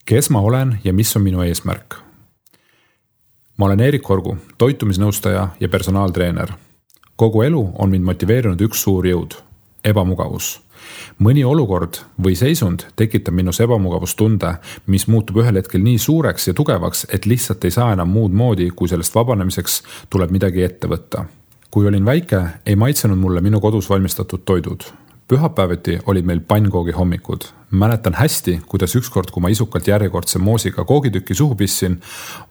Kes ma olen ja mis on minu eesmärk? Ma olen Erik Korgu, toitumisnõustaja ja personaaltreener. Kogu elu on mind motiveerinud üks suur jõud, ebamugavus. Mõni olukord või seisund tekitab minus ebamugavustunde, mis muutub ühel hetkel nii suureks ja tugevaks, et lihtsalt ei saa enam muud moodi, kui sellest vabanemiseks tuleb midagi ette võtta. Kui olin väike, ei maitsenud mulle minu kodus valmistatud toidud. Pühapäeviti olid meil pannkoogi hommikud. Mäletan hästi, kuidas ükskord, kui ma isukalt järjekordse moosiga koogitükki suhu pissin,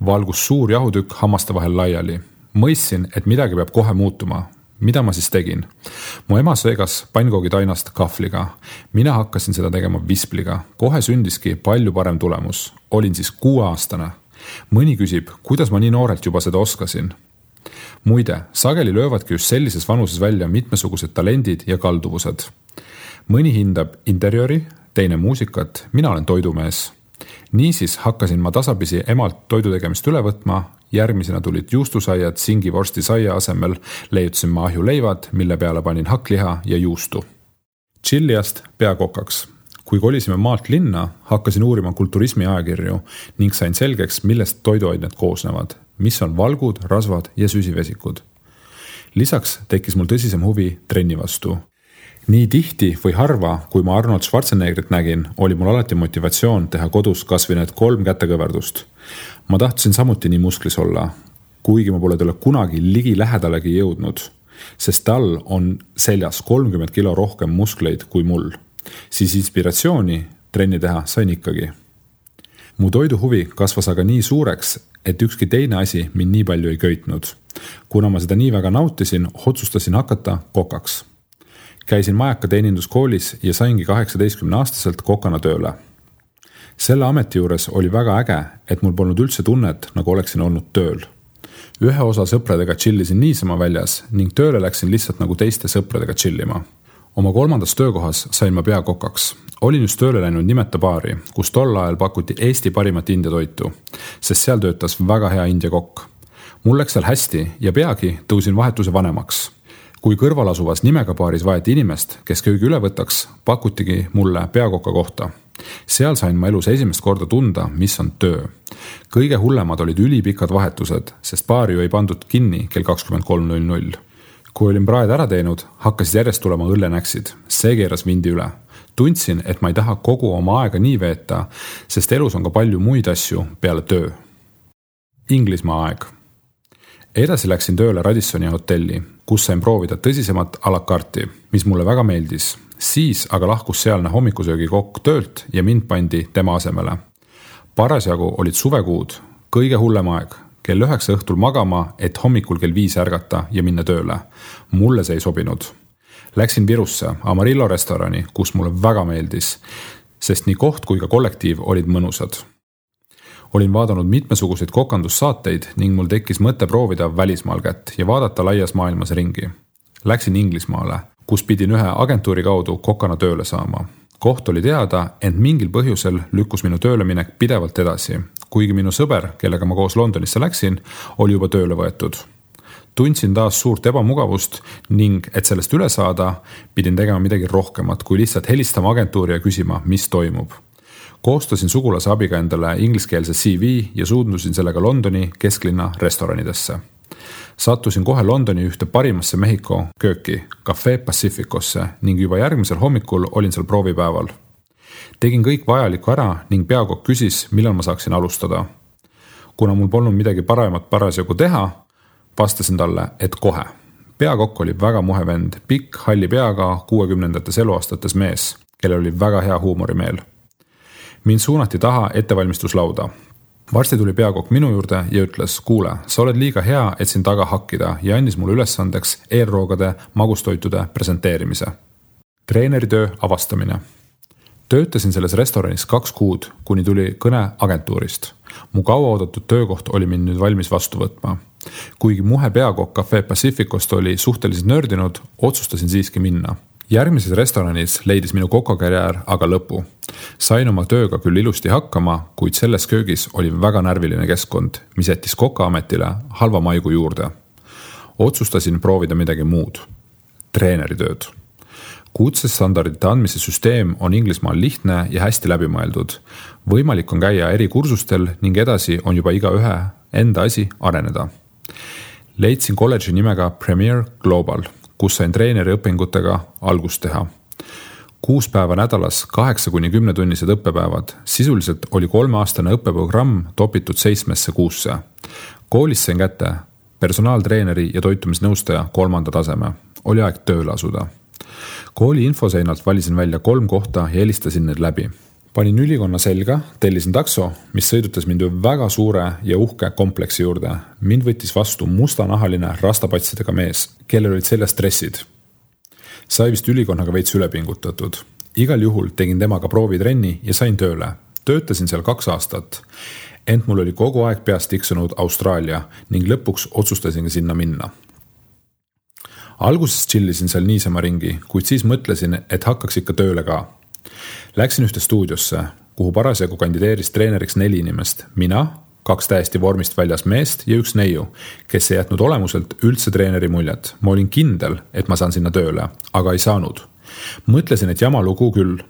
valgus suur jahutükk hammaste vahel laiali. Mõistsin, et midagi peab kohe muutuma. Mida ma siis tegin? Mu ema seegas pannkoogidainast kahvliga. Mina hakkasin seda tegema vispliga. Kohe sündiski palju parem tulemus. Olin siis 6-aastane. Mõni küsib, kuidas ma nii noorelt juba seda oskasin. Muide, sageli löövadki just sellises vanuses välja mitmesugused talendid ja kalduvused. Mõni hindab interjööri, teine muusikat, mina olen toidumees. Niisiis hakkasin ma tasapisi emalt toidutegemist üle võtma, järgmisena tulid juustusaiad, singivorsti saia asemel leiutasin ma ahjuleivad, mille peale panin hakkliha ja juustu. Tšilliast peakokaks. Kui kolisime maalt linna, hakkasin uurima kulturismi ajakirju ning sain selgeks, millest toiduained koosnevad, mis on valgud, rasvad ja süsivesikud. Lisaks tekkis mul tõsisem huvi trenni vastu. Nii tihti või harva, kui ma Arnold Schwarzeneggerit nägin, oli mul alati motivatsioon teha kodus kas või need 3 kätekõverdust. Ma tahtsin samuti nii musklis olla, kuigi ma pole talle kunagi ligi lähedalegi jõudnud, sest tal on seljas 30 kilo rohkem muskleid kui mul. Siis inspiratsiooni trenni teha sain ikkagi. Mu toiduhuvi kasvas aga nii suureks, et ükski teine asi mind nii palju ei köitnud. Kuna ma seda nii väga nautisin, otsustasin hakata kokaks. Käisin Majaka teeninduskoolis ja saingi 18-aastaselt kokana tööle. Selle ameti juures oli väga äge, et mul polnud üldse tunnet, nagu oleksin olnud tööl. Ühe osa sõpradega chillisin niisama väljas ning tööle läksin lihtsalt nagu teiste sõpradega chillima. Oma 3. töökohas sain ma peakokaks. Olin just tööle läinud nimeta baari, kus tol ajal pakuti Eesti parimat India toitu, sest seal töötas väga hea India kokk. Mul läks seal hästi ja peagi tõusin vahetuse vanemaks. Kui kõrval asuvas nimega baaris vaeti inimest, kes köögi üle võtaks, pakutigi mulle peakoka kohta. Seal sain ma elus esimest korda tunda, mis on töö. Kõige hullemad olid ülipikad vahetused, sest baari ju ei pandud kinni kell 23.00. Kui olin praed ära teinud, hakkasid järjest tulema õllenäksid. See keeras vindi üle. Tundsin, et ma ei taha kogu oma aega nii veeta, sest elus on ka palju muid asju peale töö. Inglismaa aeg. Edasi läksin tööle Radissoni hotelli, kus sain proovida tõsisemat a la carte, mis mulle väga meeldis. Siis aga lahkus sealne hommikusöögi kokk töölt ja mind pandi tema asemele. Parasjagu olid suvekuud, kõige hullem aeg. Kell 9 õhtul magama, et hommikul kell 5 ärgata ja minna tööle. Mulle see ei sobinud. Läksin Virusse Amarillo restorani, kus mulle väga meeldis, sest nii koht kui ka kollektiiv olid mõnusad. Olin vaadanud mitmesuguseid kokandussaateid ning mul tekkis mõte proovida välismaal kätt ja vaadata laias maailmas ringi. Läksin Inglismaale, kus pidin ühe agentuuri kaudu kokana tööle saama. Koht oli teada, ent mingil põhjusel lükkus minu tööleminek pidevalt edasi, kuigi minu sõber, kellega ma koos Londonisse läksin, oli juba tööle võetud. Tundsin taas suurt ebamugavust ning, et sellest üle saada, pidin tegema midagi rohkemat, kui lihtsalt helistama agentuuri ja küsima, mis toimub. Koostasin sugulase abiga endale ingliskeelse CV ja suundusin sellega Londoni kesklinna restoranidesse. Sattusin kohe Londoni ühte parimasse Mehhiko kööki, Café Pacificosse ning juba järgmisel hommikul olin seal proovipäeval. Tegin kõik vajalikku ära ning peakokk küsis, millal ma saaksin alustada. Kuna mul polnud midagi paremat parasjagu teha, vastasin talle, et kohe. Peakokk oli väga muhe vend, pikk, halli peaga 60. eluaastates mees, kellel oli väga hea huumorimeel. Mind suunati taha ettevalmistuslauda. Varsti tuli peakokk minu juurde ja ütles, kuule, sa oled liiga hea, et siin taga hakkida ja andis mulle ülesandeks eelroogade magustoitude presenteerimise. Treeneritöö avastamine. Töötasin selles restoranis 2 kuud, kuni tuli kõne agentuurist. Mu kauaoodatud töökoht oli mind nüüd valmis vastu võtma. Kuigi muhe peakokk Café Pacificost oli suhteliselt nördinud, otsustasin siiski minna. Järgmises restoranis leidis minu kokakarjäär aga lõpu. Sain oma tööga küll ilusti hakkama, kuid selles köögis oli väga närviline keskkond, mis jättis kokaametile halva maigu juurde. Otsustasin proovida midagi muud. Treeneritööd. kutsestandardite andmise süsteem on Inglismaal lihtne ja hästi läbimõeldud. Võimalik on käia eri kursustel ning edasi on juba igaühe enda asi areneda. Leidsin kolledži nimega Premier Global, kus sain treeneri õpingutega algust teha. 6 päeva nädalas, 8-10 tunnised õppepäevad. Sisuliselt oli 3-aastane õppeprogramm topitud 7 kuusse. Koolis sain kätte personaaltreeneri ja toitumisnõustaja 3. taseme. Oli aeg tööle asuda. Kooli infoseinalt valisin välja 3 kohta ja helistasin need läbi. Panin ülikonna selga, tellisin takso, mis sõidutas mind väga suure ja uhke kompleksi juurde. Mind võttis vastu mustanahaline rastapatsidega mees, kellel olid seljas stressid. Sai vist ülikonnaga veits ülepingutatud. Igal juhul tegin temaga proovitrenni ja sain tööle. Töötasin seal 2 aastat. Ent mul oli kogu aeg peast tiksunud Austraalia ning lõpuks otsustasin sinna minna. Alguses chillisin seal niisama ringi, kuid siis mõtlesin, et hakkaks ikka tööle ka. Läksin ühte stuudiosse, kuhu parasjagu kandideeris treeneriks 4 inimest. Mina, 2 täiesti vormist väljas meest ja 1 neiu, kes ei jätnud olemuselt üldse treeneri muljet. Ma olin kindel, et ma saan sinna tööle, aga ei saanud. Mõtlesin, et jama lugu küll.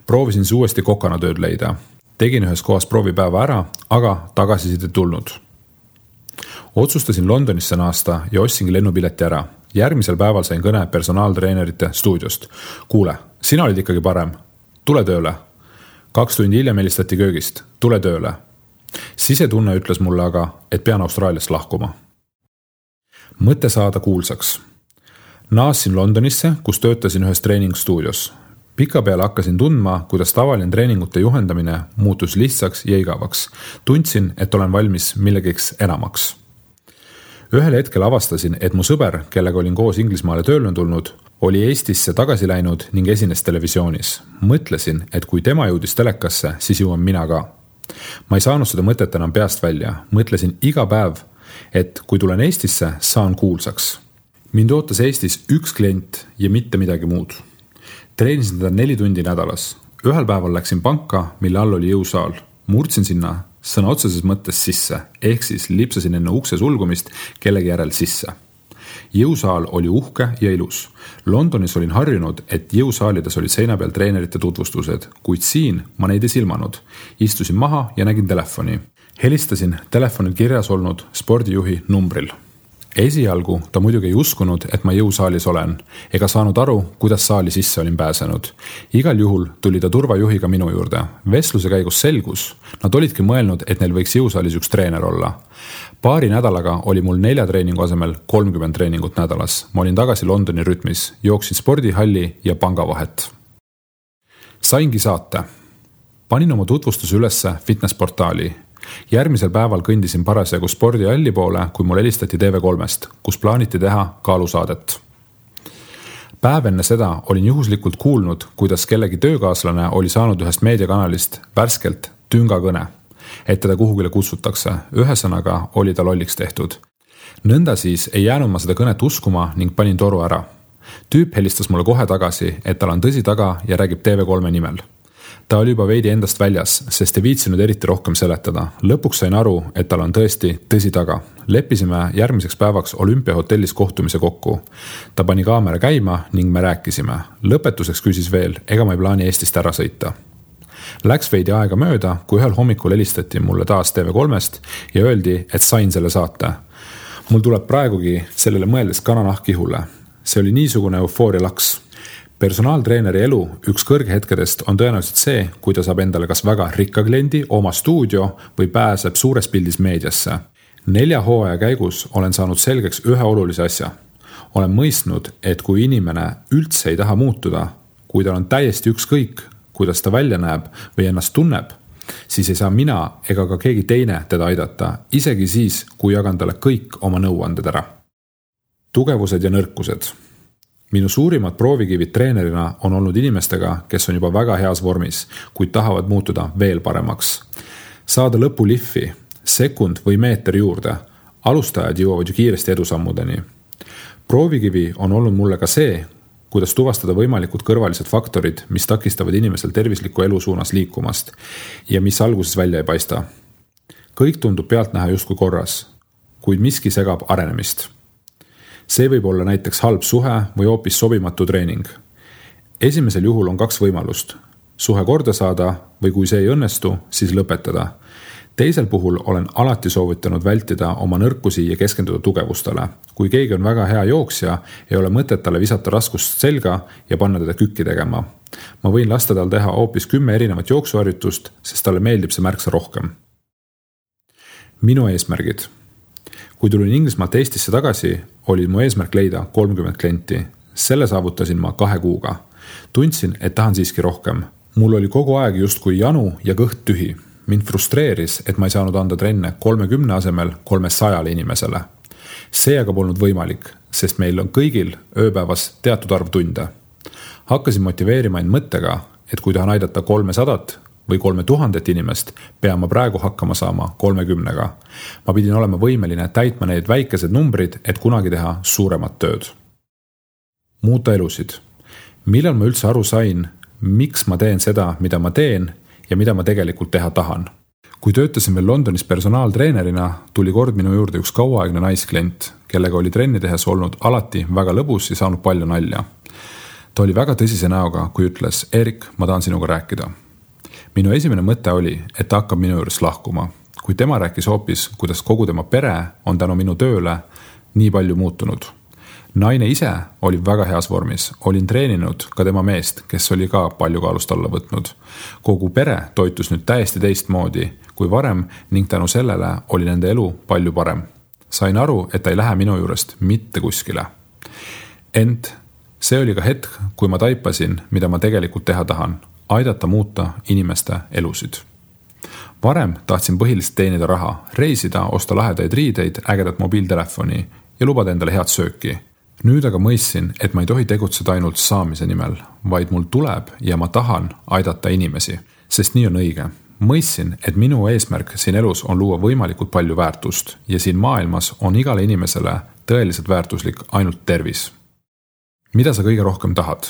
Proovisin siis uuesti kokana tööd leida. Tegin ühes kohas proovipäeva ära, aga tagasiside tulnud. Otsustasin Londonisse naasta ja ostsingi lennupileti ära. Järgmisel päeval sain kõne personaaltreenerite stuudiost. Kuule, sina olid ikkagi parem. Tule tööle. 2 tundi hiljem helistati köögist. Tule tööle. Sisetunne ütles mulle aga, et pean Austraaliast lahkuma. Mõte saada kuulsaks. Naasin Londonisse, kus töötasin ühes treeningstuudios. Pikapeale hakkasin tundma, kuidas tavaline treeningute juhendamine muutus lihtsaks ja igavaks. Tundsin, et olen valmis millegiks enamaks. Ühel hetkel avastasin, et mu sõber, kellega olin koos Inglismaale tööle tulnud, oli Eestisse tagasi läinud ning esines televisioonis. Mõtlesin, et kui tema jõudis telekasse, siis jõuan mina ka. Ma ei saanud seda mõtet enam peast välja. Mõtlesin iga päev, et kui tulen Eestisse, saan kuulsaks. Mind ootas Eestis 1 klient ja mitte midagi muud. Treenisin teda 4 tundi nädalas. Ühel päeval läksin panka, mille all oli jõusaal. Murdsin sinna sõna otseses mõttes sisse, ehk siis lipsasin enne ukse sulgumist kellegi järel sisse. Jõusaal oli uhke ja ilus. Londonis olin harjunud, et jõusaalides olid seina peal treenerite tutvustused, kuid siin ma neid ei silmanud. Istusin maha ja nägin telefoni. Helistasin telefonil kirjas olnud spordijuhi numbril. Esialgu ta muidugi ei uskunud, et ma jõusaalis olen, ega saanud aru, kuidas saali sisse olin pääsenud. Igal juhul tuli ta turvajuhiga minu juurde. Vestluse käigus selgus, nad olidki mõelnud, et neil võiks jõusaalis 1 treener olla. Paari nädalaga oli mul 4 treeningu asemel 30 treeningut nädalas. Ma olin tagasi Londoni rütmis, jooksin spordihalli ja panga vahet. Saingi saate. Panin oma tutvustuse ülesse fitnessportaali. Järgmisel päeval kõndisin parasjagu spordihalli poole, kui mul helistati TV3-st, kus plaaniti teha kaalusaadet. Päev enne seda olin juhuslikult kuulnud, kuidas kellegi töökaaslane oli saanud ühest meediakanalist värskelt tüngakõne, et teda kuhugile kutsutakse. Ühesõnaga oli ta lolliks tehtud. Nõnda siis ei jäänud ma seda kõnet uskuma ning panin toru ära. Tüüp helistas mulle kohe tagasi, et tal on tõsi taga ja räägib TV3 nimel. Ta oli juba veidi endast väljas, sest ei viitsinud eriti rohkem seletada. Lõpuks sain aru, et tal on tõesti tõsi taga. Leppisime järgmiseks päevaks Olümpiahotellis kohtumise kokku. Ta pani kaamera käima ning me rääkisime. Lõpetuseks küsis veel, ega ma ei plaani Eestist ära sõita. Läks veidi aega mööda, kui ühel hommikul helistati mulle taas TV3-st ja öeldi, et sain selle saate. Mul tuleb praegugi sellele mõeldes kananahk ihule. See oli niisugune eufooria laks. Personaaltreeneri elu üks kõrghetkedest on tõenäoliselt see, kui ta saab endale kas väga rikka kliendi, oma stuudio või pääseb suures pildis meediasse. 4 hooaja käigus olen saanud selgeks ühe olulise asja. Olen mõistnud, et kui inimene üldse ei taha muutuda, kui tal on täiesti ükskõik, kuidas ta välja näeb või ennast tunneb, siis ei saa mina ega ka keegi teine teda aidata, isegi siis, kui jagan talle kõik oma nõuanded ära. Tugevused ja nõrkused. Minu suurimad proovikivid treenerina on olnud inimestega, kes on juba väga heas vormis, kuid tahavad muutuda veel paremaks. Saada lõpuliffi, sekund või meeter juurde. Alustajad jõuavad ju kiiresti edusammudeni. Proovikivi on olnud mulle ka see, kuidas tuvastada võimalikud kõrvalised faktorid, mis takistavad inimesel tervisliku elu suunas liikumast ja mis alguses välja ei paista. Kõik tundub pealtnäha justkui korras, kuid miski segab arenemist. See võib olla näiteks halb suhe või hoopis sobimatu treening. Esimesel juhul on 2 võimalust. Suhe korda saada või kui see ei õnnestu, siis lõpetada. Teisel puhul olen alati soovitanud vältida oma nõrkusi ja keskenduda tugevustele. Kui keegi on väga hea jooksja, ei ole mõtet talle visata raskust selga ja panna teda kükki tegema. Ma võin lasta tal teha hoopis 10 erinevat jooksuharjutust, sest talle meeldib see märksa rohkem. Minu eesmärgid. Kui tulin Inglismaalt Eestisse tagasi, oli mu eesmärk leida 30 klienti. Selle saavutasin ma 2 kuuga. Tundsin, et tahan siiski rohkem. Mul oli kogu aeg justkui janu ja kõht tühi. Mind frustreeris, et ma ei saanud anda trenne 30 asemel 300 inimesele. See aga polnud võimalik, sest meil on kõigil ööpäevas teatud arv tunde. Hakkasin motiveerima end mõttega, et kui tahan aidata 300 või 3000 inimest, pean ma praegu hakkama saama 30-ga. Ma pidin olema võimeline täitma need väikesed numbrid, et kunagi teha suuremat tööd. Muuta elusid. Millal ma üldse aru sain, miks ma teen seda, mida ma teen ja mida ma tegelikult teha tahan. Kui töötasin veel Londonis personaaltreenerina, tuli kord minu juurde üks kauaaegne naisklient, kellega oli trenni tehes olnud alati väga lõbus ja saanud palju nalja. Ta oli väga tõsise näoga, kui ütles, Erik, ma tahan sinuga rääkida. Minu esimene mõte oli, et ta hakkab minu juures lahkuma. Kui tema rääkis hoopis, kuidas kogu tema pere on tänu minu tööle nii palju muutunud. Naine ise oli väga heas vormis. Olin treeninud ka tema meest, kes oli ka palju kaalust alla võtnud. Kogu pere toitus nüüd täiesti teistmoodi kui varem ning tänu sellele oli nende elu palju parem. Sain aru, et ta ei lähe minu juurest mitte kuskile. Ent see oli ka hetk, kui ma taipasin, mida ma tegelikult teha tahan. Aidata muuta inimeste elusid. Varem tahtsin põhiliselt teenida raha, reisida, osta lahedaid riideid, ägedat mobiiltelefoni ja lubada endale head sööki. Nüüd aga mõistsin, et ma ei tohi tegutseda ainult saamise nimel, vaid mul tuleb ja ma tahan aidata inimesi, sest nii on õige. Mõistsin, et minu eesmärk siin elus on luua võimalikult palju väärtust ja siin maailmas on igale inimesele tõeliselt väärtuslik ainult tervis. Mida sa kõige rohkem tahad?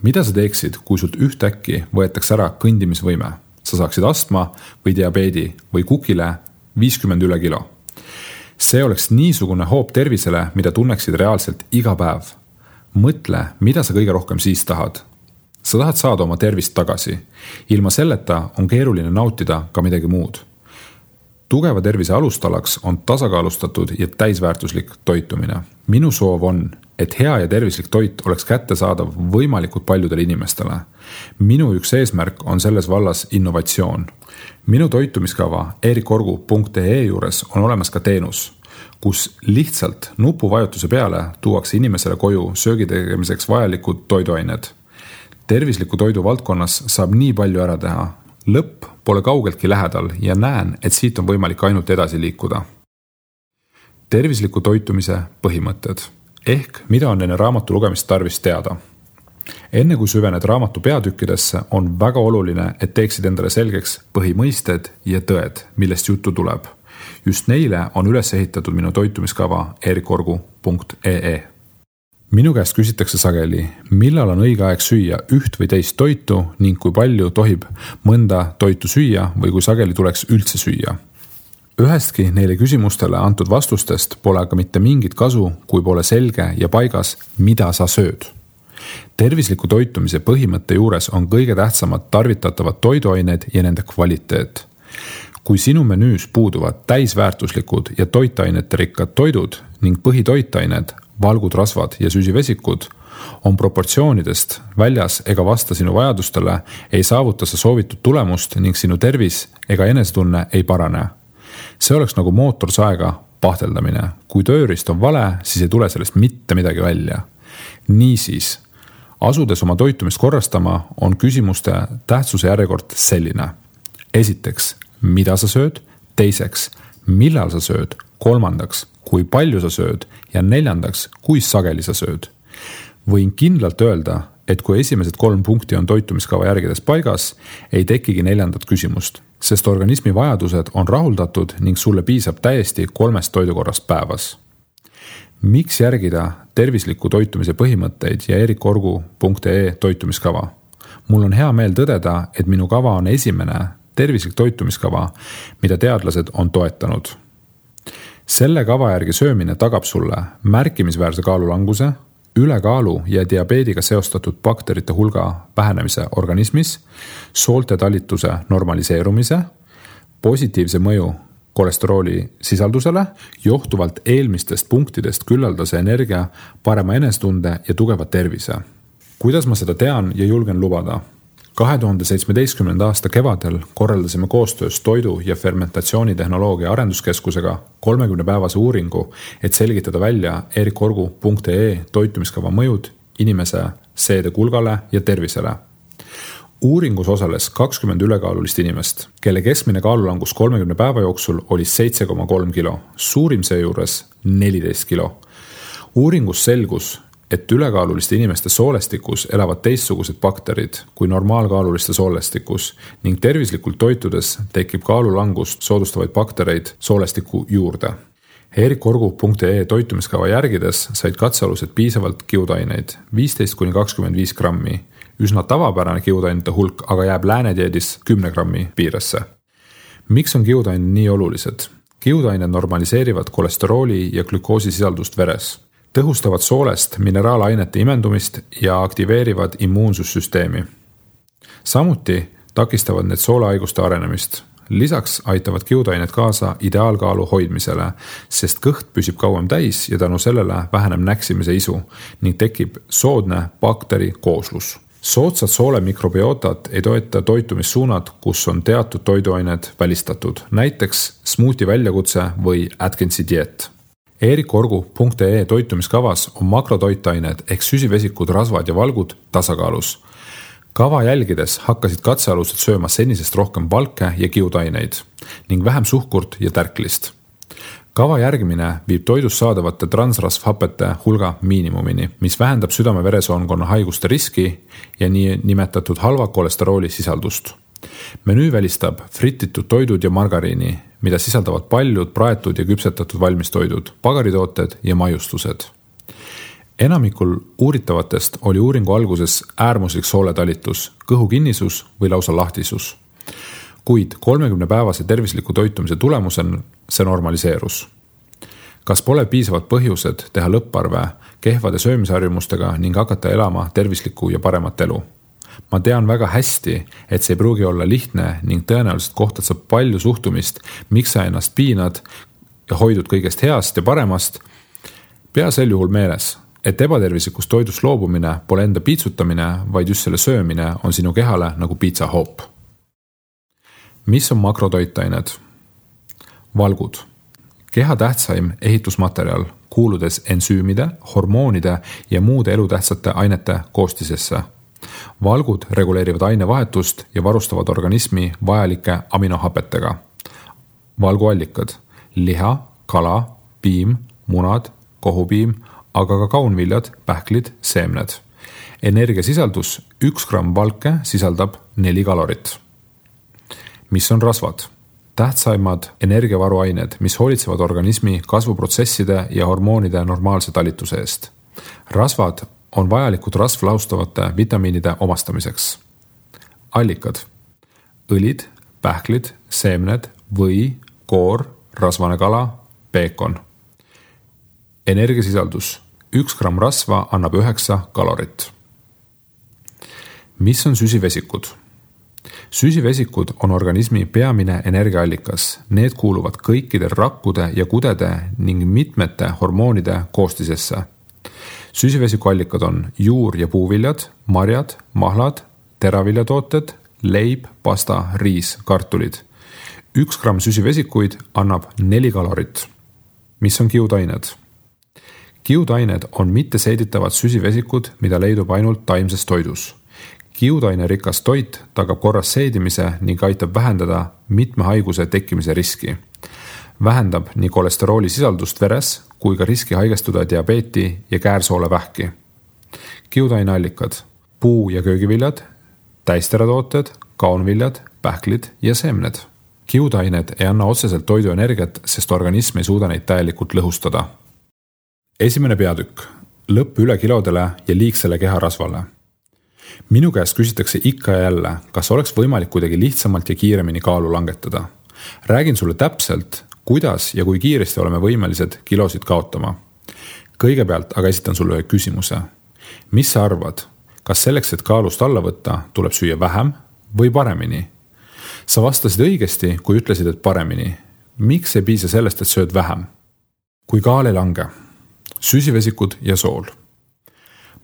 Mida sa teeksid, kui sult ühtäkki võetakse ära kõndimisvõime? Sa saaksid astma või diabeedi või kukile 50 üle kilo. See oleks niisugune hoop tervisele, mida tunneksid reaalselt iga päev. Mõtle, mida sa kõige rohkem siis tahad. Sa tahad saada oma tervist tagasi. Ilma selleta on keeruline nautida ka midagi muud. Tugeva tervise alustalaks on tasakaalustatud ja täisväärtuslik toitumine. Minu soov on, et hea ja tervislik toit oleks kättesaadav võimalikult paljudele inimestele. Minu üks eesmärk on selles vallas innovatsioon. Minu toitumiskava erikorgu.ee juures on olemas ka teenus, kus lihtsalt nupuvajutuse peale tuuakse inimesele koju söögi tegemiseks vajalikud toiduained. Tervisliku toidu valdkonnas saab nii palju ära teha. Lõpp pole kaugeltki lähedal ja näen, et siit on võimalik ainult edasi liikuda. Tervisliku toitumise põhimõtted. Ehk mida on enne raamatu lugemist tarvis teada. Enne kui süvened raamatu peatükkidesse, on väga oluline, et teeksid endale selgeks põhimõisted ja tõed, millest juttu tuleb. Just neile on üles ehitatud minu toitumiskava erikorgu.ee. Minu käest küsitakse sageli, millal on õige aeg süüa üht või teist toitu ning kui palju tohib mõnda toitu süüa või kui sageli tuleks üldse süüa. Ühestki neile küsimustele antud vastustest pole aga mitte mingit kasu, kui pole selge ja paigas, mida sa sööd. Tervisliku toitumise põhimõtte juures on kõige tähtsamad tarvitatavad toiduained ja nende kvaliteet. Kui sinu menüüs puuduvad täisväärtuslikud ja toitainete rikkad toidud ning põhitoitained, valgud, rasvad ja süsivesikud on proportsioonidest väljas ega vasta sinu vajadustele, ei saavuta sa soovitud tulemust ning sinu tervis ega enesetunne ei parane. See oleks nagu mootorsaega pahteldamine. Kui tööriist on vale, siis ei tule sellest mitte midagi välja. Niisiis, asudes oma toitumist korrastama, on küsimuste tähtsuse järjekord selline. Esiteks, mida sa sööd? Teiseks, millal sa sööd? Kolmandaks, kui palju sa sööd? Ja neljandaks, kui sageli sa sööd? Võin kindlalt öelda, et kui esimesed 3 punkti on toitumiskava järgides paigas, ei tekigi 4. küsimust, sest organismi vajadused on rahuldatud ning sulle piisab täiesti 3 toidukorrast päevas. Miks järgida tervisliku toitumise põhimõtteid ja erikorgu.ee toitumiskava? Mul on hea meel tõdeda, et minu kava on esimene tervislik toitumiskava, mida teadlased on toetanud. Selle kava järgi söömine tagab sulle märkimisväärse kaalulanguse, ülekaalu ja diabeediga seostatud bakterite hulga vähenemise organismis, soolte talituse normaliseerumise, positiivse mõju kolesterooli sisaldusele, johtuvalt eelmistest punktidest küllaldase energia, parema enesetunde ja tugeva tervise. Kuidas ma seda tean ja julgen lubada? 2017. aasta kevadel korraldasime koostöös toidu- ja fermentatsioonitehnoloogia arenduskeskusega 30-päevase uuringu, et selgitada välja erikorgu.ee toitumiskava mõjud inimese seedekulgale ja tervisele. Uuringus osales 20 ülekaalulist inimest, kelle keskmine kaalulangus 30 päeva jooksul oli 7,3 kilo, suurim seejuures 14 kilo. Uuringus selgus, et ülekaaluliste inimeste soolestikus elavad teistsugused bakterid kui normaalkaaluliste soolestikus ning tervislikult toitudes tekib kaalulangust soodustavaid baktereid soolestiku juurde. erikorgu.ee toitumiskava järgides said katsealused piisavalt kiudaineid, 15-25 grammi. Üsna tavapärane kiudainete hulk aga jääb läänedieedis 10 grammi piiresse. Miks on kiudained nii olulised? Kiudained normaliseerivad kolesterooli ja glükoosisisaldust veres, tõhustavad soolest mineraalainete imendumist ja aktiveerivad immuunsussüsteemi. Samuti takistavad need soolehaiguste arenemist. Lisaks aitavad kiudained kaasa ideaalkaalu hoidmisele, sest kõht püsib kauem täis ja tänu sellele väheneb näksimise isu ning tekib soodne bakteri kooslus. Soodsad soole mikrobiotat ei toeta toitumissuunad, kus on teatud toiduained välistatud, näiteks smuuti väljakutse või Atkinsi dieet. erikorgu.ee toitumiskavas on makrotoitained ehk süsivesikud, rasvad ja valgud tasakaalus. Kava jälgides hakkasid katsealused sööma senisest rohkem valke ja kiudaineid ning vähem suhkurt ja tärklist. Kava järgimine viib toidus saadavate transrasvhapete hulga miinimumini, mis vähendab südame-veresoonkonna haiguste riski ja nii nimetatud halva kolesterooli sisaldust. Menüü välistab frititud toidud ja margariini, mida sisaldavad paljud praetud ja küpsetatud valmistoidud, pagaritooted ja maiustused. Enamikul uuritavatest oli uuringu alguses äärmuslik sooletalitus, kõhukinnisus või lausa lahtisus. Kuid 30-päevase tervisliku toitumise tulemusel see normaliseerus. Kas pole piisavad põhjused teha lõpparve kehvade söömisharjumustega ning hakata elama tervislikku ja paremat elu? Ma tean väga hästi, et see ei pruugi olla lihtne ning tõenäoliselt kohtad sa palju suhtumist, miks sa ennast piinad ja hoidud kõigest heast ja paremast. Pea sel juhul meeles, et ebatervislikust toidust loobumine pole enda piitsutamine, vaid just selle söömine on sinu kehale nagu piitsahoop. Mis on makrotoitained? Valgud. Keha tähtsaim ehitusmaterjal, kuuludes ensüümide, hormoonide ja muude elutähtsate ainete koostisesse. Valgud reguleerivad ainevahetust ja varustavad organismi vajalike aminohapetega. Valguallikad: liha, kala, piim, munad, kohupiim, aga ka kaunviljad, pähklid, seemned. Energiasisaldus: 1 gramm valke sisaldab 4 kalorit. Mis on rasvad? Tähtsaimad energiavaruained, mis hoolitsevad organismi kasvuprotsesside ja hormoonide normaalse talituse eest. Rasvad on vajalikud rasvlaustavate vitamiinide omastamiseks. Allikad: õlid, pähklid, seemned, või, koor, rasvane kala, peekon. Energiasisaldus: 1 gramm rasva annab 9 kalorit. Mis on süsivesikud? Süsivesikud on organismi peamine energiaallikas. Need kuuluvad kõikide rakkude ja kudede ning mitmete hormoonide koostisesse. Süsivesikuallikad on juur- ja puuviljad, marjad, mahlad, teraviljatooted, leib, pasta, riis, kartulid. 1 gramm süsivesikuid annab 4 kalorit. Mis on kiudained? Kiudained on mitteseeditavad süsivesikud, mida leidub ainult taimses toidus. Kiudaine rikas toit tagab korras seedimise ning aitab vähendada mitme haiguse tekkimise riski. Vähendab nii kolesterooli sisaldust veres kui ka riski haigestuda diabeeti ja käärsoolevähki. Kiudaineallikad: puu- ja köögiviljad, täisteratooted, kaunviljad, pähklid ja seemned. Kiudained ei anna otseselt toiduenergiat, sest organism ei suuda neid täielikult lõhustada. Esimene peatükk: lõpp ülekilodele ja liigsele keharasvale. Minu käest küsitakse ikka ja jälle, kas oleks võimalik kuidagi lihtsamalt ja kiiremini kaalu langetada. Räägin sulle täpselt, kuidas ja kui kiiresti oleme võimelised kilosid kaotama. Kõigepealt aga esitan sulle ühe küsimuse. Mis sa arvad, kas selleks, et kaalust alla võtta, tuleb süüa vähem või paremini? Sa vastasid õigesti, kui ütlesid, et paremini. Miks ei piisa sellest, et sööd vähem? Kui kaal ei lange, süsivesikud ja sool.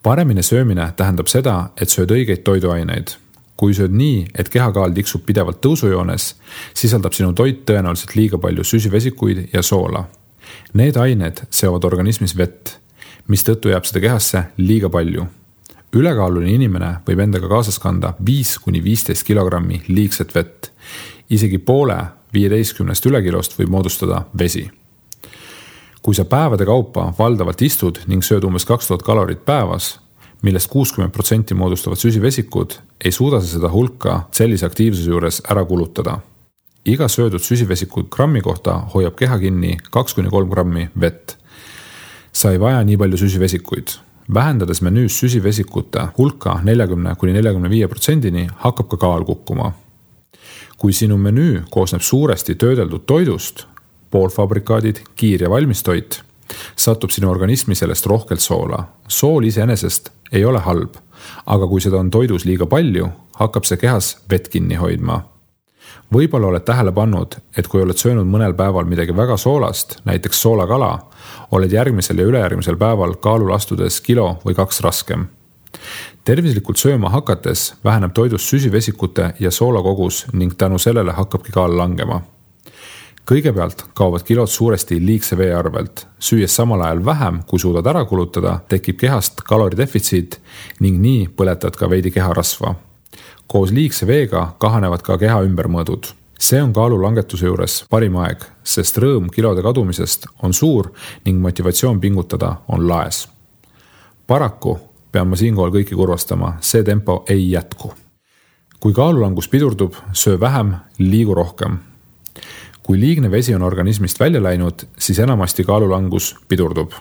Paremini söömine tähendab seda, et sööd õigeid toiduaineid. Kui sööd nii, et kehakaal tiksub pidevalt tõusujoones, sisaldab sinu toit tõenäoliselt liiga palju süsivesikuid ja soola. Need ained seovad organismis vett, mistõttu jääb seda kehasse liiga palju. Ülekaaluline inimene võib endaga kaasas kanda 5–15 kilogrammi liigset vett. Isegi poole 15 ülekilost võib moodustada vesi. Kui sa päevade kaupa valdavalt istud ning sööd umbes 2000 kalorit päevas, millest 60% moodustavad süsivesikud, ei suuda sa seda hulka sellise aktiivsuse juures ära kulutada. Iga söödud süsivesikud grammi kohta hoiab keha kinni 2–3 grammi vett. Sa ei vaja nii palju süsivesikuid. Vähendades menüüs süsivesikute hulka 40–45%-ni hakkab ka kaal kukkuma. Kui sinu menüü koosneb suuresti töödeldud toidust, poolfabrikaadid, kiir- ja valmistoit, satub sinu organismi sellest rohkelt soola. Sool iseenesest ei ole halb, aga kui seda on toidus liiga palju, hakkab see kehas vett kinni hoidma. Võib-olla oled tähele pannud, et kui oled söönud mõnel päeval midagi väga soolast, näiteks soolakala, oled järgmisel ja ülejärgmisel päeval kaalul astudes kilo või 2 raskem. Tervislikult sööma hakates väheneb toidus süsivesikute ja soola kogus ning tänu sellele hakkabki kaal langema. Kõigepealt kaovad kilod suuresti liigse vee arvelt. Süües samal ajal vähem, kui suudad ära kulutada, tekib kehast kaloridefitsiit ning nii põletad ka veidi keharasva. Koos liigse veega kahanevad ka keha ümbermõõdud. See on kaalu langetuse juures parim aeg, sest rõõm kilode kadumisest on suur ning motivatsioon pingutada on laes. Paraku pean ma siinkohal kõiki kurvastama, see tempo ei jätku. Kui kaalulangus pidurdub, söö vähem, liigu rohkem. Kui liigne vesi on organismist välja läinud, siis enamasti kaalulangus pidurdub.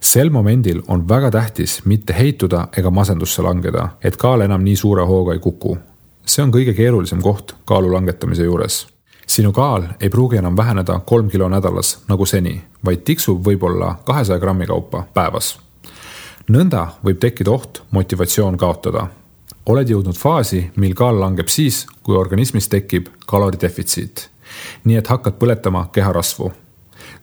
Sel momendil on väga tähtis mitte heituda ega masendusse langeda, et kaal enam nii suure hooga ei kuku. See on kõige keerulisem koht kaalu langetamise juures. Sinu kaal ei pruugi enam väheneda 3 kilo nädalas nagu seni, vaid tiksub võib-olla 200 grammi kaupa päevas. Nõnda võib tekkida oht motivatsioon kaotada. Oled jõudnud faasi, mil kaal langeb siis, kui organismis tekib kaloridefitsiit. Nii et hakkad põletama keharasvu.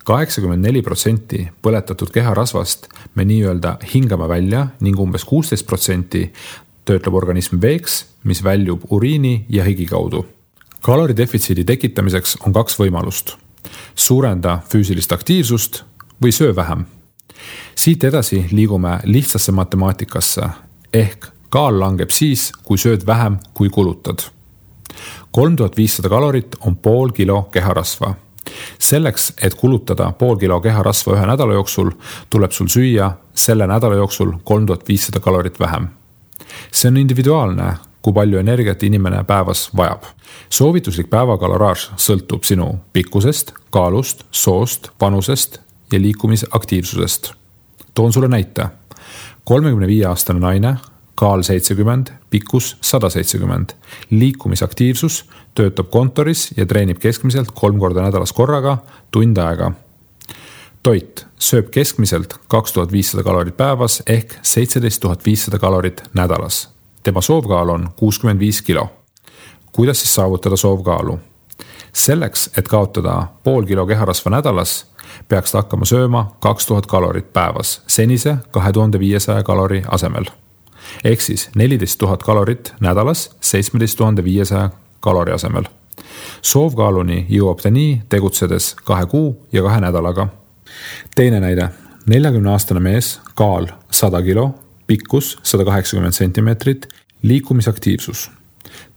84% põletatud keharasvast me nii-öelda hingame välja ning umbes 16% töötleb organism veeks, mis väljub uriini ja higi kaudu. Kaloridefitsiidi tekitamiseks on 2 võimalust. Suurenda füüsilist aktiivsust või söö vähem. Siit edasi liigume lihtsasse matemaatikasse, ehk kaal langeb siis, kui sööd vähem, kui kulutad. 3500 kalorit on pool kilo keharasva. Selleks, et kulutada pool kilo keharasva 1 nädala jooksul, tuleb sul süüa selle nädala jooksul 3500 kalorit vähem. See on individuaalne, kui palju energiat inimene päevas vajab. Soovituslik päevakaloraaž sõltub sinu pikkusest, kaalust, soost, vanusest ja liikumisaktiivsusest. Toon sulle näite. 35-aastane naine, kaal 70, pikkus 170. Liikumisaktiivsus, töötab kontoris ja treenib keskmiselt 3 korda nädalas korraga, tund aega. Toit sööb keskmiselt 2500 kalorit päevas ehk 17500 kalorit nädalas. Tema soovkaal on 65 kilo. Kuidas siis saavutada soovkaalu? Selleks, et kaotada pool kilo keharasva nädalas, peaks ta hakkama sööma 2000 kalorit päevas, senise 2500 kalori asemel. Ehk siis 14 000 kalorit nädalas 17 500 kalori asemel. Soovkaaluni jõuab ta nii tegutsedes 2 kuu ja 2 nädalaga. Teine näide. 40-aastane mees, kaal 100 kilo, pikkus 180 cm, liikumisaktiivsus.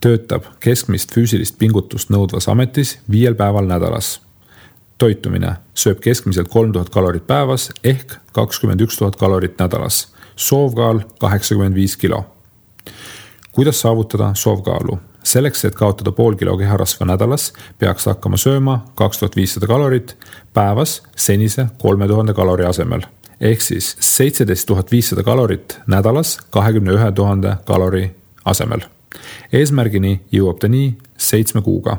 Töötab keskmist füüsilist pingutust nõudvas ametis 5 päeval nädalas. Toitumine sööb keskmiselt 3000 kalorit päevas ehk 21 000 kalorit nädalas. Soovkaal 85 kilo. Kuidas saavutada soovkaalu? Selleks, et kaotada pool kilo keharasva nädalas, peaks hakkama sööma 2500 kalorit päevas senise 3000 kalori asemel. Ehk siis 17 500 kalorit nädalas 21 000 kalori asemel. Eesmärgini jõuab ta nii 7 kuuga.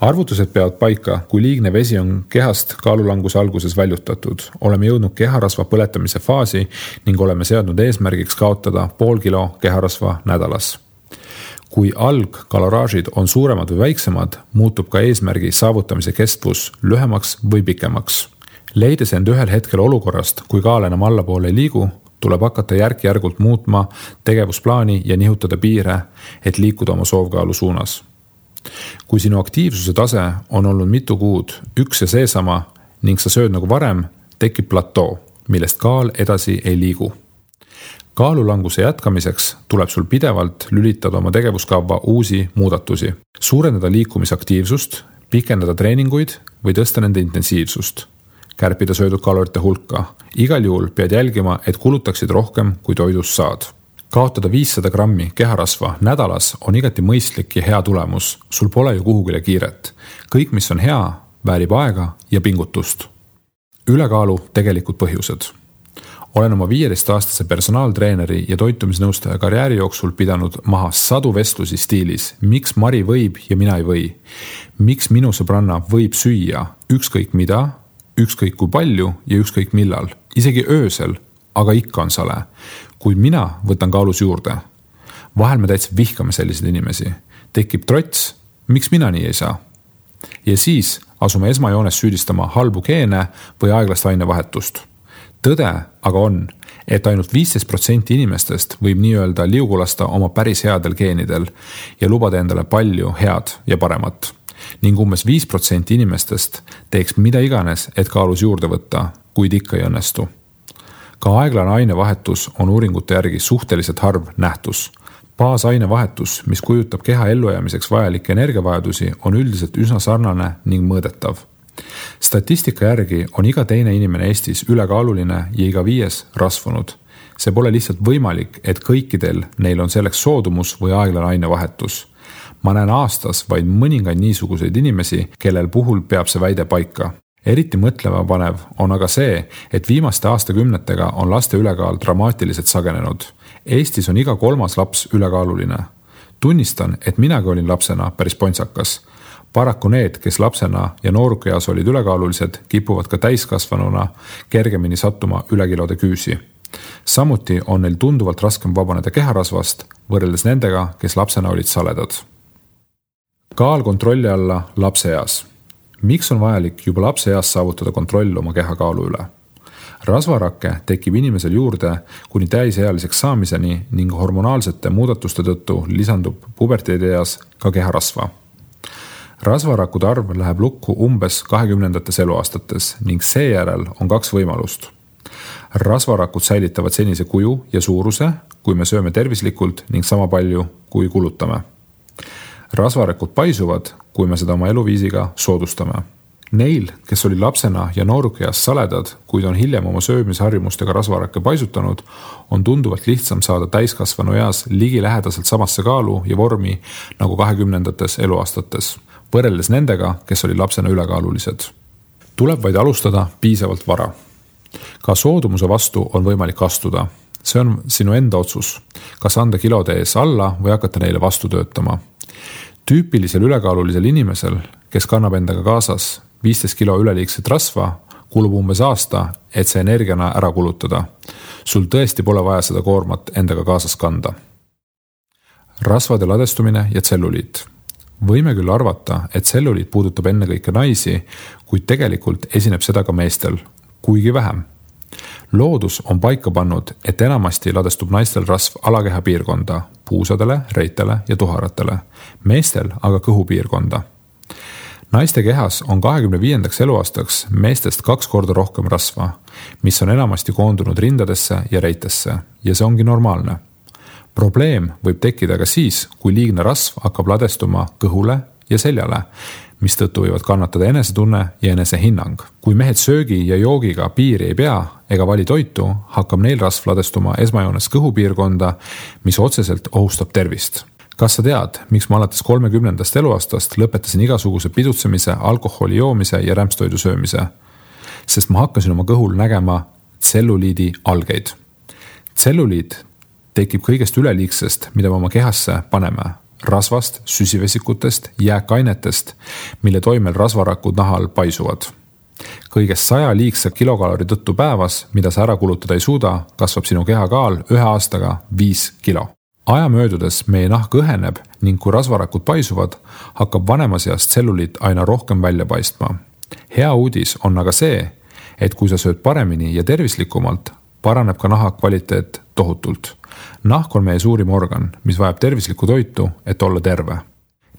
Arvutused peavad paika, kui liigne vesi on kehast kaalulanguse alguses väljutatud. Oleme jõudnud keharasva põletamise faasi ning oleme seadnud eesmärgiks kaotada 0,5 kilo keharasva nädalas. Kui algkaloraažid on suuremad või väiksemad, muutub ka eesmärgi saavutamise kestvus lühemaks või pikemaks. Leides end ühel hetkel olukorrast, kui kaal enam allapoole ei liigu, tuleb hakata järk-järgult muutma tegevusplaani ja nihutada piire, et liikuda oma soovkaalu suunas. Kui sinu aktiivsuse tase on olnud mitu kuud üks ja seesama ning sa sööd nagu varem, tekib platoo, millest kaal edasi ei liigu. Kaalulanguse jätkamiseks tuleb sul pidevalt lülitada oma tegevuskava uusi muudatusi, suurendada liikumisaktiivsust, pikendada treeninguid või tõsta nende intensiivsust, kärpida söödud kalorite hulka. Igal juhul pead jälgima, et kulutaksid rohkem, kui toidust saad. Kaotada 500 grammi keharasva nädalas on igati mõistlik ja hea tulemus. Sul pole ju kuhugile kiiret. Kõik, mis on hea, väärib aega ja pingutust. Ülekaalu tegelikud põhjused. Olen oma 15-aastase personaaltreeneri ja toitumisnõustaja karjääri jooksul pidanud maha sadu vestlusi stiilis, miks Mari võib ja mina ei või. Miks minu sõbranna võib süüa ükskõik mida, ükskõik kui palju ja ükskõik millal, isegi öösel, aga ikka on sale. Kuid mina võtan kaalus juurde. Vahel me täitsa vihkame selliseid inimesi. Tekib trots, miks mina nii ei saa? Ja siis asume esmajoones süüdistama halbu geene või aeglast ainevahetust. Tõde aga on, et ainult 15% inimestest võib nii öelda liugulasta oma päris headel geenidel ja lubada endale palju head ja paremat. Ning umbes 5% inimestest teeks mida iganes, et kaalus juurde võtta, kuid ikka ei õnnestu. Ka aeglane ainevahetus on uuringute järgi suhteliselt harv nähtus. Baasainevahetus, mis kujutab keha ellujäämiseks vajalikke energiavajadusi, on üldiselt üsna sarnane ning mõõdetav. Statistika järgi on iga teine inimene Eestis ülekaaluline ja iga 5 rasvunud. See pole lihtsalt võimalik, et kõikidel neil on selleks soodumus või aeglane ainevahetus. Ma näen aastas vaid mõningaid niisuguseid inimesi, kellel puhul peab see väide paika. Eriti mõtlema panev on aga see, et viimaste aastakümnetega on laste ülekaal dramaatiliselt sagenenud. Eestis on iga 3. laps ülekaaluline. Tunnistan, et minagi olin lapsena päris pontsakas. Paraku need, kes lapsena ja noorukeas olid ülekaalulised, kipuvad ka täiskasvanuna kergemini sattuma ülekilode küüsi. Samuti on neil tunduvalt raskem vabaneda keharasvast võrreldes nendega, kes lapsena olid saledad. Kaal kontrolli alla lapseeas. Miks on vajalik juba lapseeas saavutada kontroll oma kehakaalu üle? Rasvarakke tekib inimesel juurde kuni täisealiseks saamiseni ning hormonaalsete muudatuste tõttu lisandub puberteedieas ka keharasva. Rasvarakkude arv läheb lukku umbes 20. eluaastates ning seejärel on 2 võimalust. Rasvarakud säilitavad senise kuju ja suuruse, kui me sööme tervislikult ning sama palju, kui kulutame. Rasvarakud paisuvad, kui me seda oma eluviisiga soodustame. Neil, kes oli lapsena ja noorukeas saledad, kuid on hiljem oma söömisharjumustega rasvarakke paisutanud, on tunduvalt lihtsam saada täiskasvanu eas ligi lähedaselt samasse kaalu ja vormi nagu 20. eluaastates, võrreldes nendega, kes oli lapsena ülekaalulised. Tuleb vaid alustada piisavalt vara. Ka soodumuse vastu on võimalik astuda. See on sinu enda otsus, kas anda kilode ees alla või hakata neile vastu töötama. Tüüpilisel ülekaalulisel inimesel, kes kannab endaga kaasas 15 kilo üleliigset rasva, kulub umbes aasta, et see energiana ära kulutada. Sul tõesti pole vaja seda koormat endaga kaasas kanda. Rasvade ladestumine ja tselluliit. Võime küll arvata, et tselluliit puudutab ennekõike naisi, kuid tegelikult esineb seda ka meestel, kuigi vähem. Loodus on paika pannud, et enamasti ladestub naistel rasv alakeha piirkonda, puusadele, reitele ja tuharatele, meestel aga kõhupiirkonda. Naiste kehas on 25. eluaastaks meestest 2 korda rohkem rasva, mis on enamasti koondunud rindadesse ja reitesse ja see ongi normaalne. Probleem võib tekkida ka siis, kui liigne rasv hakkab ladestuma kõhule ja seljale, mis tõttu võivad kannatada enesetunne ja enesehinnang. Kui mehed söögi ja joogiga piiri ei pea ega vali toitu, hakkab neil rasv ladestuma esmajoones kõhupiirkonda, mis otseselt ohustab tervist. Kas sa tead, miks ma alates 30. eluaastast lõpetasin igasuguse pidutsemise, alkoholi joomise ja rämpstoidu söömise? Sest ma hakkasin oma kõhul nägema tselluliidi algeid. Tselluliid tekib kõigest üleliigsest, mida me oma kehasse paneme. rasvast, süsivesikutest, jääkainetest, mille toimel rasvarakud nahal paisuvad. Kõigest 100 liigse kilokalori tõttu päevas, mida sa ära kulutada ei suuda, kasvab sinu kehakaal 1 aastaga 5 kilo. Aja möödudes meie nahk õheneb ning kui rasvarakud paisuvad, hakkab vanemas east tselluliit aina rohkem välja paistma. Hea uudis on aga see, et kui sa sööd paremini ja tervislikumalt, paraneb ka naha kvaliteet tohutult. Nahk on meie suurim organ, mis vajab tervislikku toitu, et olla terve.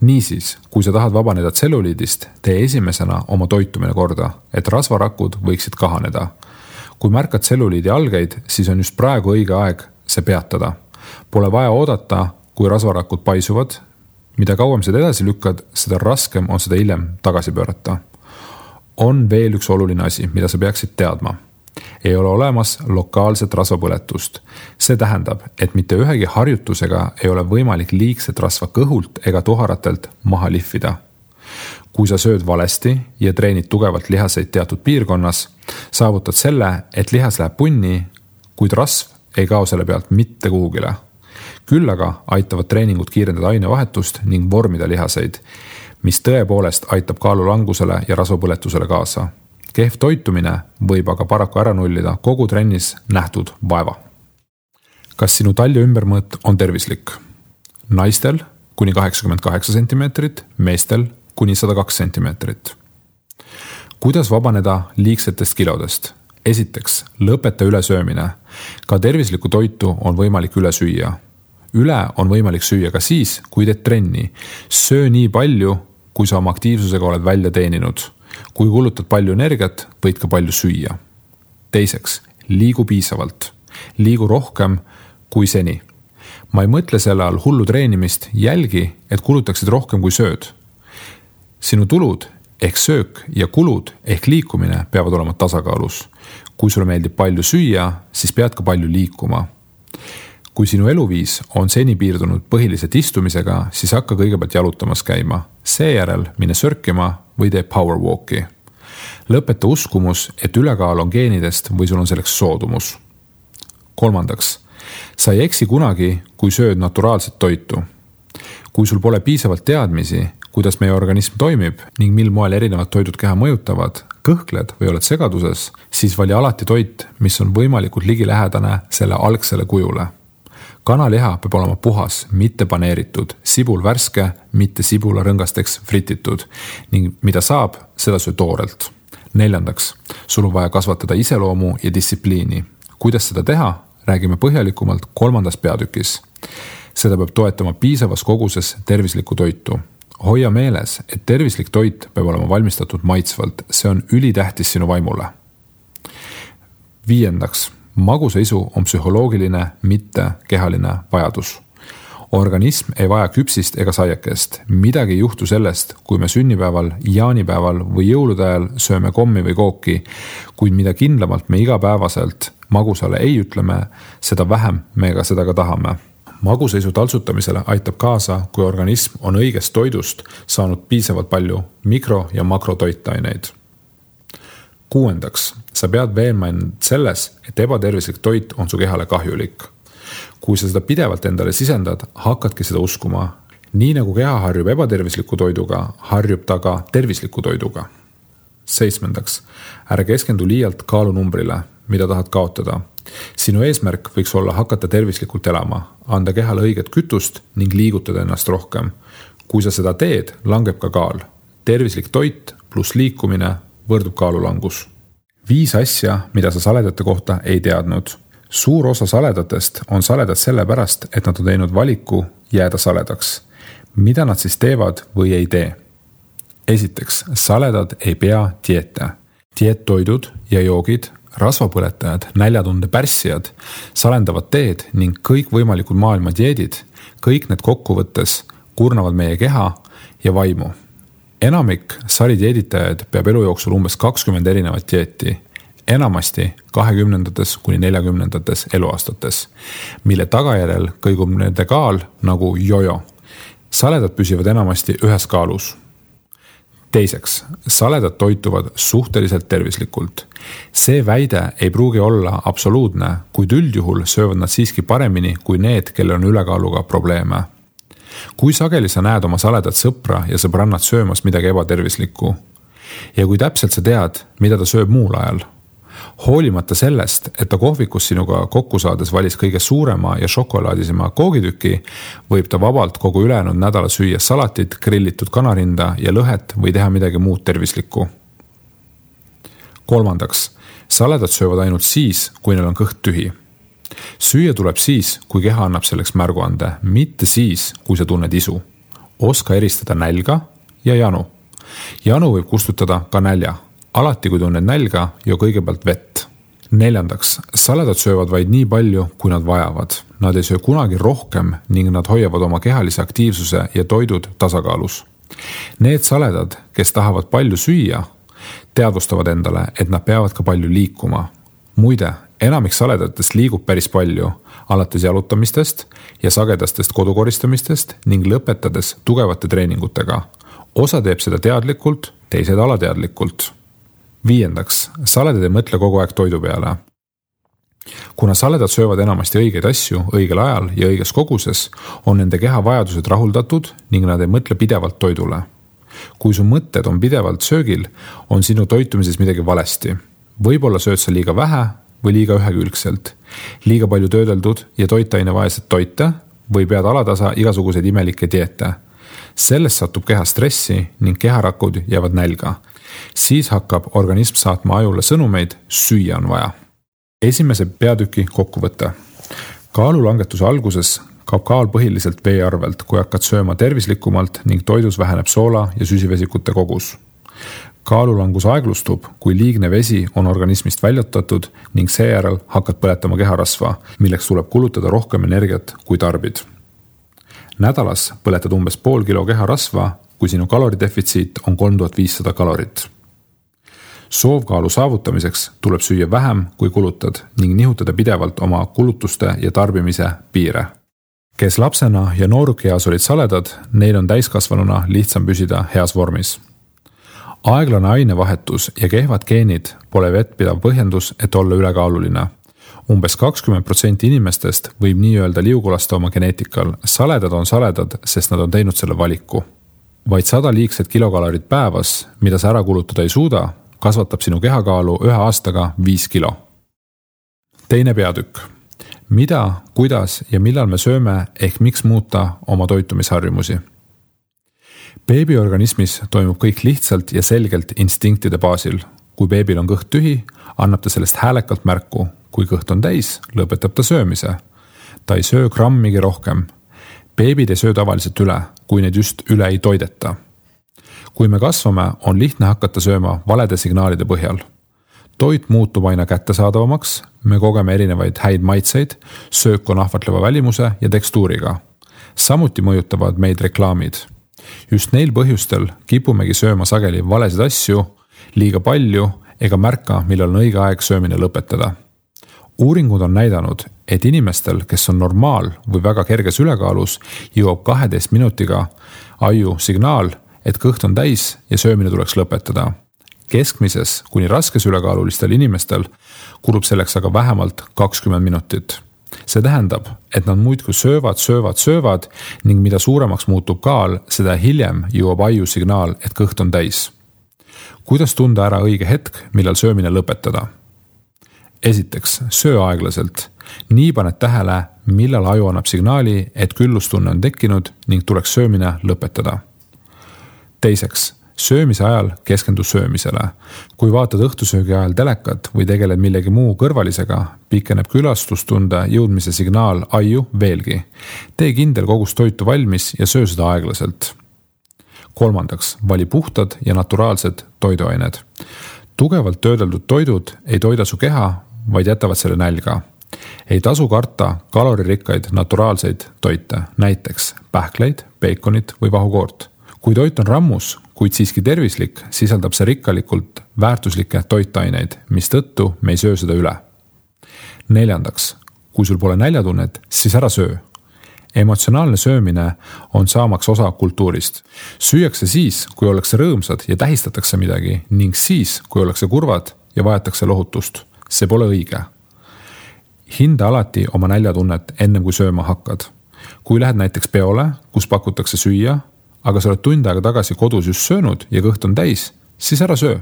Niisiis, kui sa tahad vabaneda tselluliidist, tee esimesena oma toitumine korda, et rasvarakud võiksid kahaneda. Kui märkad tselluliidi algeid, siis on just praegu õige aeg see peatada. Pole vaja oodata, kui rasvarakud paisuvad. Mida kauem seda edasi lükkad, seda raskem on seda hiljem tagasi pöörata. On veel üks oluline asi, mida sa peaksid teadma. Ei ole olemas lokaalset rasvapõletust. See tähendab, et mitte ühegi harjutusega ei ole võimalik liigset rasva kõhult ega tuharatelt maha lihvida. Kui sa sööd valesti ja treenid tugevalt lihaseid teatud piirkonnas, saavutad selle, et lihas läheb punni, kuid rasv ei kao selle pealt mitte kuhugile. Küll aga aitavad treeningud kiirendada ainevahetust ning vormida lihaseid, mis tõepoolest aitab kaalulangusele ja rasvapõletusele kaasa. Kehv toitumine võib aga paraku ära nullida kogu trennis nähtud vaeva. Kas sinu talja ümbermõõt on tervislik? Naistel kuni 88 cm, meestel kuni 102 cm. Kuidas vabaneda liigsetest kilodest? Esiteks, lõpeta ülesöömine. Ka tervislikku toitu on võimalik üle süüa. Üle on võimalik süüa ka siis, kui teed trenni. Söö nii palju, kui sa oma aktiivsusega oled välja teeninud. Kui kulutad palju energiat, võid ka palju süüa. Teiseks, liigu piisavalt. Liigu rohkem kui seni. Ma ei mõtle selle all hullu treenimist, jälgi, et kulutaksid rohkem kui sööd. Sinu tulud ehk söök ja kulud ehk liikumine peavad olema tasakaalus. Kui sulle meeldib palju süüa, siis pead ka palju liikuma. Kui sinu eluviis on seni piirdunud põhiliselt istumisega, siis hakka kõigepealt jalutamas käima. Seejärel mine sörkima või tee powerwalki. Lõpeta uskumus, et ülekaal on geenidest või sul on selleks soodumus. Kolmandaks, sa ei eksi kunagi, kui sööd naturaalset toitu. Kui sul pole piisavalt teadmisi, kuidas meie organism toimib ning mil moel erinevad toidud keha mõjutavad, kõhkled või oled segaduses, siis vali alati toit, mis on võimalikult ligilähedane selle algsele kujule. Kanaliha peab olema puhas, mitte paneeritud, sibul värske, mitte sibula rõngasteks frititud ning mida saab, seda söö toorelt. Neljandaks, sul on vaja kasvatada iseloomu ja distsipliini. Kuidas seda teha, räägime põhjalikumalt 3. peatükis. Seda peab toetama piisavas koguses tervislikku toitu. Hoia meeles, et tervislik toit peab olema valmistatud maitsvalt, see on ülitähtis sinu vaimule. 5. Magusaisu on psühholoogiline, mitte kehaline vajadus. Organism ei vaja küpsist ega saiakest. Midagi ei juhtu sellest, kui me sünnipäeval, jaanipäeval või jõulude ajal sööme kommi või kooki, kuid mida kindlamalt me igapäevaselt magusale ei ütleme, seda vähem me ka seda ka tahame. Magusaisu taltsutamisele aitab kaasa, kui organism on õigest toidust saanud piisavalt palju mikro- ja makrotoitaineid. 6. Sa pead veenma end selles, et ebatervislik toit on su kehale kahjulik. Kui sa seda pidevalt endale sisendad, hakkadki seda uskuma. Nii nagu keha harjub ebatervisliku toiduga, harjub ta ka tervisliku toiduga. 7. Ära keskendu liialt kaalunumbrile, mida tahad kaotada. Sinu eesmärk võiks olla hakata tervislikult elama, anda kehale õiget kütust ning liigutada ennast rohkem. Kui sa seda teed, langeb ka kaal. Tervislik toit pluss liikumine võrdub kaalulangus. 5 asja, mida sa saledate kohta ei teadnud. Suur osa saledatest on saledad sellepärast, et nad on teinud valiku jääda saledaks. Mida nad siis teevad või ei tee? Esiteks, saledad ei pea dieete. Dieettoidud ja joogid, rasvapõletajad, näljatunde pärssijad, salendavad teed ning kõik võimalikud maailma dieedid, kõik need kokkuvõttes kurnavad meie keha ja vaimu. Enamik saridieeditajaid peab elu jooksul umbes 20 erinevat dieeti, enamasti 20. kuni 40. eluaastates, mille tagajärjel kõigub nende kaal nagu jojo. Saledad püsivad enamasti ühes kaalus. Teiseks, saledad toituvad suhteliselt tervislikult. See väide ei pruugi olla absoluutne, kuid üldjuhul söövad nad siiski paremini kui need, kellel on ülekaaluga probleeme. Kui sageli sa näed oma saledat sõpra ja sõbrannat söömas midagi ebatervislikku? Ja kui täpselt sa tead, mida ta sööb muul ajal? Hoolimata sellest, et ta kohvikus sinuga kokku saades valis kõige suurema ja šokolaadisema koogitüki, võib ta vabalt kogu ülejäänud nädala süüa salatit, grillitud kanarinda ja lõhet või teha midagi muud tervislikku. Kolmandaks, saledad söövad ainult siis, kui neil on kõht tühi. Süüa tuleb siis, kui keha annab selleks märguande, mitte siis, kui sa tunned isu. Oska eristada nälga ja janu. Janu võib kustutada ka nälja. Alati, kui tunned nälga, joo kõigepealt vett. Neljandaks, saledad söövad vaid nii palju, kui nad vajavad. Nad ei söö kunagi rohkem ning nad hoiavad oma kehalise aktiivsuse ja toidud tasakaalus. Need saledad, kes tahavad palju süüa, teadvustavad endale, et nad peavad ka palju liikuma. Muide, enamik saledatest liigub päris palju, alates jalutamistest ja sagedastest kodukoristamistest ning lõpetades tugevate treeningutega. Osa teeb seda teadlikult, teised alateadlikult. Viiendaks, saledad ei mõtle kogu aeg toidu peale. Kuna saledad söövad enamasti õigeid asju õigel ajal ja õiges koguses, on nende keha vajadused rahuldatud ning nad ei mõtle pidevalt toidule. Kui su mõtted on pidevalt söögil, on sinu toitumises midagi valesti. Võib-olla sööd sa liiga vähe või liiga ühekülgselt, liiga palju töödeldud ja toitainevaesed toite või pead alatasa igasuguseid imelikke dieete. Sellest satub keha stressi ning keharakud jäävad nälga. Siis hakkab organism saatma ajule sõnumeid, süüa on vaja. Esimese peatüki kokkuvõte. Kaalulangetuse alguses kaob kaal põhiliselt vee arvelt, kui hakkad sööma tervislikumalt ning toidus väheneb soola ja süsivesikute kogus. Kaalulangus aeglustub, kui liigne vesi on organismist väljutatud ning seejärel hakkad põletama keharasva, milleks tuleb kulutada rohkem energiat kui tarbid. Nädalas põletad umbes pool kilo keharasva, kui sinu kaloridefitsiit on 3500 kalorit. Soovkaalu saavutamiseks tuleb süüa vähem, kui kulutad ning nihutada pidevalt oma kulutuste ja tarbimise piire. Kes lapsena ja noorukeas olid saledad, neil on täiskasvanuna lihtsam püsida heas vormis. Aeglane ainevahetus ja kehvad geenid pole vettpidav põhjendus, et olla ülekaaluline. Umbes 20% inimestest võib nii öelda liugulasta oma geneetikal. Saledad on saledad, sest nad on teinud selle valiku. Vaid 100 liigset kilokalorit päevas, mida sa ära kulutada ei suuda, kasvatab sinu kehakaalu 1 aastaga 5 kilo. Teine peatükk. Mida, kuidas ja millal me sööme ehk miks muuta oma toitumisharjumusi? Beebiorganismis toimub kõik lihtsalt ja selgelt instinktide baasil. Kui beebil on kõht tühi, annab ta sellest häälekalt märku. Kui kõht on täis, lõpetab ta söömise. Ta ei söö grammigi rohkem. Beebid ei söö tavaliselt üle, kui neid just üle ei toideta. Kui me kasvame, on lihtne hakata sööma valede signaalide põhjal. Toit muutub aina kättesaadavamaks, me kogeme erinevaid häid maitseid, söök on ahvatleva välimuse ja tekstuuriga. Samuti mõjutavad meid reklaamid. Just neil põhjustel kipumegi sööma sageli valesid asju, liiga palju ega märka, millal on õige aeg söömine lõpetada. Uuringud on näidanud, et inimestel, kes on normaal või väga kerges ülekaalus, jõuab 12 minutiga aju signaal, et kõht on täis ja söömine tuleks lõpetada. Keskmises kuni raskes ülekaalulistel inimestel kulub selleks aga vähemalt 20 minutit. See tähendab, et nad muidku söövad ning mida suuremaks muutub kaal, seda hiljem jõuab aju signaal, et kõht on täis. Kuidas tunda ära õige hetk, millal söömine lõpetada? Esiteks, söö aeglaselt. Nii paned tähele, millal aju annab signaali, et küllustunne on tekkinud ning tuleks söömine lõpetada. Teiseks, söömise ajal keskendu söömisele. Kui vaatad õhtusöögi ajal telekat või tegeled millegi muu kõrvalisega, pikeneb külastustunde jõudmise signaal aju veelgi. Tee kindel kogus toitu valmis ja söö seda aeglaselt. Kolmandaks, vali puhtad ja naturaalsed toiduained. Tugevalt töödeldud toidud ei toida su keha, vaid jätavad selle nälga. Ei tasu karta kaloririkkaid naturaalseid toite, näiteks pähkleid, beekonit või vahukoort. Kui toit on rammus, kuid siiski tervislik, sisaldab see rikkalikult väärtuslikke toitaineid, mistõttu me ei söö seda üle. Neljandaks, kui sul pole näljatunnet, siis ära söö. Emotsionaalne söömine on saamaks osa kultuurist. Süüakse siis, kui ollakse rõõmsad ja tähistatakse midagi ning siis, kui ollakse kurvad ja vajatakse lohutust. See pole õige. Hinda alati oma näljatunnet ennem kui sööma hakkad. Kui lähed näiteks peole, kus pakutakse süüa, aga sa oled tund aega tagasi kodus just söönud ja kõht on täis, siis ära söö.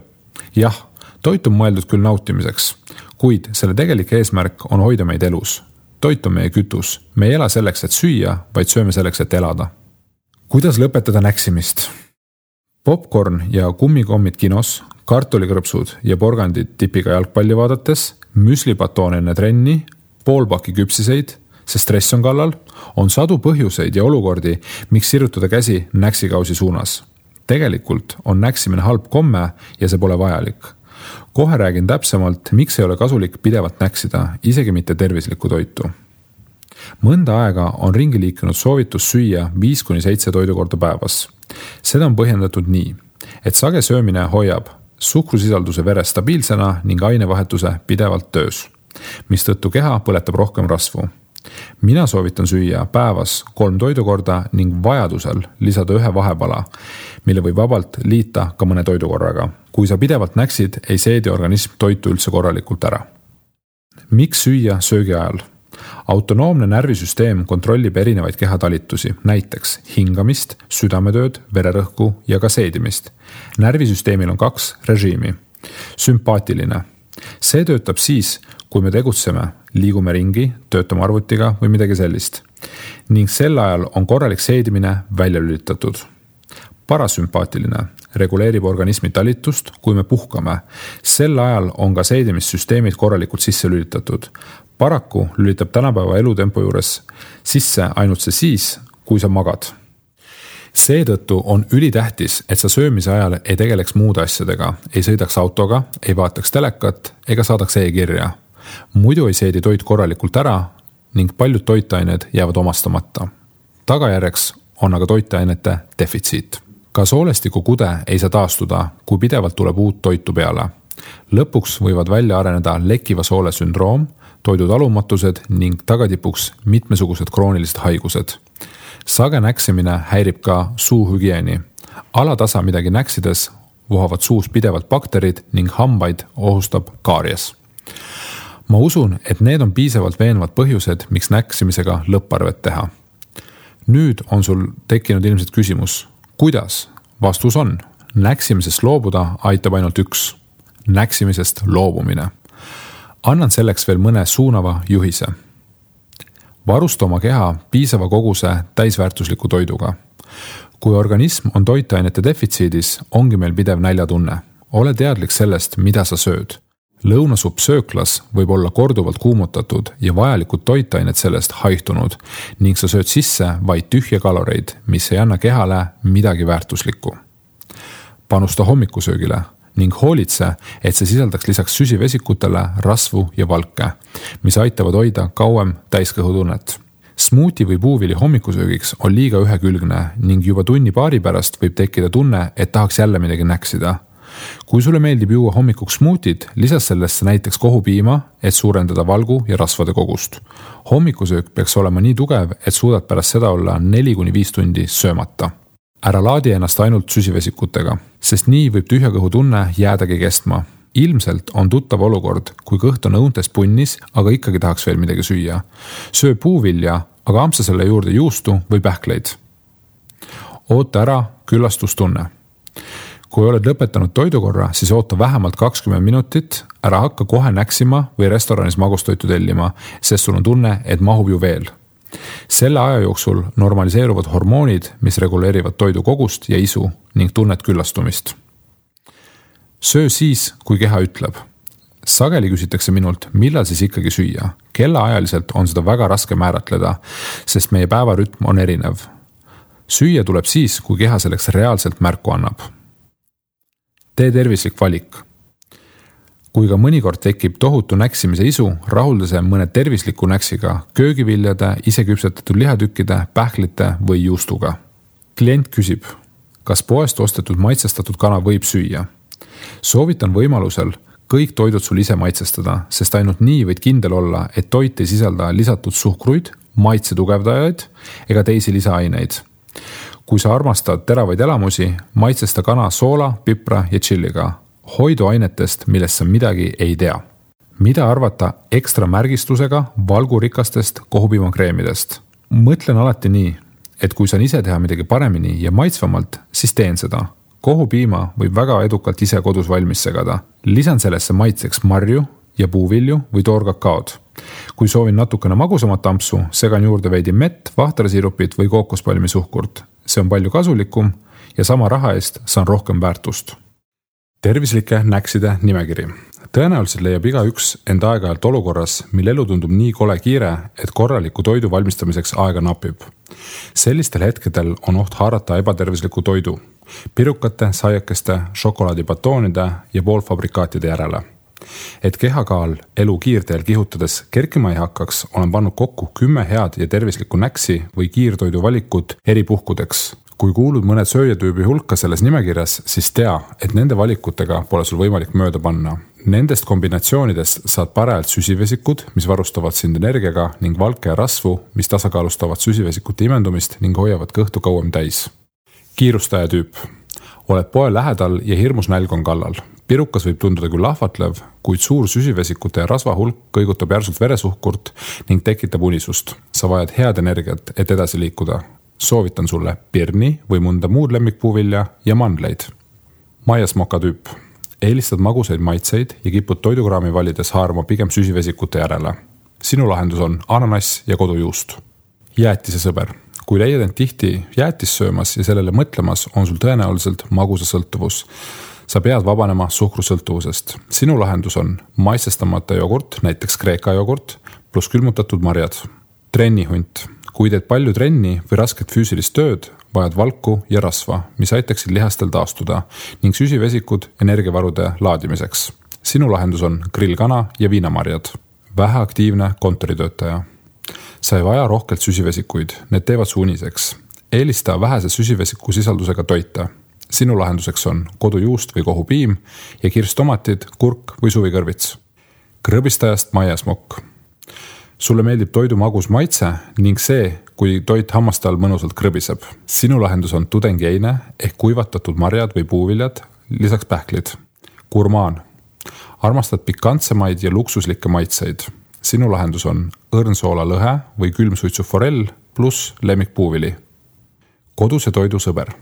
Jah, toit on mõeldud küll nautimiseks, kuid selle tegelik eesmärk on hoida meid elus. Toit on meie kütus. Me ei ela selleks, et süüa, vaid sööme selleks, et elada. Kuidas lõpetada näksimist? Popcorn ja kummikommid kinos, kartulikrõpsud ja porgandid tipiga jalgpalli vaadates, müslipatoon enne trenni, poolpaki küpsiseid, sest stress on kallal, on sadu põhjuseid ja olukordi, miks sirutada käsi näksikausi suunas. Tegelikult on näksimine halb komme ja see pole vajalik. Kohe räägin täpsemalt, miks ei ole kasulik pidevalt näksida, isegi mitte tervislikku toitu. Mõnda aega on ringi liikunud soovitus süüa 5-7 toidukorda päevas. Seda on põhjendatud nii, et sage söömine hoiab suhkrusisalduse veres stabiilsena ning ainevahetuse pidevalt töös, mistõttu keha põletab rohkem rasvu. Mina soovitan süüa päevas 3 toidukorda ning vajadusel lisada 1 vahepala, mille võib vabalt liita ka mõne toidukorraga. Kui sa pidevalt näksid, ei seedi organism toitu üldse korralikult ära. Miks süüa söögi ajal? Autonoomne närvisüsteem kontrollib erinevaid kehatalitusi, näiteks hingamist, südametööd, vererõhku ja ka seedimist. Närvisüsteemil on 2 režiimi. Sümpaatiline. See töötab siis, kui me tegutseme, liigume ringi, töötame arvutiga või midagi sellist. Ning sel ajal on korralik seedimine välja lülitatud. Parasümpaatiline reguleerib organismi talitust, kui me puhkame. Sel ajal on ka seedimissüsteemid korralikult sisse lülitatud. Paraku lülitab tänapäeva elutempo juures sisse ainult see siis, kui sa magad. Seetõttu on ülitähtis, et sa söömise ajal ei tegeleks muude asjadega, ei sõidaks autoga, ei vaataks telekat ega saadaks e-kirja. Muidu ei seedi toit korralikult ära ning paljud toitained jäävad omastamata. Tagajärjeks on aga toitainete defitsiit. Ka soolestiku kude ei saa taastuda, kui pidevalt tuleb uut toitu peale. Lõpuks võivad välja areneda lekkiva soole sündroom, toidutalumatused ning tagatipuks mitmesugused kroonilised haigused. Sage näksimine häirib ka suuhügieeni. Alatasa midagi näksides vohavad suus pidevalt bakterid ning hambaid ohustab kaaries. Ma usun, et need on piisavalt veenvad põhjused, miks näksimisega lõpparvet teha. Nüüd on sul tekkinud ilmselt küsimus, kuidas? Vastus on, näksimisest loobuda aitab ainult üks, näksimisest loobumine. Annan selleks veel mõne suunava juhise. Varusta oma keha piisava koguse täisväärtusliku toiduga. Kui organism on toitainete defitsiidis, ongi meil pidev näljatunne. Ole teadlik sellest, mida sa sööd. Lõunasupp sööklas võib olla korduvalt kuumutatud ja vajalikud toitained sellest haihtunud ning sa sööd sisse vaid tühje kaloreid, mis ei anna kehale midagi väärtuslikku. Panusta hommikusöögile ning hoolitse, et see sisaldaks lisaks süsivesikutele rasvu ja valke, mis aitavad hoida kauem täiskõhutunnet. Smuuti või puuvili hommikusöögiks on liiga ühekülgne ning juba tunni-paari pärast võib tekkida tunne, et tahaks jälle midagi näksida. Kui sulle meeldib juua hommikuks smuutit, lisas sellesse näiteks kohupiima, et suurendada valgu ja rasvade kogust. Hommikusöök peaks olema nii tugev, et suudad pärast seda olla 4-5 tundi söömata. Ära laadi ennast ainult süsivesikutega, sest nii võib tühjakõhu tunne jäädagi kestma. Ilmselt on tuttav olukord, kui kõht on õuntest punnis, aga ikkagi tahaks veel midagi süüa. Söö puuvilja, aga ampsa selle juurde juustu või pähkleid. Oota ära küllastustunne. Kui oled lõpetanud toidukorra, siis oota vähemalt 20 minutit, ära hakka kohe näksima või restoranis magustoitu tellima, sest sul on tunne, et mahub ju veel. Selle aja jooksul normaliseeruvad hormoonid, mis reguleerivad toidu kogust ja isu ning tunnet küllastumist. Söö siis, kui keha ütleb. Sageli küsitakse minult, millal siis ikkagi süüa. Kellaajaliselt on seda väga raske määratleda, sest meie päevarütm on erinev. Süüa tuleb siis, kui keha selleks reaalselt märku annab. Tee tervislik valik. Kui ka mõnikord tekib tohutu näksimise isu, rahulda see mõne tervisliku näksiga, köögiviljade, iseküpsetatud lihatükkide, pähklite või juustuga. Klient küsib, kas poest ostetud maitsestatud kana võib süüa? Soovitan võimalusel kõik toidud sul ise maitsestada, sest ainult nii võid kindel olla, et toit ei sisalda lisatud suhkruid, maitse tugevdajaid ega teisi lisaaineid. Kui sa armastad teravaid elamusi, maitsesta kana soola, pipra ja tšilliga. Hoidu ainetest, millest sa midagi ei tea. Mida arvata ekstra märgistusega valgurikastest kohupiimakreemidest? Mõtlen alati nii, et kui saan ise teha midagi paremini ja maitsvamalt, siis teen seda. Kohupiima võib väga edukalt ise kodus valmis segada. Lisan sellesse maitseks marju ja puuvilju või toorkakaod. Kui soovin natukene magusamat ampsu, segan juurde veidi mett, vahtrasirupit või kookospalmisuhkurt. See on palju kasulikum ja sama raha eest saan rohkem väärtust. Tervislike näkside nimekiri. Tõenäoliselt leiab igaüks end aeg-ajalt olukorras, mil elu tundub nii kole kiire, et korraliku toidu valmistamiseks aega napib. Sellistel hetkedel on oht haarata ebatervisliku toidu, pirukate, saiakeste, šokolaadibatoonide ja poolfabrikaatide järele. Et kehakaal elu kiirteel kihutades kerkima ei hakkaks, olen pannud kokku 10 head ja tervislikku näksi või kiirtoidu valikut eri puhkudeks. Kui kuulud mõned sööjatüübi hulka selles nimekirjas, siis tea, et nende valikutega pole sul võimalik mööda panna. Nendest kombinatsioonidest saad parajalt süsivesikud, mis varustavad sind energiaga ning valke ja rasvu, mis tasakaalustavad süsivesikute imendumist ning hoiavad kõhtu kauem täis. Kiirustaja tüüp. Oled poe lähedal ja hirmus nälg on kallal. Pirukas võib tunduda küll lahvatlev, kuid suur süsivesikute ja rasva hulk kõigutab järsult veresuhkurt ning tekitab unisust. Sa vajad head energiat, et edasi liikuda. Soovitan sulle pirni või mõnda muud lemmikpuuvilja ja mandleid. Maiasmoka tüüp. Eelistad magusaid maitseid ja kipud toidukraami valides haarama pigem süsivesikute järele. Sinu lahendus on ananass ja kodujuust. Jäätise sõber. Kui leiad end tihti jäätis söömas ja sellele mõtlemas, on sul tõenäoliselt magusasõltuvus. Sa pead vabanema suhkrusõltuvusest. Sinu lahendus on maitsestamata jogurt, näiteks kreeka jogurt, pluss külmutatud marjad. Trennihunt. Kui teed palju trenni või rasket füüsilist tööd, vajad valku ja rasva, mis aitaksid lihastel taastuda ning süsivesikud energiavarude laadimiseks. Sinu lahendus on grillkana ja viinamarjad. Väheaktiivne kontoritöötaja. Sa ei vaja rohkelt süsivesikuid, need teevad su uniseks. Eelista vähese süsivesiku sisaldusega toite. Sinu lahenduseks on kodujuust või kohupiim ja kirstomatid, kurk või suvikõrvits. Krõbistajast maiasmokk. Sulle meeldib toidu magus maitse ning see, kui toit hammaste all mõnusalt krõbiseb. Sinu lahendus on tudengieine ehk kuivatatud marjad või puuviljad, lisaks pähklid. Gurmaan. Armastad pikantsemaid ja luksuslikke maitseid. Sinu lahendus on õrnsoola lõhe või külmsuitsu forell pluss lemmikpuuvili. Koduse toidu sõber.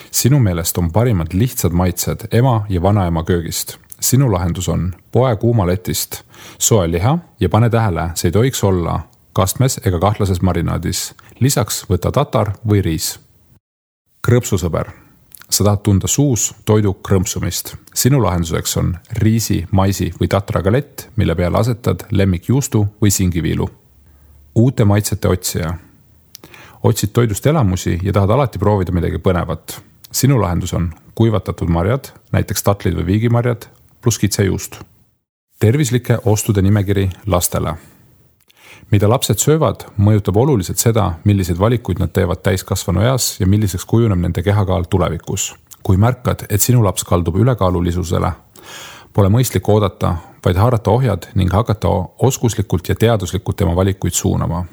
Sinu meelest on parimad lihtsad maitsed ema ja vanaema köögist. Sinu lahendus on poe kuumaletist soe liha ja pane tähele, see ei tohiks olla kastmes ega kahtlases marinaadis. Lisaks võta tatar või riis. Krõpsusõber. Sa tahad tunda suus toidu krõmpsumist. Sinu lahenduseks on riisi, maisi või tatragalett, mille peale asetad lemmikjuustu või singiviilu. Uute maitsete otsija. Otsid toidust elamusi ja tahad alati proovida midagi põnevat. Sinu lahendus on kuivatatud marjad, näiteks tatlid või viigimarjad, pluss kitsejuust. Tervislike ostude nimekiri lastele. Mida lapsed söövad, mõjutab oluliselt seda, milliseid valikuid nad teevad täiskasvanu eas ja milliseks kujuneb nende kehakaal tulevikus. Kui märkad, et sinu laps kaldub ülekaalulisusele, pole mõistlik oodata, vaid haarata ohjad ning hakata oskuslikult ja teaduslikult tema valikuid suunama.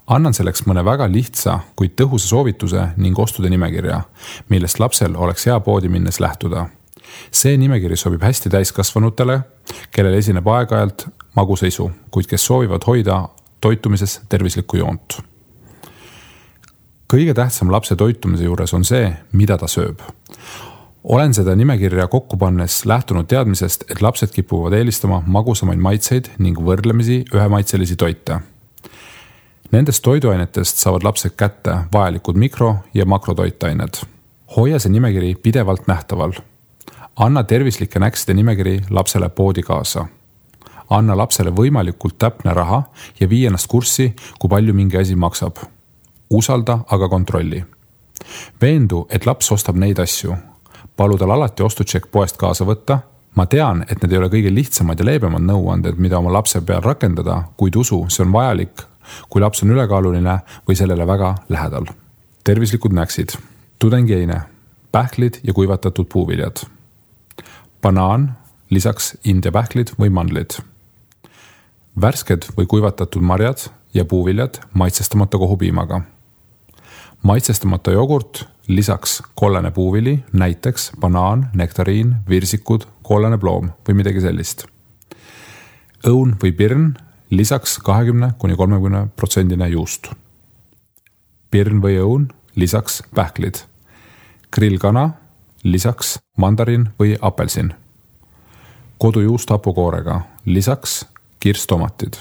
Annan selleks mõne väga lihtsa, kuid tõhusa soovituse ning ostude nimekirja, millest lapsel oleks hea poodi minnes lähtuda. See nimekiri sobib hästi täiskasvanutele, kellel esineb aeg-ajalt maguseisu, kuid kes soovivad hoida toitumises tervislikku joont. Kõige tähtsam lapse toitumise juures on see, mida ta sööb. Olen seda nimekirja kokku pannes lähtunud teadmisest, et lapsed kipuvad eelistama magusamaid maitseid ning võrdlemisi ühemaitselisi toite. Nendest toiduainetest saavad lapsed kätte vajalikud mikro- ja makrotoitained. Hoia see nimekiri pidevalt nähtaval. Anna tervislike näkside nimekiri lapsele poodi kaasa. Anna lapsele võimalikult täpne raha ja vii ennast kurssi, kui palju mingi asi maksab. Usalda, aga kontrolli. Veendu, et laps ostab neid asju. Palu tal alati ostutšekk poest kaasa võtta. Ma tean, et need ei ole kõige lihtsamad ja leebemad nõuanded, mida oma lapse peal rakendada, kuid usu, see on vajalik, kui laps on ülekaaluline või sellele väga lähedal. Tervislikud näksid. Tudengieine, pähklid ja kuivatatud puuviljad. Banaan, lisaks India pähklid või mandlid. Värsked või kuivatatud marjad ja puuviljad maitsestamata kohupiimaga. Maitsestamata jogurt, lisaks kollane puuvili, näiteks banaan, nektariin, virsikud, kollane ploom või midagi sellist. Õun või pirn, lisaks 20–30% juust. pirn või õun, lisaks pähklid. Grillkana, lisaks mandarin või apelsin. Kodujuust hapukoorega, lisaks kirstomatid.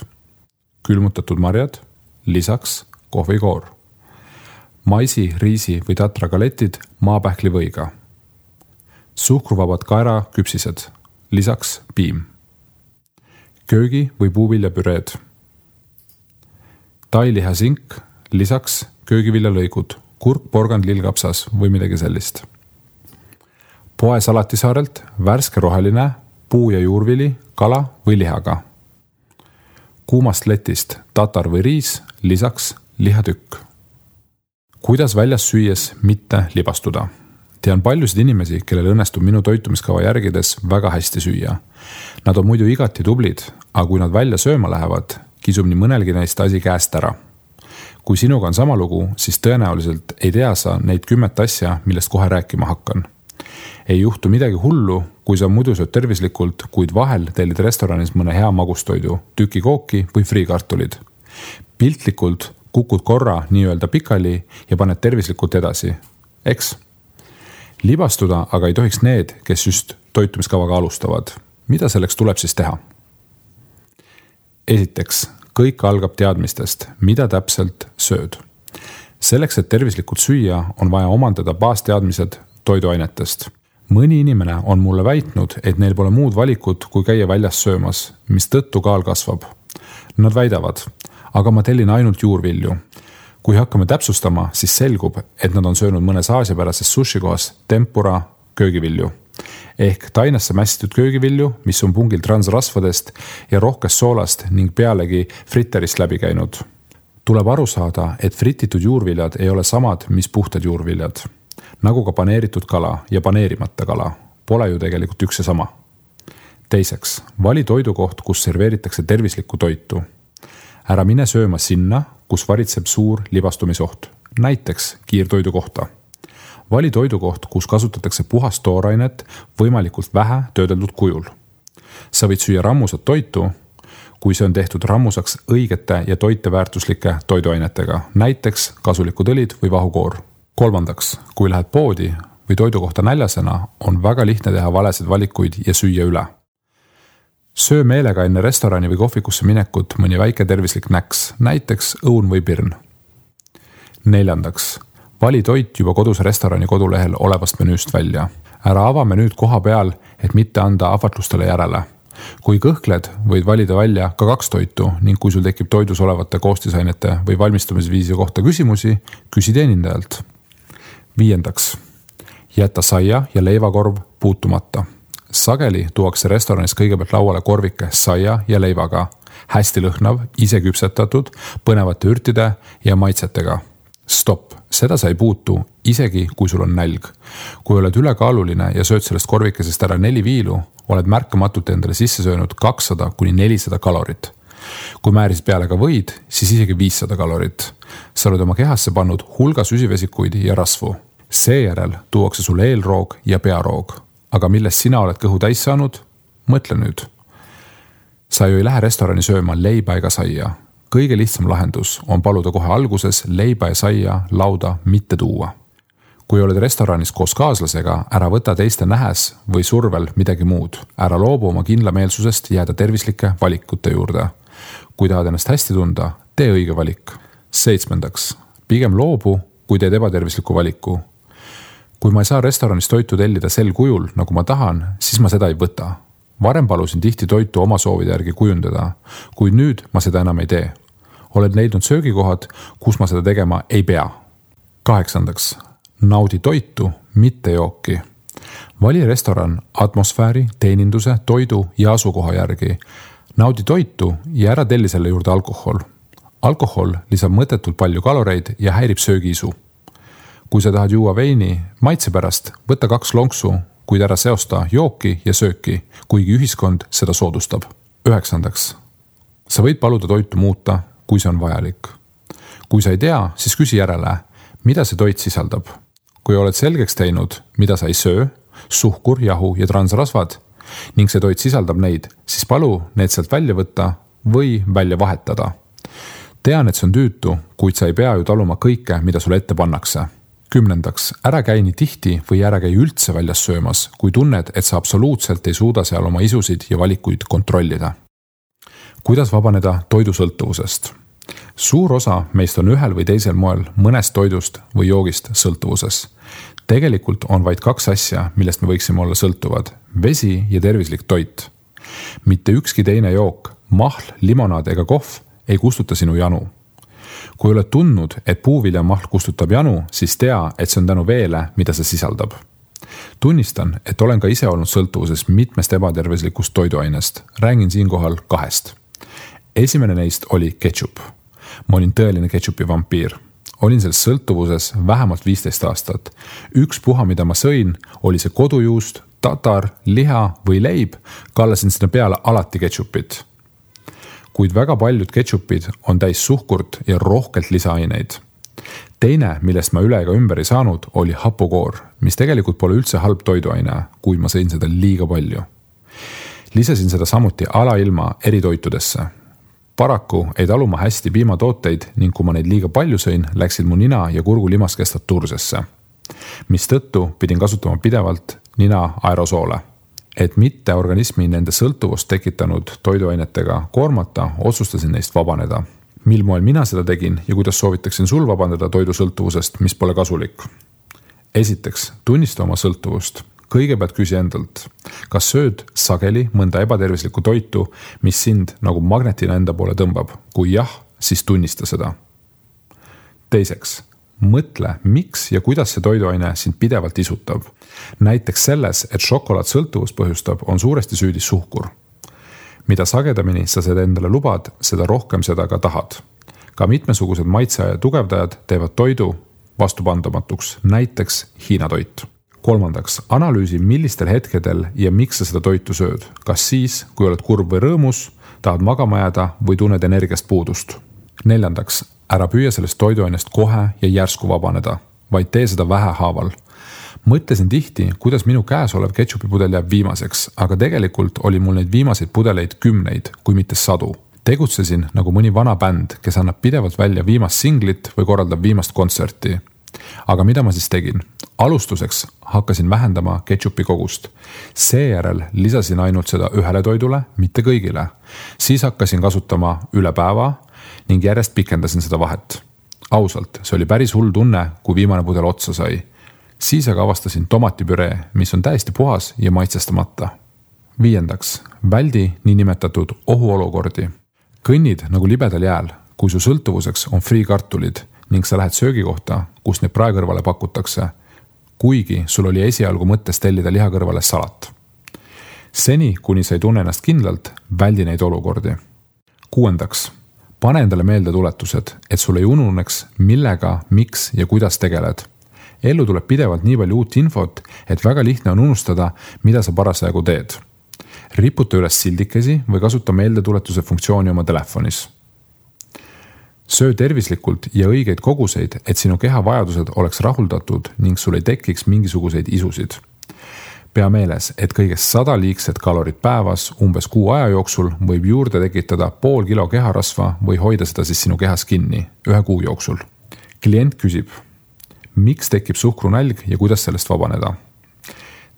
Külmutatud marjad, lisaks kohvikoor. Maisi, riisi või tatra galetid maapähklivõiga. Suhkruvabad kaeraküpsised, lisaks piim. Köögi- või puuviljapüreed. Tailihasink, lisaks köögiviljalõigud, kurk, porgand, lillkapsas või midagi sellist. Poe salatisaarelt värske roheline, puu- ja juurvili, kala või lihaga. Kuumast letist tatar või riis, lisaks lihatükk. Kuidas väljas süües mitte libastuda? Tean paljusid inimesi, kellel õnnestub minu toitumiskava järgides väga hästi süüa. Nad on muidu igati tublid, aga kui nad välja sööma lähevad, kisub nii mõnelgi neist asi käest ära. Kui sinuga on sama lugu, siis tõenäoliselt ei tea sa neid 10 asja, millest kohe rääkima hakkan. Ei juhtu midagi hullu, kui sa muidu sööd tervislikult, kuid vahel tellid restoranis mõne hea magustoidu, tüki kooki või friikartulid. Piltlikult kukud korra nii-öelda pikali ja paned tervislikult edasi. Eks? Libastuda aga ei tohiks need, kes just toitumiskavaga alustavad. Mida selleks tuleb siis teha? Esiteks, kõik algab teadmistest, mida täpselt sööd. Selleks, et tervislikult süüa, on vaja omandada baasteadmised toiduainetest. Mõni inimene on mulle väitnud, et neil pole muud valikut, kui käia väljas söömas, mis tõttu kaal kasvab. Nad väidavad, aga ma tellin ainult juurvilju. Kui hakkame täpsustama, siis selgub, et nad on söönud mõnes aasiapärases sushikohas tempura köögivilju. Ehk tainasse mässitud köögivilju, mis on pungil transrasvadest ja rohkest soolast ning pealegi fritterist läbi käinud. Tuleb aru saada, et frititud juurviljad ei ole samad, mis puhtad juurviljad. Nagu ka paneeritud kala ja paneerimata kala. Pole ju tegelikult üks ja sama. Teiseks, vali toidukoht, kus serveeritakse tervislikku toitu. Ära mine sööma sinna, kus varitseb suur libastumisoht. Näiteks kiirtoidu kohta. Vali toidukoht, kus kasutatakse puhast toorainet võimalikult vähe töödeldud kujul. Sa võid süüa rammusat toitu, kui see on tehtud rammusaks õigete ja toiteväärtuslike toiduainetega, näiteks kasulikud õlid või vahukoor. Kolmandaks, kui lähed poodi või toidukohta näljasena, on väga lihtne teha valesid valikuid ja süüa üle. Söö meelega enne restorani või kohvikusse minekut mõni väike tervislik näks, näiteks õun või pirn. Neljandaks, vali toit juba kodus restorani kodulehel olevast menüüst välja. Ära ava menüüd koha peal, et mitte anda ahvatlustele järele. Kui kõhkled, võid valida välja ka 2 toitu ning kui sul tekib toidus olevate koostisainete või valmistamisviisi kohta küsimusi, küsi teenindajalt. Viiendaks, jäta saia ja leivakorv puutumata. Sageli tuuakse restoranis kõigepealt lauale korvike saia ja leivaga. Hästi lõhnav, ise küpsetatud, põnevate ürtide ja maitsetega. Stopp, seda sa ei puutu, isegi kui sul on nälg. Kui oled ülekaaluline ja sööd sellest korvikesest ära 4 viilu, oled märkamatult endale sisse söönud 200–400 kalorit. Kui määris peale ka võid, siis isegi 500 kalorit. Sa oled oma kehasse pannud hulga süsivesikuid ja rasvu. Seejärel tuuakse sulle eelroog ja pearoog. Aga millest sina oled kõhu täis saanud? Mõtle nüüd. Sa ju ei lähe restorani sööma leiba ega saia. Kõige lihtsam lahendus on paluda kohe alguses leiba ja saia lauda mitte tuua. Kui oled restoranis koos kaaslasega, ära võta teiste nähes või survel midagi muud. Ära loobu oma kindlameelsusest jääda tervislike valikute juurde. Kui tahad ennast hästi tunda, tee õige valik. 7. Pigem loobu, kui teed ebatervisliku valiku. Kui ma ei saa restoranis toitu tellida sel kujul, nagu ma tahan, siis ma seda ei võta. Varem palusin tihti toitu oma soovide järgi kujundada, kuid nüüd ma seda enam ei tee. Oled leidnud söögikohad, kus ma seda tegema ei pea. 8. Naudi toitu, mitte jooki. Vali restoran atmosfääri, teeninduse, toidu ja asukoha järgi. Naudi toitu ja ära telli selle juurde alkohol. Alkohol lisab mõttetult palju kaloreid ja häirib söögiisu. Kui sa tahad juua veini maitse pärast, võta 2 lonksu, kuid ära seosta jooki ja sööki, kuigi ühiskond seda soodustab. 9. Sa võid paluda toitu muuta, kui see on vajalik. Kui sa ei tea, siis küsi järele, mida see toit sisaldab. Kui oled selgeks teinud, mida sa ei söö, suhkur, jahu ja transrasvad, ning see toit sisaldab neid, siis palu need sealt välja võtta või välja vahetada. Tean, et see on tüütu, kuid sa ei pea ju taluma kõike, mida sulle ette pannakse. 10. Ära käi nii tihti või ära käi üldse väljas söömas, kui tunned, et sa absoluutselt ei suuda seal oma isusid ja valikuid kontrollida. Kuidas vabaneda toidusõltuvusest? Suur osa meist on ühel või teisel moel mõnest toidust või joogist sõltuvuses. Tegelikult on vaid 2 asja, millest me võiksime olla sõltuvad. Vesi ja tervislik toit. Mitte ükski teine jook, mahl, limonaad ega kohv ei kustuta sinu janu. Kui oled tundnud, et puuviljamahl kustutab janu, siis tea, et see on tänu veele, mida see sisaldab. Tunnistan, et olen ka ise olnud sõltuvuses mitmest ebatervislikust toiduainest. Räägin siinkohal 2. Esimene neist oli ketšup. Ma olin tõeline ketšupi vampiir. Olin selles sõltuvuses vähemalt 15 aastat. Ükspuha, mida ma sõin, oli see kodujuust, tatar, liha või leib, kallasin sinna peale alati ketšupit. Kuid väga paljud ketšupid on täis suhkurt ja rohkelt lisaaineid. Teine, millest ma üle ega ümber ei saanud, oli hapukoor, mis tegelikult pole üldse halb toiduaine, kuid ma sõin seda liiga palju. Lisasin seda samuti alailma eritoitudesse. Paraku ei talu ma hästi piimatooteid ning kui ma neid liiga palju sõin, läksid mu nina ja kurgu limaskestad tursesse. Mistõttu pidin kasutama pidevalt nina aerosoole. Et mitte organismi nende sõltuvust tekitanud toiduainetega koormata, otsustasin neist vabaneda. Mil moel mina seda tegin ja kuidas soovitaksin sul vabaneda toidusõltuvusest, mis pole kasulik? Esiteks, tunnista oma sõltuvust. Kõigepealt küsi endalt, kas sööd sageli mõnda ebatervislikku toitu, mis sind nagu magnetina enda poole tõmbab? Kui jah, siis tunnista seda. Teiseks, mõtle, miks ja kuidas see toiduaine sind pidevalt isutab. Näiteks selles, et šokolaad sõltuvust põhjustab, on suuresti süüdi suhkur. Mida sagedamini sa seda endale lubad, seda rohkem seda ka tahad. Ka mitmesugused maitseaja tugevdajad teevad toidu vastupandamatuks, näiteks Hiina toit. 3. Analüüsi, millistel hetkedel ja miks sa seda toitu sööd. Kas siis, kui oled kurb või rõõmus, tahad magama jääda või tunned energiast puudust. 4. Ära püüa sellest toiduainest kohe ja järsku vabaneda, vaid tee seda vähehaaval. Mõtlesin tihti, kuidas minu käes olev ketšupipudel jääb viimaseks, aga tegelikult oli mul neid viimaseid pudeleid 10, kui mitte 100. Tegutsesin nagu mõni vana bänd, kes annab pidevalt välja viimast singlit või korraldab viimast kontserti. Aga mida ma siis tegin? Alustuseks hakkasin vähendama ketšupi kogust. Seejärel lisasin ainult seda ühele toidule, mitte kõigile. Siis hakkasin kasutama üle päeva ning järjest pikendasin seda vahet. Ausalt, see oli päris hull tunne, kui viimane pudel otsa sai. Siis aga avastasin tomatipüree, mis on täiesti puhas ja maitsestamata. 5. Väldi niinimetatud ohuolukordi. Kõnnid nagu libedal jääl, kui su sõltuvuseks on friikartulid ning sa lähed söögikohta, kus neid praekõrvale pakutakse, kuigi sul oli esialgu mõttes tellida liha kõrvale salat. Seni, kuni sa ei tunne ennast kindlalt, väldi neid olukordi. 6. Pane endale meelde tuletused, et sul ei ununeks, millega, miks ja kuidas tegeled. Ellu tuleb pidevalt nii palju uut infot, et väga lihtne on unustada, mida sa parasjagu teed. Riputa üles sildikesi või kasuta meeldetuletuse funktsiooni oma telefonis. Söö tervislikult ja õigeid koguseid, et sinu keha vajadused oleks rahuldatud ning sul ei tekiks mingisuguseid isusid. Pea meeles, et kõigest 100 liigset kalorit päevas umbes 6 aja jooksul võib juurde tekitada pool kilo keharasva või hoida seda siis sinu kehas kinni 1 kuu jooksul. Klient küsib, miks tekib suhkrunälg ja kuidas sellest vabaneda?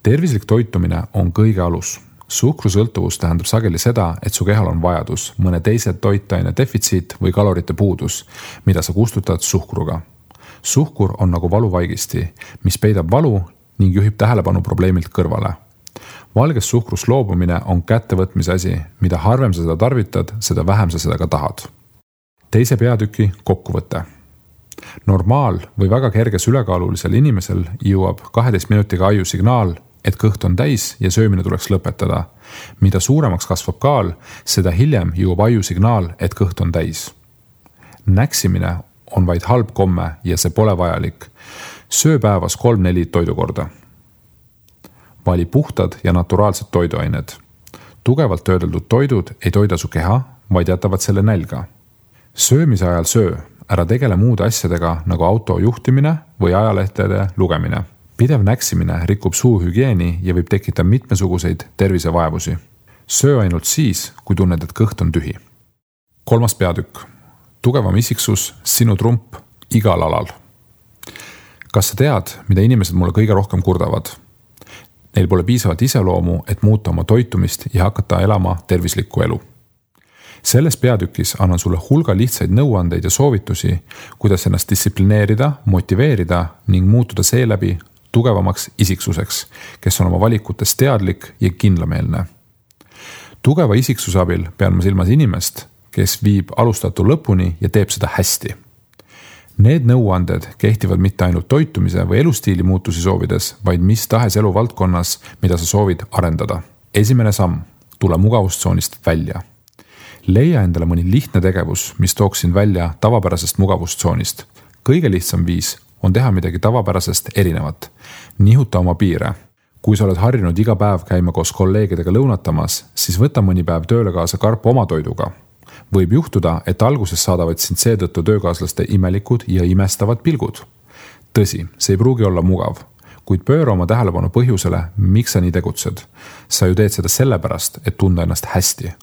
Tervislik toitumine on kõige alus. Suhkrusõltuvus tähendab sageli seda, et su kehal on vajadus, mõne teise toitaine defitsiit või kalorite puudus, mida sa kustutad suhkruga. Suhkur on nagu valuvaigisti, mis peidab valu ning juhib tähelepanu probleemilt kõrvale. Valgest suhkrust loobumine on kättevõtmise asi, mida harvem sa seda tarvitad, seda vähem sa seda ka tahad. Teise peatüki kokkuvõte. Normaal või väga kerges ülekaalulisel inimesel jõuab 12 minutiga aju signaal, et kõht on täis ja söömine tuleks lõpetada. Mida suuremaks kasvab kaal, seda hiljem jõuab aju signaal, et kõht on täis. Näksimine on vaid halb komme ja see pole vajalik. Söö päevas 3-4 toidukorda. Vali puhtad ja naturaalsed toiduained. Tugevalt töödeldud toidud ei toida su keha, vaid jätavad selle nälga. Söömise ajal söö, ära tegele muude asjadega nagu auto juhtimine või ajalehtede lugemine. Pidev näksimine rikub suuhügieeni ja võib tekitada mitmesuguseid tervisevaevusi. Söö ainult siis, kui tunned, et kõht on tühi. 3. peatükk. tugevam isiksus sinu trump igal alal. Kas sa tead, mida inimesed mulle kõige rohkem kurdavad? Neil pole piisavat iseloomu, et muuta oma toitumist ja hakata elama tervislikku elu. Selles peatükis annan sulle hulga lihtsaid nõuandeid ja soovitusi, kuidas ennast distsiplineerida, motiveerida ning muutuda seeläbi tugevamaks isiksuseks, kes on oma valikutes teadlik ja kindlameelne. Tugeva isiksuse abil pean ma silmas inimest, kes viib alustatu lõpuni ja teeb seda hästi. Need nõuanded kehtivad mitte ainult toitumise või elustiili muutusi soovides, vaid mis tahes eluvaldkonnas, mida sa soovid arendada. Esimene samm, tule mugavustsoonist välja. Leia endale mõni lihtne tegevus, mis tooks sind välja tavapärasest mugavustsoonist. Kõige lihtsam viis on teha midagi tavapärasest erinevat. Nihuta oma piire. Kui sa oled harjunud iga päev käima koos kolleegidega lõunatamas, siis võta mõni päev tööle kaasa karp oma toiduga. Võib juhtuda, et alguses saadavad sind seetõttu töökaaslaste imelikud ja imestavad pilgud. Tõsi, see ei pruugi olla mugav, kuid pööra oma tähelepanu põhjusele, miks sa nii tegutsed. Sa ju teed seda sellepärast, et tunda ennast hästi.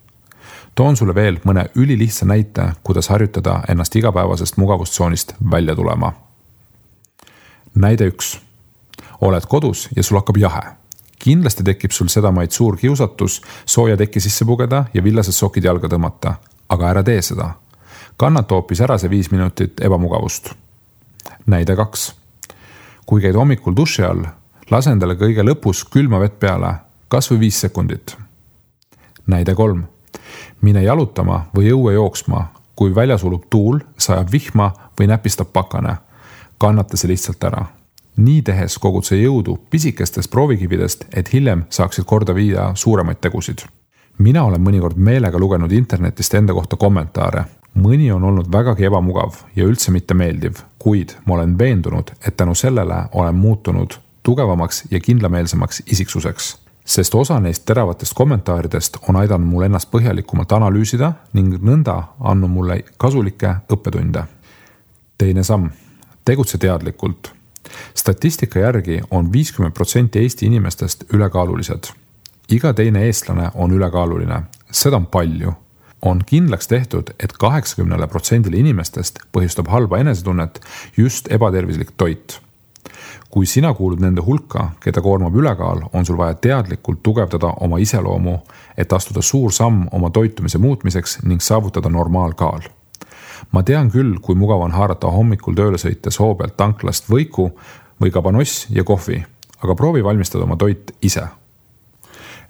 Toon sulle veel mõne ülilihtsa näite, kuidas harjutada ennast igapäevasest mugavustsoonist välja tulema. Näide 1. Oled kodus ja sul hakkab jahe. Kindlasti tekib sul sedamaid suur kiusatus sooja teki sisse pugeda ja villased sokid jalga tõmmata, aga ära tee seda. Kannata hoopis ära see 5 minutit ebamugavust. Näide 2. Kui käid hommikul duši all, lase endale kõige lõpus külma vett peale, kas või 5 sekundit. Näide 3. Mine jalutama või õue jooksma, kui väljas ulub tuul, sajab vihma või näpistab pakane. Kannata see lihtsalt ära. Nii tehes kogud see jõudu pisikestest proovikividest, et hiljem saaksid korda viia suuremaid tegusid. Mina olen mõnikord meelega lugenud internetist enda kohta kommentaare. Mõni on olnud vägagi ebamugav ja üldse mitte meeldiv, kuid ma olen veendunud, et tänu sellele olen muutunud tugevamaks ja kindlameelsemaks isiksuseks. Sest osa neist teravatest kommentaaridest on aidanud mul ennast põhjalikumalt analüüsida ning nõnda andnud mulle kasulikke õppetunde. Teine samm. Tegutse teadlikult. Statistika järgi on 50% Eesti inimestest ülekaalulised. Iga teine eestlane on ülekaaluline. Seda on palju. On kindlaks tehtud, et 80% inimestest põhjustab halba enesetunnet just ebatervislik toit. Kui sina kuulud nende hulka, keda koormab ülekaal, on sul vaja teadlikult tugevdada oma iseloomu, et astuda suur samm oma toitumise muutmiseks ning saavutada normaalkaal. Ma tean küll, kui mugav on haarata hommikul tööle sõites hoo pealt tanklast võiku või kabanoss ja kohvi, aga proovi valmistada oma toit ise.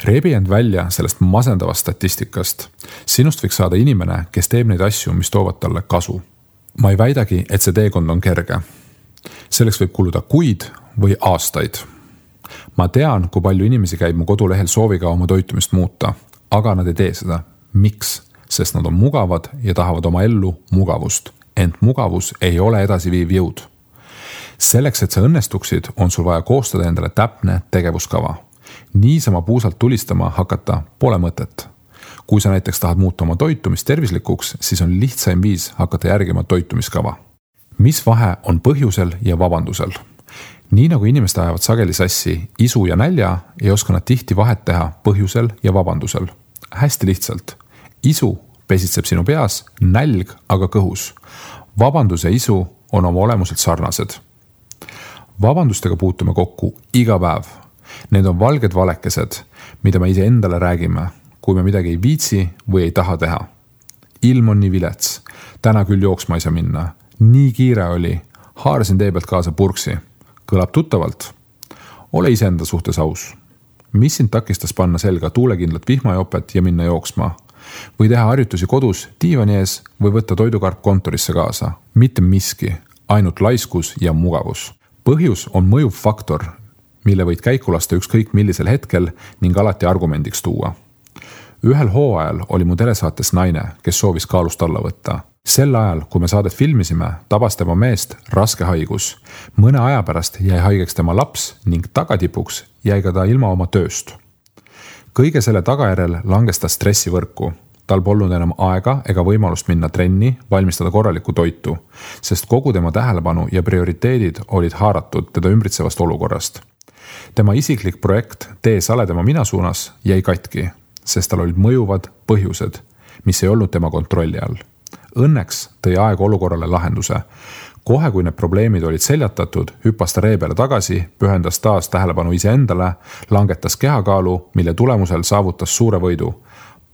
Rebi end välja sellest masendavast statistikast. Sinust võiks saada inimene, kes teeb neid asju, mis toovad talle kasu. Ma ei väidagi, et see teekond on kerge. Selleks võib kuluda kuid või aastaid. Ma tean, kui palju inimesi käib mu kodulehel sooviga oma toitumist muuta, aga nad ei tee seda. Miks? Sest nad on mugavad ja tahavad oma ellu mugavust. Ent mugavus ei ole edasiviiv jõud. Selleks, et sa õnnestuksid, on sul vaja koostada endale täpne tegevuskava. Niisama puusalt tulistama hakata pole mõtet. Kui sa näiteks tahad muuta oma toitumist tervislikuks, siis on lihtsaim viis hakata järgima toitumiskava. Mis vahe on põhjusel ja vabandusel? Nii nagu inimesed ajavad sageli sassi isu ja nälja, ei oska nad tihti vahet teha põhjusel ja vabandusel. Hästi lihtsalt. Isu pesitseb sinu peas, nälg aga kõhus. Vabandus ja isu on oma olemuselt sarnased. Vabandustega puutume kokku iga päev. Need on valged valekesed, mida me ise endale räägime, kui me midagi ei viitsi või ei taha teha. Ilm on nii vilets. Täna küll jooksma ei saa minna. Nii kiire oli. Haarasin tee pealt kaasa purksi. Kõlab tuttavalt. Ole iseenda suhtes aus. Mis sind takistas panna selga tuulekindlat vihmajopet ja minna jooksma? Või teha harjutusi kodus, diivani ees või võtta toidukarp kontorisse kaasa. Mitte miski, ainult laiskus ja mugavus. Põhjus on mõjuv faktor, mille võid käiku lasta ükskõik millisel hetkel ning alati argumendiks tuua. Ühel hooajal oli mu telesaates naine, kes soovis kaalust alla võtta. Sel ajal, kui me saadet filmisime, tabas tema meest raske haigus. Mõne aja pärast jäi haigeks tema laps ning tagatipuks jäi ka ta ilma oma tööst. Kõige selle tagajärel langes ta stressivõrku. Tal polnud enam aega ega võimalust minna trenni, valmistada korralikku toitu, sest kogu tema tähelepanu ja prioriteedid olid haaratud teda ümbritsevast olukorrast. Tema isiklik projekt Tee sale tema mina suunas jäi katki, sest tal olid mõjuvad põhjused, mis ei olnud tema kontrolli all. Õnneks tõi aeg olukorrale lahenduse. Kohe, kui need probleemid olid seljatatud, hüppas ta ree peale tagasi, pühendas taas tähelepanu iseendale, langetas kehakaalu, mille tulemusel saavutas suure võidu,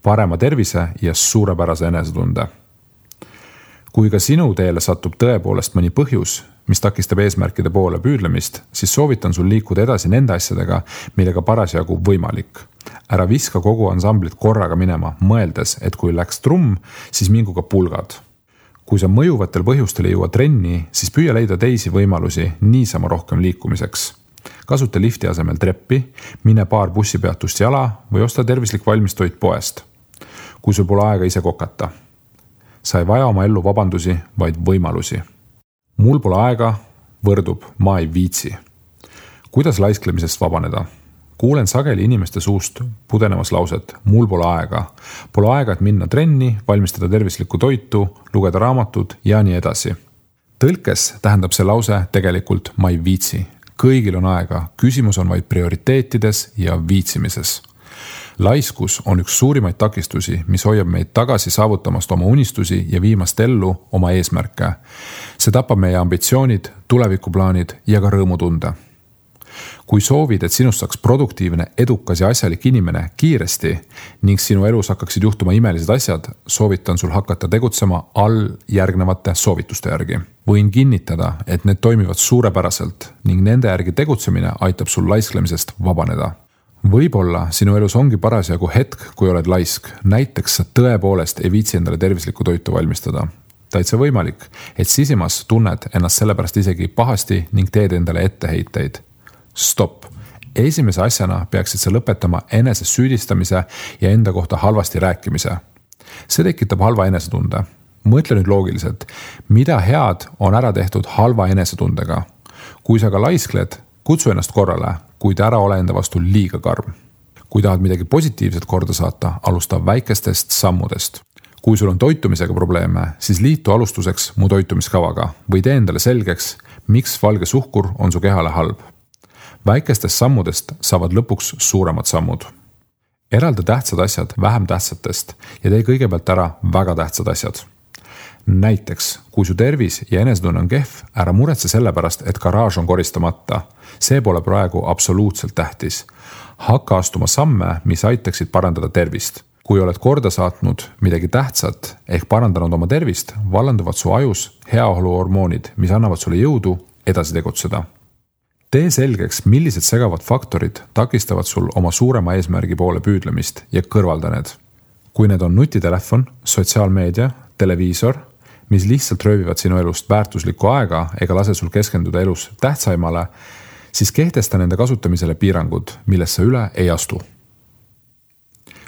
parema tervise ja suurepärase enesetunde. Kui ka sinu teele satub tõepoolest mõni põhjus, mis takistab eesmärkide poole püüdlemist, siis soovitan sul liikuda edasi nende asjadega, millega parasjagu võimalik. Ära viska kogu ansamblit korraga minema, mõeldes, et kui läks trumm, siis mingu ka pulgad. Kui sa mõjuvatel põhjustel ei jõua trenni, siis püüa leida teisi võimalusi niisama rohkem liikumiseks. Kasuta lifti asemel treppi, mine paar bussipeatust jala või osta tervislik valmistoit poest. Kui sul pole aega ise kokata. Sa ei vaja oma ellu vabandusi, vaid võimalusi. Mul pole aega, võrdub, ma ei viitsi. Kuidas laisklemisest vabaneda? Kuulen sageli inimeste suust pudenemas lauset, mul pole aega. Pole aega, et minna trenni, valmistada tervislikku toitu, lugeda raamatud ja nii edasi. Tõlkes tähendab see lause tegelikult ma ei viitsi. Kõigil on aega, küsimus on vaid prioriteetides ja viitsimises. Laiskus on üks suurimaid takistusi, mis hoiab meid tagasi saavutamast oma unistusi ja viimast ellu oma eesmärke. See tapab meie ambitsioonid, tulevikuplaanid ja ka rõõmutunde. Kui soovid, et sinust saaks produktiivne, edukas ja asjalik inimene kiiresti ning sinu elus hakkaksid juhtuma imelised asjad, soovitan sul hakata tegutsema all järgnevate soovituste järgi. Võin kinnitada, et need toimivad suurepäraselt ning nende järgi tegutsemine aitab sul laisklemisest vabaneda. Võib-olla sinu elus ongi parasjagu hetk, kui oled laisk. Näiteks sa tõepoolest ei viitsi endale tervislikku toitu valmistada. Täitsa võimalik, et sisimas tunned ennast sellepärast isegi pahasti ning teed endale etteheiteid. Stopp. Esimese asjana peaksid sa lõpetama enese süüdistamise ja enda kohta halvasti rääkimise. See tekitab halva enesetunde. Mõtle nüüd loogiliselt, mida head on ära tehtud halva enesetundega. Kui sa ka laiskled, kutsu ennast korrale, kuid ära ole enda vastu liiga karm. Kui tahad midagi positiivset korda saata, alusta väikestest sammudest. Kui sul on toitumisega probleeme, siis liitu alustuseks mu toitumiskavaga või tee endale selgeks, miks valge suhkur on su kehale halb. Väikestest sammudest saavad lõpuks suuremad sammud. Eralda tähtsad asjad vähem tähtsatest ja tee kõigepealt ära väga tähtsad asjad. Näiteks, kui su tervis ja enesetunne on kehv, ära muretse selle pärast, et garaaž on koristamata. See pole praegu absoluutselt tähtis. Hakka astuma samme, mis aitaksid parandada tervist. Kui oled korda saatnud midagi tähtsat ehk parandanud oma tervist, vallanduvad su ajus heaoluhormoonid, mis annavad sulle jõudu edasi tegutseda. Tee selgeks, millised segavad faktorid takistavad sul oma suurema eesmärgi poole püüdlemist ja kõrvalda need. Kui need on nutitelefon, sotsiaalmeedia, televiisor, mis lihtsalt röövivad sinu elust väärtuslikku aega ega lase sul keskenduda elus tähtsaimale, siis kehtesta nende kasutamisele piirangud, millest sa üle ei astu.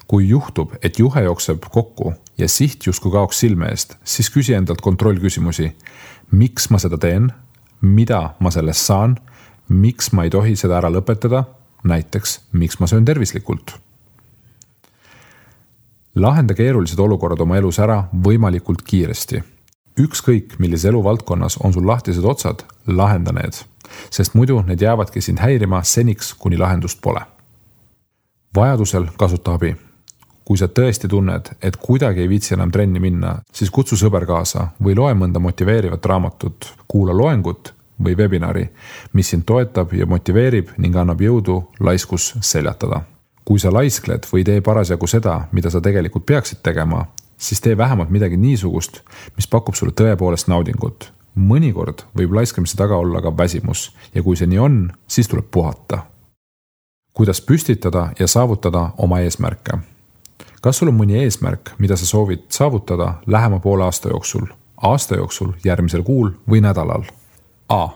Kui juhtub, et juhe jookseb kokku ja siht justkui kaoks silme eest, siis küsi endalt kontrollküsimusi. Miks ma seda teen? Mida ma sellest saan? Miks ma ei tohi seda ära lõpetada? Näiteks, miks ma söön tervislikult? Lahenda keerulised olukorrad oma elus ära võimalikult kiiresti. Ükskõik, millises eluvaldkonnas on sul lahtised otsad, lahenda need, sest muidu need jäävadki sind häirima seniks, kuni lahendust pole. Vajadusel kasuta abi. Kui sa tõesti tunned, et kuidagi ei viitsi enam trenni minna, siis kutsu sõber kaasa või loe mõnda motiveerivat raamatut, kuula loengut või webinari, mis sind toetab ja motiveerib ning annab jõudu laiskus seljatada. Kui sa laiskled või tee parasjagu seda, mida sa tegelikult peaksid tegema, siis tee vähemalt midagi niisugust, mis pakub sulle tõepoolest naudingut. Mõnikord võib laiskamise taga olla ka väsimus ja kui see nii on, siis tuleb puhata. Kuidas püstitada ja saavutada oma eesmärke? Kas sul on mõni eesmärk, mida sa soovid saavutada lähema poole aasta jooksul, järgmisel kuul või nädalal? A.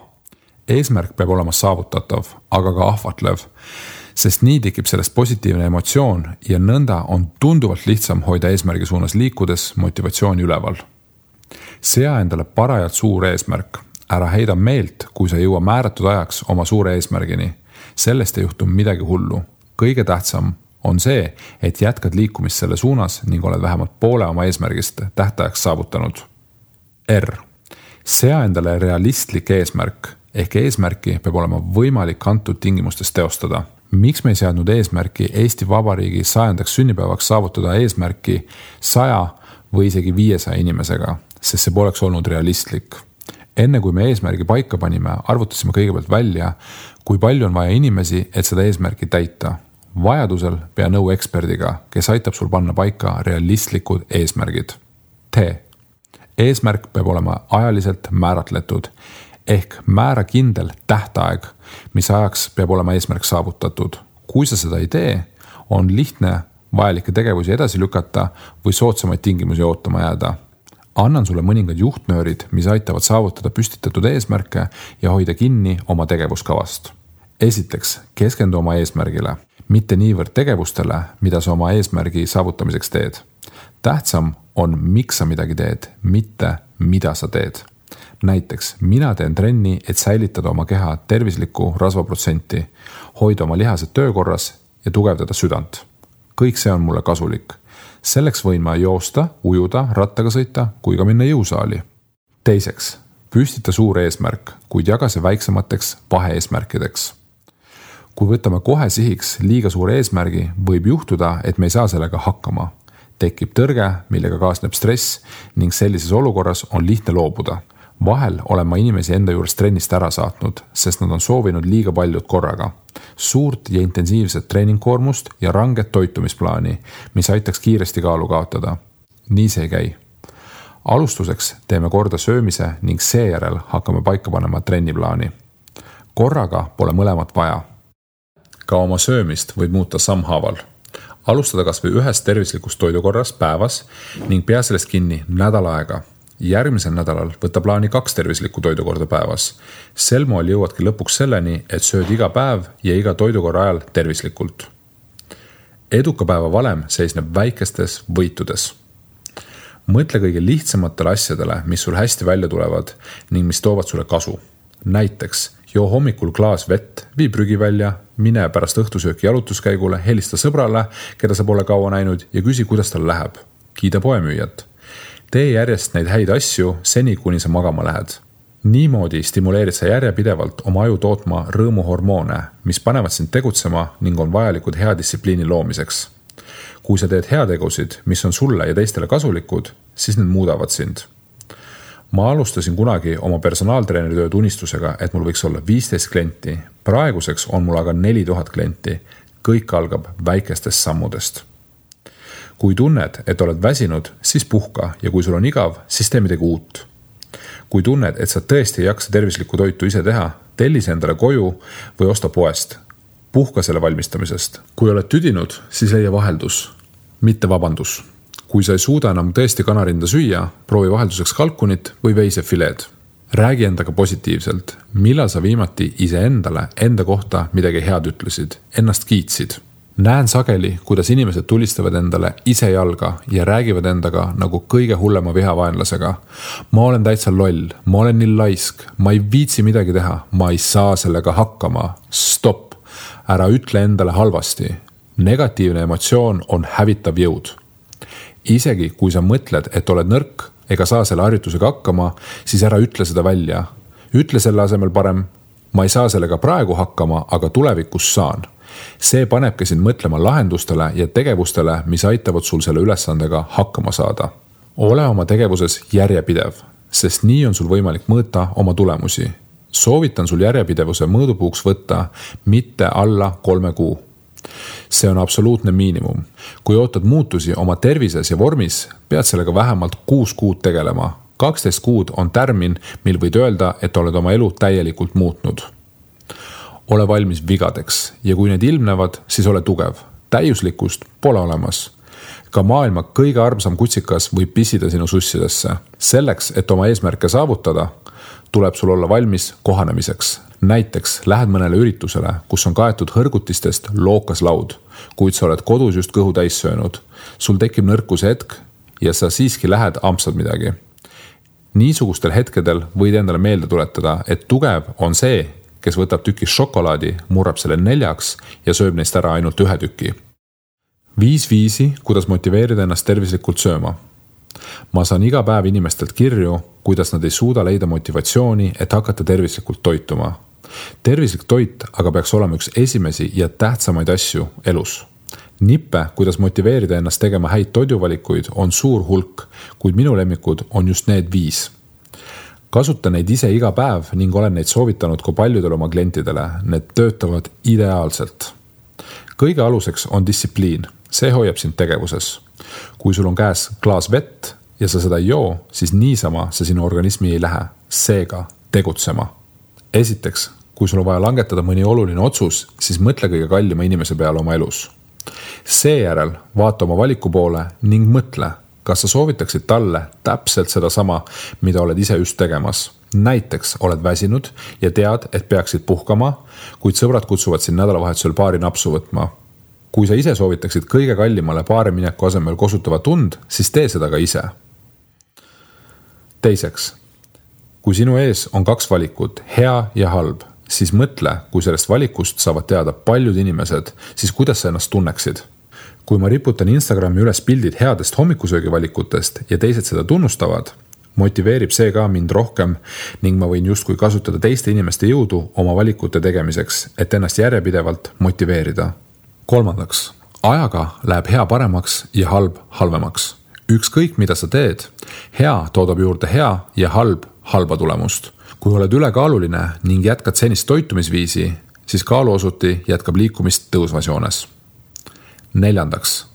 Eesmärk peab olema saavutatav, aga ka ahvatlev, sest nii tekib sellest positiivne emotsioon ja nõnda on tunduvalt lihtsam hoida eesmärgi suunas liikudes motivatsiooni üleval. Sea endale parajalt suur eesmärk. Ära heida meelt, kui sa jõua määratud ajaks oma suure eesmärgini. Sellest ei juhtu midagi hullu. Kõige tähtsam on see, et jätkad liikumist selle suunas ning oled vähemalt poole oma eesmärgist tähtajaks saavutanud. R. Sea endale realistlik eesmärk, ehk eesmärki peab olema võimalik antud tingimustes teostada. Miks me ei seadnud eesmärki Eesti Vabariigi 100. sünnipäevaks saavutada eesmärki 100 või isegi 500 inimesega, sest see poleks olnud realistlik. Enne kui me eesmärgi paika panime, arvutasime kõigepealt välja, kui palju on vaja inimesi, et seda eesmärki täita. Vajadusel pea nõu eksperdiga, kes aitab sul panna paika realistlikud eesmärgid. Eesmärk peab olema ajaliselt määratletud ehk määra kindel tähtaeg, mis ajaks peab olema eesmärk saavutatud. Kui sa seda ei tee, on lihtne vajalikke tegevusi edasi lükata või soodsamaid tingimusi ootama jääda. Annan sulle mõningad juhtnöörid, mis aitavad saavutada püstitatud eesmärke ja hoida kinni oma tegevuskavast. Esiteks, keskendu oma eesmärgile, mitte niivõrd tegevustele, mida sa oma eesmärgi saavutamiseks teed. Tähtsam on, miks sa midagi teed, mitte mida sa teed. Näiteks, mina teen trenni, et säilitada oma keha tervislikku rasvaprotsenti, hoida oma lihased töökorras ja tugevdada südant. Kõik see on mulle kasulik. Selleks võin ma joosta, ujuda, rattaga sõita, kui ka minna jõusaali. Teiseks, püstita suur eesmärk, kuid jaga see väiksemateks vaheeesmärkideks. Kui võtame kohe sihiks liiga suure eesmärgi, võib juhtuda, et me ei saa sellega hakkama. Tekib tõrge, millega kaasneb stress ning sellises olukorras on lihtne loobuda. Vahel olen ma inimesi enda juures trennist ära saatnud, sest nad on soovinud liiga paljud korraga. Suurt ja intensiivset treeningkoormust ja ranget toitumisplaani, mis aitaks kiiresti kaalu kaotada. Nii see ei käi. Alustuseks teeme korda söömise ning seejärel hakkame paika panema trenniplaani. Korraga pole mõlemat vaja. Ka oma söömist võib muuta sammhaaval. Alustada kas või ühest tervislikust toidukorras päevas ning pea sellest kinni nädal aega. Järgmisel nädalal võta plaani 2 tervislikku toidukorda päevas. Sel moel jõuadki lõpuks selleni, et sööd iga päev ja iga toidukorra ajal tervislikult. Eduka päeva valem seisneb väikestes võitudes. Mõtle kõige lihtsamatele asjadele, mis sul hästi välja tulevad ning mis toovad sulle kasu. Näiteks, joo hommikul klaas vett, vii prügi välja, mine pärast õhtusööki jalutuskäigule, helista sõbrale, keda sa pole kaua näinud ja küsi, kuidas tal läheb. Kiida poemüüjat. Tee järjest neid häid asju seni, kuni sa magama lähed. Niimoodi stimuleerid sa järjepidevalt oma aju tootma rõõmuhormoone, mis panevad sind tegutsema ning on vajalikud hea distsipliini loomiseks. Kui sa teed heategusid, mis on sulle ja teistele kasulikud, siis need muudavad sind. Ma alustasin kunagi oma personaaltreeneri tööd unistusega, et mul võiks olla 15 klienti. Praeguseks on mul aga 4000 klienti. Kõik algab väikestest sammudest. Kui tunned, et oled väsinud, siis puhka ja kui sul on igav, siis tee midagi uut. Kui tunned, et sa tõesti ei jaksa tervislikku toitu ise teha, tellise endale koju või osta poest. Puhka selle valmistamisest. Kui oled tüdinud, siis leia vaheldus, mitte vabandus. Kui sa ei suuda enam tõesti kanarinda süüa, proovi vahelduseks kalkunit või veisefileed. Räägi endaga positiivselt, millal sa viimati iseendale enda kohta midagi head ütlesid, ennast kiitsid. Näen sageli, kuidas inimesed tulistavad endale ise jalga ja räägivad endaga nagu kõige hullema vihavaenlasega. Ma olen täitsa loll, ma olen nii laisk, ma ei viitsi midagi teha, ma ei saa sellega hakkama. Stopp, ära ütle endale halvasti. Negatiivne emotsioon on hävitav jõud. Isegi kui sa mõtled, et oled nõrk ega saa selle harjutusega hakkama, siis ära ütle seda välja. Ütle selle asemel parem, ma ei saa sellega praegu hakkama, aga tulevikus saan. See panebki sind mõtlema lahendustele ja tegevustele, mis aitavad sul selle ülesandega hakkama saada. Ole oma tegevuses järjepidev, sest nii on sul võimalik mõõta oma tulemusi. Soovitan sul järjepidevuse mõõdupuuks võtta mitte alla 3 kuu. See on absoluutne miinimum. Kui ootad muutusi oma tervises ja vormis, pead sellega vähemalt 6 kuud tegelema. 12 kuud on tärmin, mil võid öelda, et oled oma elu täielikult muutnud. Ole valmis vigadeks ja kui need ilmnevad, siis ole tugev. Täiuslikkust pole olemas. Ka maailma kõige armsam kutsikas võib pissida sinu sussidesse. Selleks, et oma eesmärke saavutada, tuleb sul olla valmis kohanemiseks. Näiteks lähed mõnele üritusele, kus on kaetud hõrgutistest lookas laud, kuid sa oled kodus just kõhu täis söönud. Sul tekib nõrkuse hetk ja sa siiski lähed ampsad midagi. Niisugustel hetkedel võid endale meelde tuletada, et tugev on see, kes võtab tüki šokolaadi, murrab selle 4 ja sööb neist ära ainult 1 tüki. 5 viisi, kuidas motiveerida ennast tervislikult sööma. Ma saan iga päev inimestelt kirju, kuidas nad ei suuda leida motivatsiooni, et hakata tervislikult toituma. Tervislik toit aga peaks olema üks esimesi ja tähtsamaid asju elus. Nippe, kuidas motiveerida ennast tegema häid toiduvalikuid, on suur hulk, kuid minu lemmikud on just need 5. Kasuta neid ise iga päev ning olen neid soovitanud ka paljudele oma klientidele. Need töötavad ideaalselt. Kõige aluseks on distsipliin. See hoiab sind tegevuses. Kui sul on käes klaas vett ja sa seda ei joo, siis niisama see sinu organismi ei lähe. Seega tegutsema. Esiteks, kui sul on vaja langetada mõni oluline otsus, siis mõtle kõige kallima inimese peale oma elus. Seejärel vaata oma valiku poole ning mõtle, kas sa soovitaksid talle täpselt seda sama, mida oled ise just tegemas. Näiteks oled väsinud ja tead, et peaksid puhkama, kuid sõbrad kutsuvad sind nädalavahetusel baari napsu võtma. Kui sa ise soovitaksid kõige kallimale baari mineku asemel kosutava tund, siis tee seda ka ise. Teiseks, kui sinu ees on 2 valikut, hea ja halb, siis mõtle, kui sellest valikust saavad teada paljud inimesed, siis kuidas sa ennast tunneksid. Kui ma riputan Instagrami üles pildid headest hommikusöögivalikutest ja teised seda tunnustavad, motiveerib see ka mind rohkem ning ma võin justkui kasutada teiste inimeste jõudu oma valikute tegemiseks, et ennast järjepidevalt motiveerida. Kolmandaks, ajaga läheb hea paremaks ja halb halvemaks. Ükskõik mida sa teed, hea toodab juurde hea ja halb halba tulemust. Kui oled ülekaaluline ning jätkad senist toitumisviisi, siis kaaluosuti jätkab liikumist tõusvas joones. Neljandaks,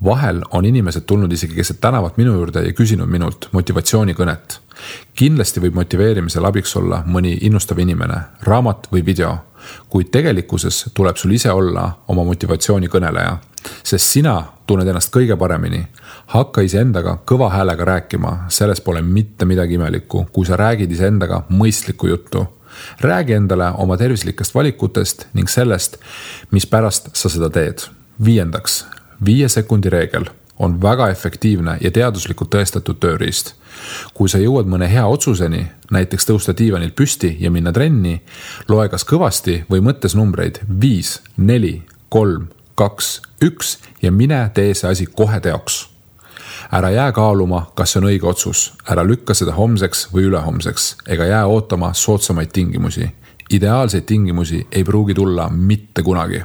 vahel on inimesed tulnud isegi keset tänavat minu juurde ja küsinud minult motivatsioonikõnet. Kindlasti võib motiveerimisel abiks olla mõni innustav inimene, raamat või video, kuid tegelikkuses tuleb sul ise olla oma motivatsioonikõneleja, sest sina tunned ennast kõige paremini. Hakka iseendaga kõva häälega rääkima, selles pole mitte midagi imelikku, kui sa räägid iseendaga mõistlikku juttu. Räägi endale oma tervislikest valikutest ning sellest, mis pärast sa seda teed. 5. 5 sekundi reegel on väga efektiivne ja teaduslikult tõestatud tööriist. Kui sa jõuad mõne hea otsuseni, näiteks tõusta diivanilt püsti ja minna trenni, loe kas kõvasti või mõttes numbreid 5, 4, 3, 2, 1 ja mine tee see asi kohe teoks. Ära jää kaaluma, kas see on õige otsus. Ära lükka seda homseks või ülehomseks, ega jää ootama soodsamaid tingimusi. Ideaalseid tingimusi ei pruugi tulla mitte kunagi.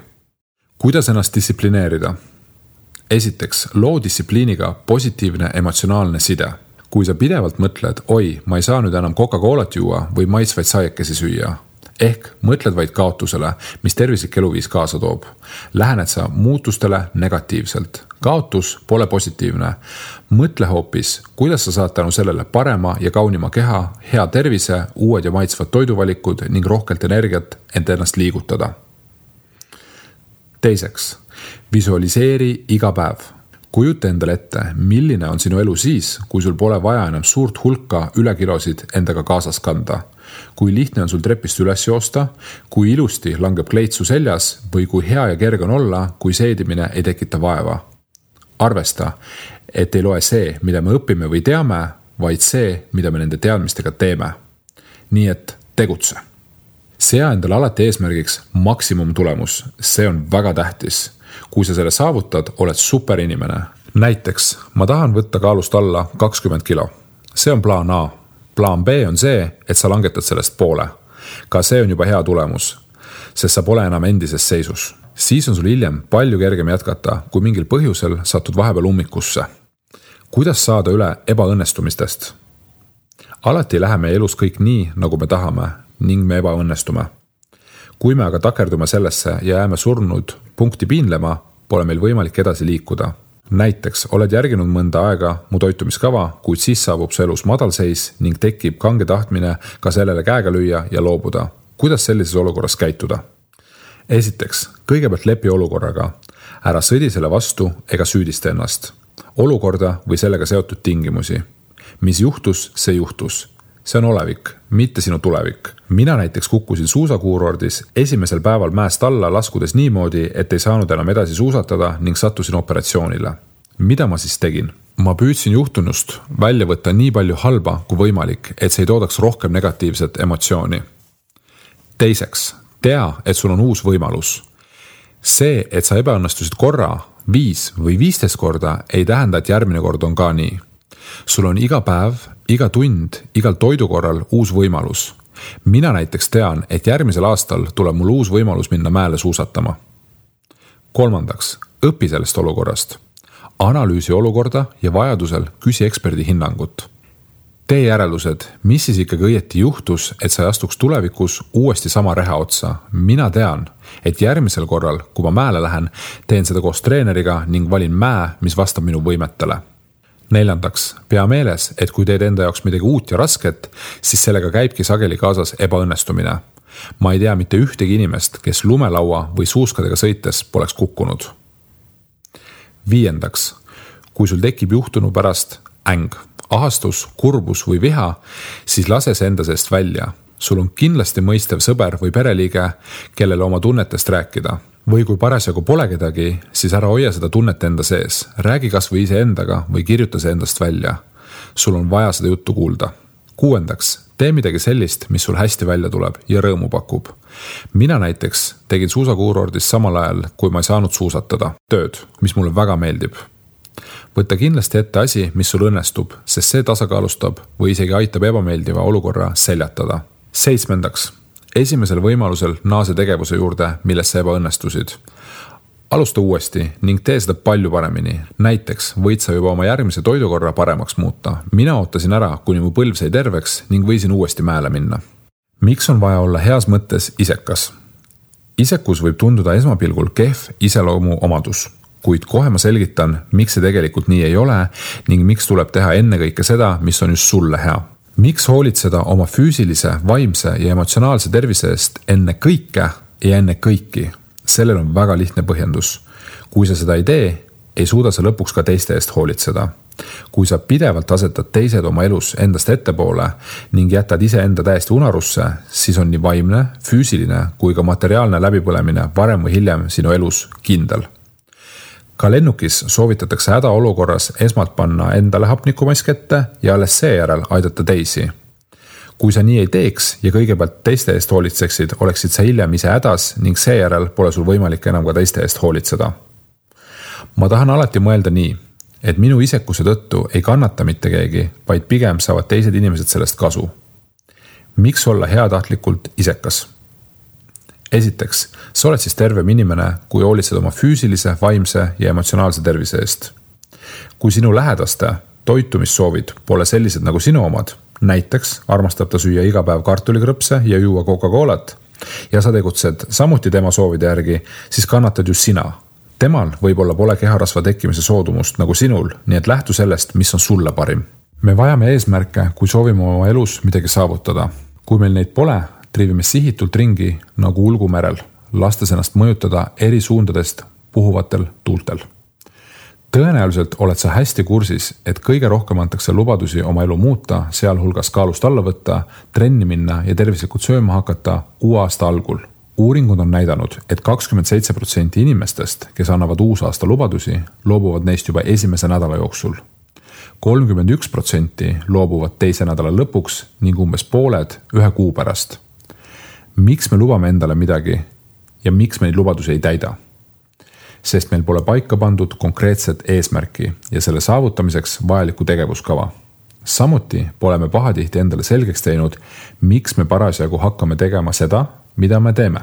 Kuidas ennast distsiplineerida? Esiteks, loo distsipliiniga positiivne emotsionaalne side. Kui sa pidevalt mõtled, oi, ma ei saa nüüd enam Coca-Colat juua või maitsvaid saiekesi süüa. Ehk mõtled vaid kaotusele, mis tervislik eluviis kaasa toob. Lähened sa muutustele negatiivselt. Kaotus pole positiivne. Mõtle hoopis, kuidas sa saad tänu sellele parema ja kaunima keha, hea tervise, uued ja maitsvad toiduvalikud ning rohkelt energiat ent ennast liigutada. Teiseks, visualiseeri iga päev. Kujuta endale ette, milline on sinu elu siis, kui sul pole vaja enam suurt hulka ülekilosid endaga kaasas kanda. Kui lihtne on sul trepist üles joosta, kui ilusti langeb kleitsu seljas või kui hea ja kerge on olla, kui seedimine ei tekita vaeva. Arvesta, et ei loe see, mida me õpime või teame, vaid see, mida me nende teadmistega teeme. Nii et tegutse. Sea endale alati eesmärgiks maksimum tulemus. See on väga tähtis. Kui sa selle saavutad, oled super inimene. Näiteks, ma tahan võtta kaalust alla 20 kilo. See on plaan A. Plaan B on see, et sa langetad sellest poole. Ka see on juba hea tulemus, sest sa pole enam endises seisus. Siis on sul hiljem palju kergem jätkata, kui mingil põhjusel satud vahepeal ummikusse. Kuidas saada üle ebaõnnestumistest? Alati ei lähe meie elus kõik nii, nagu me tahame ning me ebaõnnestume. Kui me aga takerdume sellesse ja jääme surnud punkti piinlema, pole meil võimalik edasi liikuda. Näiteks oled järginud mõnda aega mu toitumiskava, kuid siis saabub su elus madalseis ning tekib kange tahtmine ka sellele käega lüüa ja loobuda. Kuidas sellises olukorras käituda? Esiteks, kõigepealt lepi olukorraga. Ära sõdi selle vastu ega süüdista ennast. Olukorda või sellega seotud tingimusi. Mis juhtus, see juhtus. See on olevik, mitte sinu tulevik. Mina näiteks kukkusin suusakuurordis esimesel päeval mäest alla laskudes niimoodi, et ei saanud enam edasi suusatada ning sattusin operatsioonile. Mida ma siis tegin? Ma püüdsin juhtunust välja võtta nii palju halba kui võimalik, et see ei toodaks rohkem negatiivset emotsiooni. Teiseks, tea, et sul on uus võimalus. See, et sa ebaõnnestusid korra, 5 või 15 korda, ei tähenda, et järgmine kord on ka nii. Sul on iga päev, iga tund, igal toidukorral uus võimalus. Mina näiteks tean, et järgmisel aastal tuleb mul uus võimalus minna mäele suusatama. 3. Õpi sellest olukorrast. Analüüsi olukorda ja vajadusel küsi eksperdi hinnangut. Tee järeldused, mis siis ikkagi õieti juhtus, et sa ei astuks tulevikus uuesti sama reha otsa. Mina tean, et järgmisel korral, kui ma mäele lähen, teen seda koos treeneriga ning valin mäe, mis vastab minu võimetele. 4. Pea meeles, et kui teed enda jaoks midagi uut ja rasket, siis sellega käibki sageli kaasas ebaõnnestumine. Ma ei tea mitte ühtegi inimest, kes lumelaua või suuskadega sõites poleks kukkunud. 5. Kui sul tekib juhtunu pärast äng, ahastus, kurbus või viha, siis lase see enda seest välja. Sul on kindlasti mõistev sõber või pereliige, kellele oma tunnetest rääkida. Või kui parasjagu pole kedagi, siis ära hoia seda tunnet enda sees. Räägi kas või ise endaga või kirjuta see endast välja. Sul on vaja seda juttu kuulda. 6. Tee midagi sellist, mis sul hästi välja tuleb ja rõõmu pakub. Mina näiteks tegin suusakuurordis samal ajal, kui ma ei saanud suusatada. Tööd, mis mulle väga meeldib. Võtta kindlasti ette asi, mis sul õnnestub, sest see tasakaalustab või isegi aitab ebameeldiva olukorra seljatada. 7. Esimesel võimalusel naase tegevuse juurde, millesse ebaõnnestusid. Alusta uuesti ning tee seda palju paremini. Näiteks võid sa juba oma järgmise toidukorra paremaks muuta. Mina ootasin ära, kuni mu põlv sai terveks ning võisin uuesti mäele minna. Miks on vaja olla heas mõttes isekas? Isekus võib tunduda esmapilgul kehv iseloomu omadus. Kuid kohe ma selgitan, miks see tegelikult nii ei ole ning miks tuleb teha ennekõike seda, mis on just sulle hea. Miks hoolitseda oma füüsilise, vaimse ja emotsionaalse tervise eest enne kõike ja enne kõiki? Sellel on väga lihtne põhjendus. Kui sa seda ei tee, ei suuda sa lõpuks ka teiste eest hoolitseda. Kui sa pidevalt asetad teised oma elus endast ettepoole ning jätad iseenda täiesti unarusse, siis on nii vaimne, füüsiline kui ka materiaalne läbipõlemine varem või hiljem sinu elus kindel. Ka lennukis soovitatakse hädaolukorras esmalt panna endale hapnikumask ette ja alles seejärel aidata teisi. Kui sa nii ei teeks ja kõigepealt teiste eest hoolitseksid, oleksid sa hiljem ise hädas ning seejärel pole sul võimalik enam ka teiste eest hoolitseda. Ma tahan alati mõelda nii, et minu isekuse tõttu ei kannata mitte keegi, vaid pigem saavad teised inimesed sellest kasu. Miks olla heatahtlikult isekas? Esiteks, sa oled siis tervem inimene, kui hoolitsed oma füüsilise, vaimse ja emotsionaalse tervise eest. Kui sinu lähedaste toitumissoovid pole sellised nagu sinu omad, näiteks armastab ta süüa iga päev kartulikrõpse ja juua Coca-Colat ja sa tegutsed samuti tema soovide järgi, siis kannatad ju sina. Temal võib-olla pole keharasva tekkimise soodumust nagu sinul, nii et lähtu sellest, mis on sulle parim. Me vajame eesmärke, kui soovime oma elus midagi saavutada. Kui meil neid pole, triivime sihitult ringi nagu ulgumerel, lastes ennast mõjutada eri suundadest puhuvatel tuultel. Tõenäoliselt oled sa hästi kursis, et kõige rohkem antakse lubadusi oma elu muuta, sealhulgas kaalust alla võtta, trenni minna ja tervislikult sööma hakata uue aasta algul. Uuringud on näidanud, et 27% inimestest, kes annavad uusaasta lubadusi, loobuvad neist juba esimese nädala jooksul. 31% loobuvad teise nädala lõpuks ning umbes pooled ühe kuu pärast. Miks me lubame endale midagi ja miks me neid lubadusi ei täida? Sest meil pole paika pandud konkreetset eesmärki ja selle saavutamiseks vajalikku tegevuskava. Samuti pole me pahatihti endale selgeks teinud, miks me parasjagu hakkame tegema seda, mida me teeme.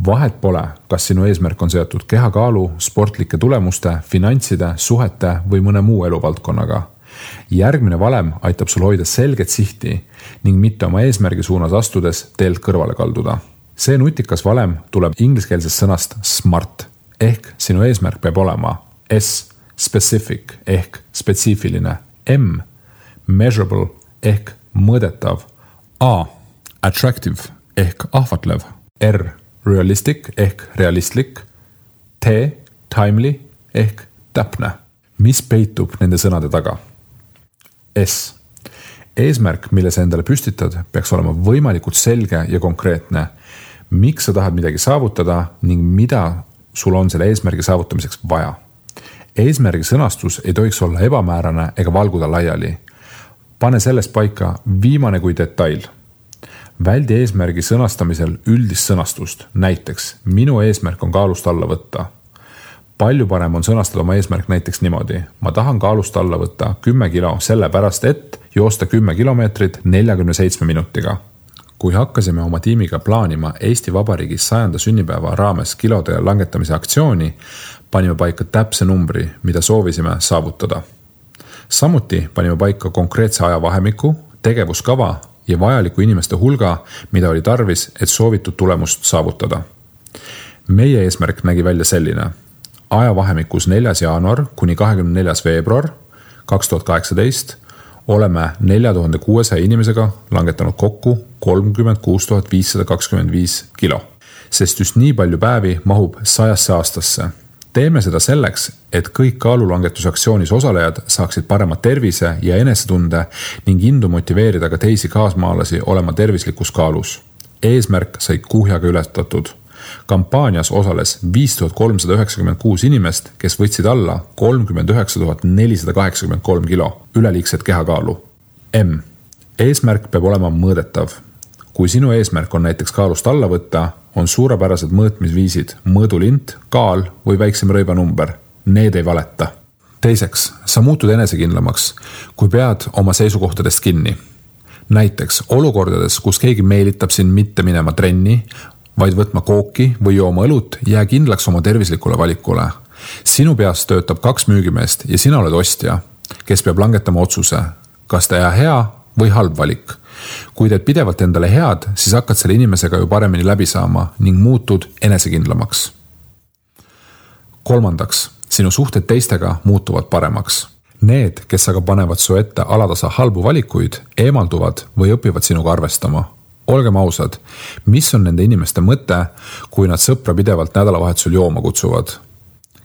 Vahet pole, kas sinu eesmärk on seotud kehakaalu, sportlike tulemuste, finantside, suhete või mõne muu eluvaldkonnaga. Järgmine valem aitab sul hoida selget sihti ning mitte oma eesmärgi suunas astudes teelt kõrvale kalduda. See nutikas valem tuleb ingliskeelsest sõnast SMART ehk sinu eesmärk peab olema S, specific ehk spetsiifiline, M, measurable ehk mõõdetav, A, attractive ehk ahvatlev, R, realistic ehk realistlik, T, timely ehk täpne. Mis peitub nende sõnade taga? S. Eesmärk, mille sa endale püstitad, peaks olema võimalikult selge ja konkreetne. Miks sa tahad midagi saavutada ning mida sul on selle eesmärgi saavutamiseks vaja? Eesmärgi sõnastus ei tohiks olla ebamäärane ega valguda laiali. Pane sellest paika viimane kui detail. Väldi eesmärgi sõnastamisel üldist sõnastust. Näiteks, minu eesmärk on kaalust alla võtta. Palju parem on sõnastada oma eesmärk näiteks niimoodi. Ma tahan kaalust alla võtta 10 kilo sellepärast, et joosta 10 kilomeetrit 47 minutiga. kui hakkasime oma tiimiga plaanima Eesti Vabariigi 100. sünnipäeva raames kilode langetamise aktsiooni, panime paika täpse numbri, mida soovisime saavutada. Samuti panime paika konkreetse ajavahemiku, tegevuskava ja vajaliku inimeste hulga, mida oli tarvis, et soovitud tulemust saavutada. Meie eesmärk nägi välja selline. Ajavahemikus 4. jaanuar kuni 24. veebruar 2018 oleme 4600 inimesega langetanud kokku 36 525 kilo, sest just nii palju päevi mahub 100 aastasse. Teeme seda selleks, et kõik kaalulangetusaktsioonis osalejad saaksid parema tervise ja enesetunde ning indu motiveerida ka teisi kaasmaalasi olema tervislikus kaalus. Eesmärk sai kuhjaga ületatud. Kampaanias osales 5396 inimest, kes võtsid alla 39 483 kilo üleliigset kehakaalu. M. Eesmärk peab olema mõõdetav. Kui sinu eesmärk on näiteks kaalust alla võtta, on suurepärased mõõtmisviisid, mõõdulint, kaal või väiksem rõibanumber. Need ei valeta. Teiseks, sa muutud enesekindlamaks, kui pead oma seisukohtadest kinni. Näiteks olukordades, kus keegi meelitab sind mitte minema trenni, vaid võtma kooki või jooma õlut, jää kindlaks oma tervislikule valikule. Sinu peas töötab 2 müügimeest ja sina oled ostja, kes peab langetama otsuse, kas ta hea või halb valik. Kui teed pidevalt endale head, siis hakkad selle inimesega ju paremini läbi saama ning muutud enesekindlamaks. Kolmandaks, sinu suhted teistega muutuvad paremaks. Need, kes aga panevad su ette alatasa halbu valikuid, eemalduvad või õpivad sinuga arvestama. Olgem ausad, mis on nende inimeste mõte, kui nad sõpra pidevalt nädalavahetusel jooma kutsuvad?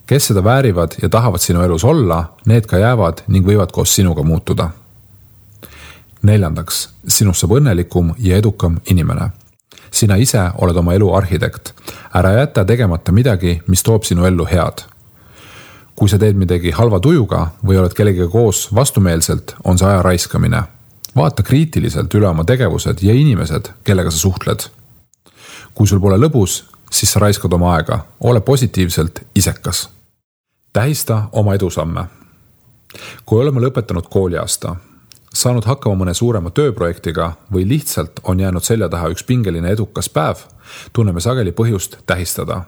Kes seda väärivad ja tahavad sinu elus olla, need ka jäävad ning võivad koos sinuga muutuda. Neljandaks, sinust saab õnnelikum ja edukam inimene. Sina ise oled oma elu arhitekt. Ära jäta tegemata midagi, mis toob sinu ellu head. Kui sa teed midagi halva tujuga või oled kellegagi koos vastumeelselt, on see aja raiskamine. Vaata kriitiliselt üle oma tegevused ja inimesed, kellega sa suhtled. Kui sul pole lõbus, siis sa raiskad oma aega. Ole positiivselt isekas. Tähista oma edusamme. Kui oleme lõpetanud kooliaasta, saanud hakkama mõne suurema tööprojektiga või lihtsalt on jäänud selja taha üks pingeline edukas päev, tunneme sageli põhjust tähistada.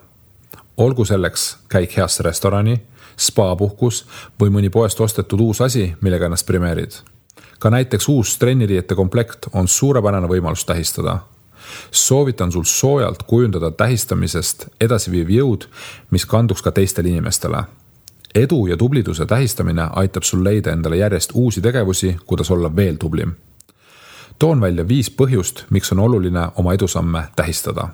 Olgu selleks käik heasse restorani, spa-puhkus või mõni poest ostetud uus asi, millega ennast premeerid. Ka näiteks uus trenniriiete komplekt on suurepärane võimalus tähistada. Soovitan sul soojalt kujundada tähistamisest edasiviiv jõud, mis kanduks ka teistele inimestele. Edu ja tubliduse tähistamine aitab sul leida endale järjest uusi tegevusi, kuidas olla veel tublim. Toon välja 5 põhjust, miks on oluline oma edusamme tähistada.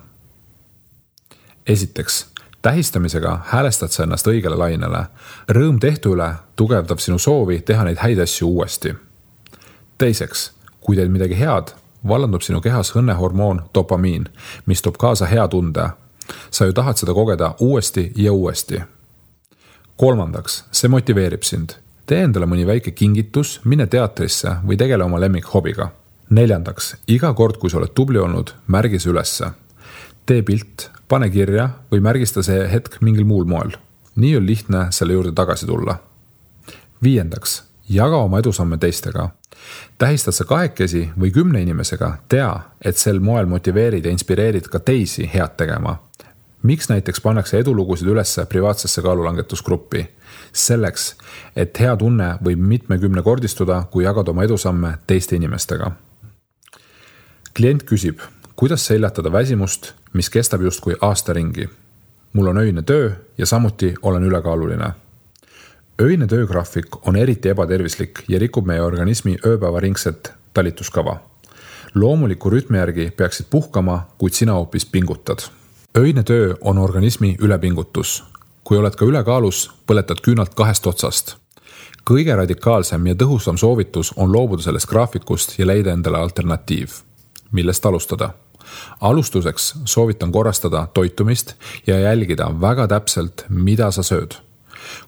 Esiteks, tähistamisega häälestad sa ennast õigele lainele. Rõõm tehtu üle tugevdab sinu soovi teha neid häid asju uuesti. Teiseks, kui teed midagi head, vallandub sinu kehas õnnehormoon dopamiin, mis toob kaasa hea tunde. Sa ju tahad seda kogeda uuesti ja uuesti. Kolmandaks, see motiveerib sind. Tee endale mõni väike kingitus, mine teatrisse või tegele oma lemmikhobiga. Neljandaks, iga kord, kui sa oled tubli olnud, märgi see ülesse. Tee pilt, pane kirja või märgista see hetk mingil muul moel. Nii on lihtne selle juurde tagasi tulla. Viiendaks, jaga oma edusamme teistega. Tähistad sa 2 või 10 inimesega, tea, et sel moel motiveerid ja inspireerid ka teisi head tegema. Miks näiteks pannakse edulugusid ülesse privaatsesse kaalulangetusgruppi? Selleks, et hea tunne võib mitmekümne kordistuda, kui jagad oma edusamme teiste inimestega. Klient küsib, kuidas seljatada väsimust, mis kestab justkui aasta ringi. Mul on öine töö ja samuti olen ülekaaluline. Öine töögraafik on eriti ebatervislik ja rikub meie organismi ööpäevaringset talituskava. Loomuliku rütmi järgi peaksid puhkama, kuid sina hoopis pingutad. Öine töö on organismi ülepingutus. Kui oled ka ülekaalus, põletad küünalt 2 otsast. Kõige radikaalsem ja tõhusam soovitus on loobuda sellest graafikust ja leida endale alternatiiv. Millest alustada? Alustuseks soovitan korrastada toitumist ja jälgida väga täpselt, mida sa sööd.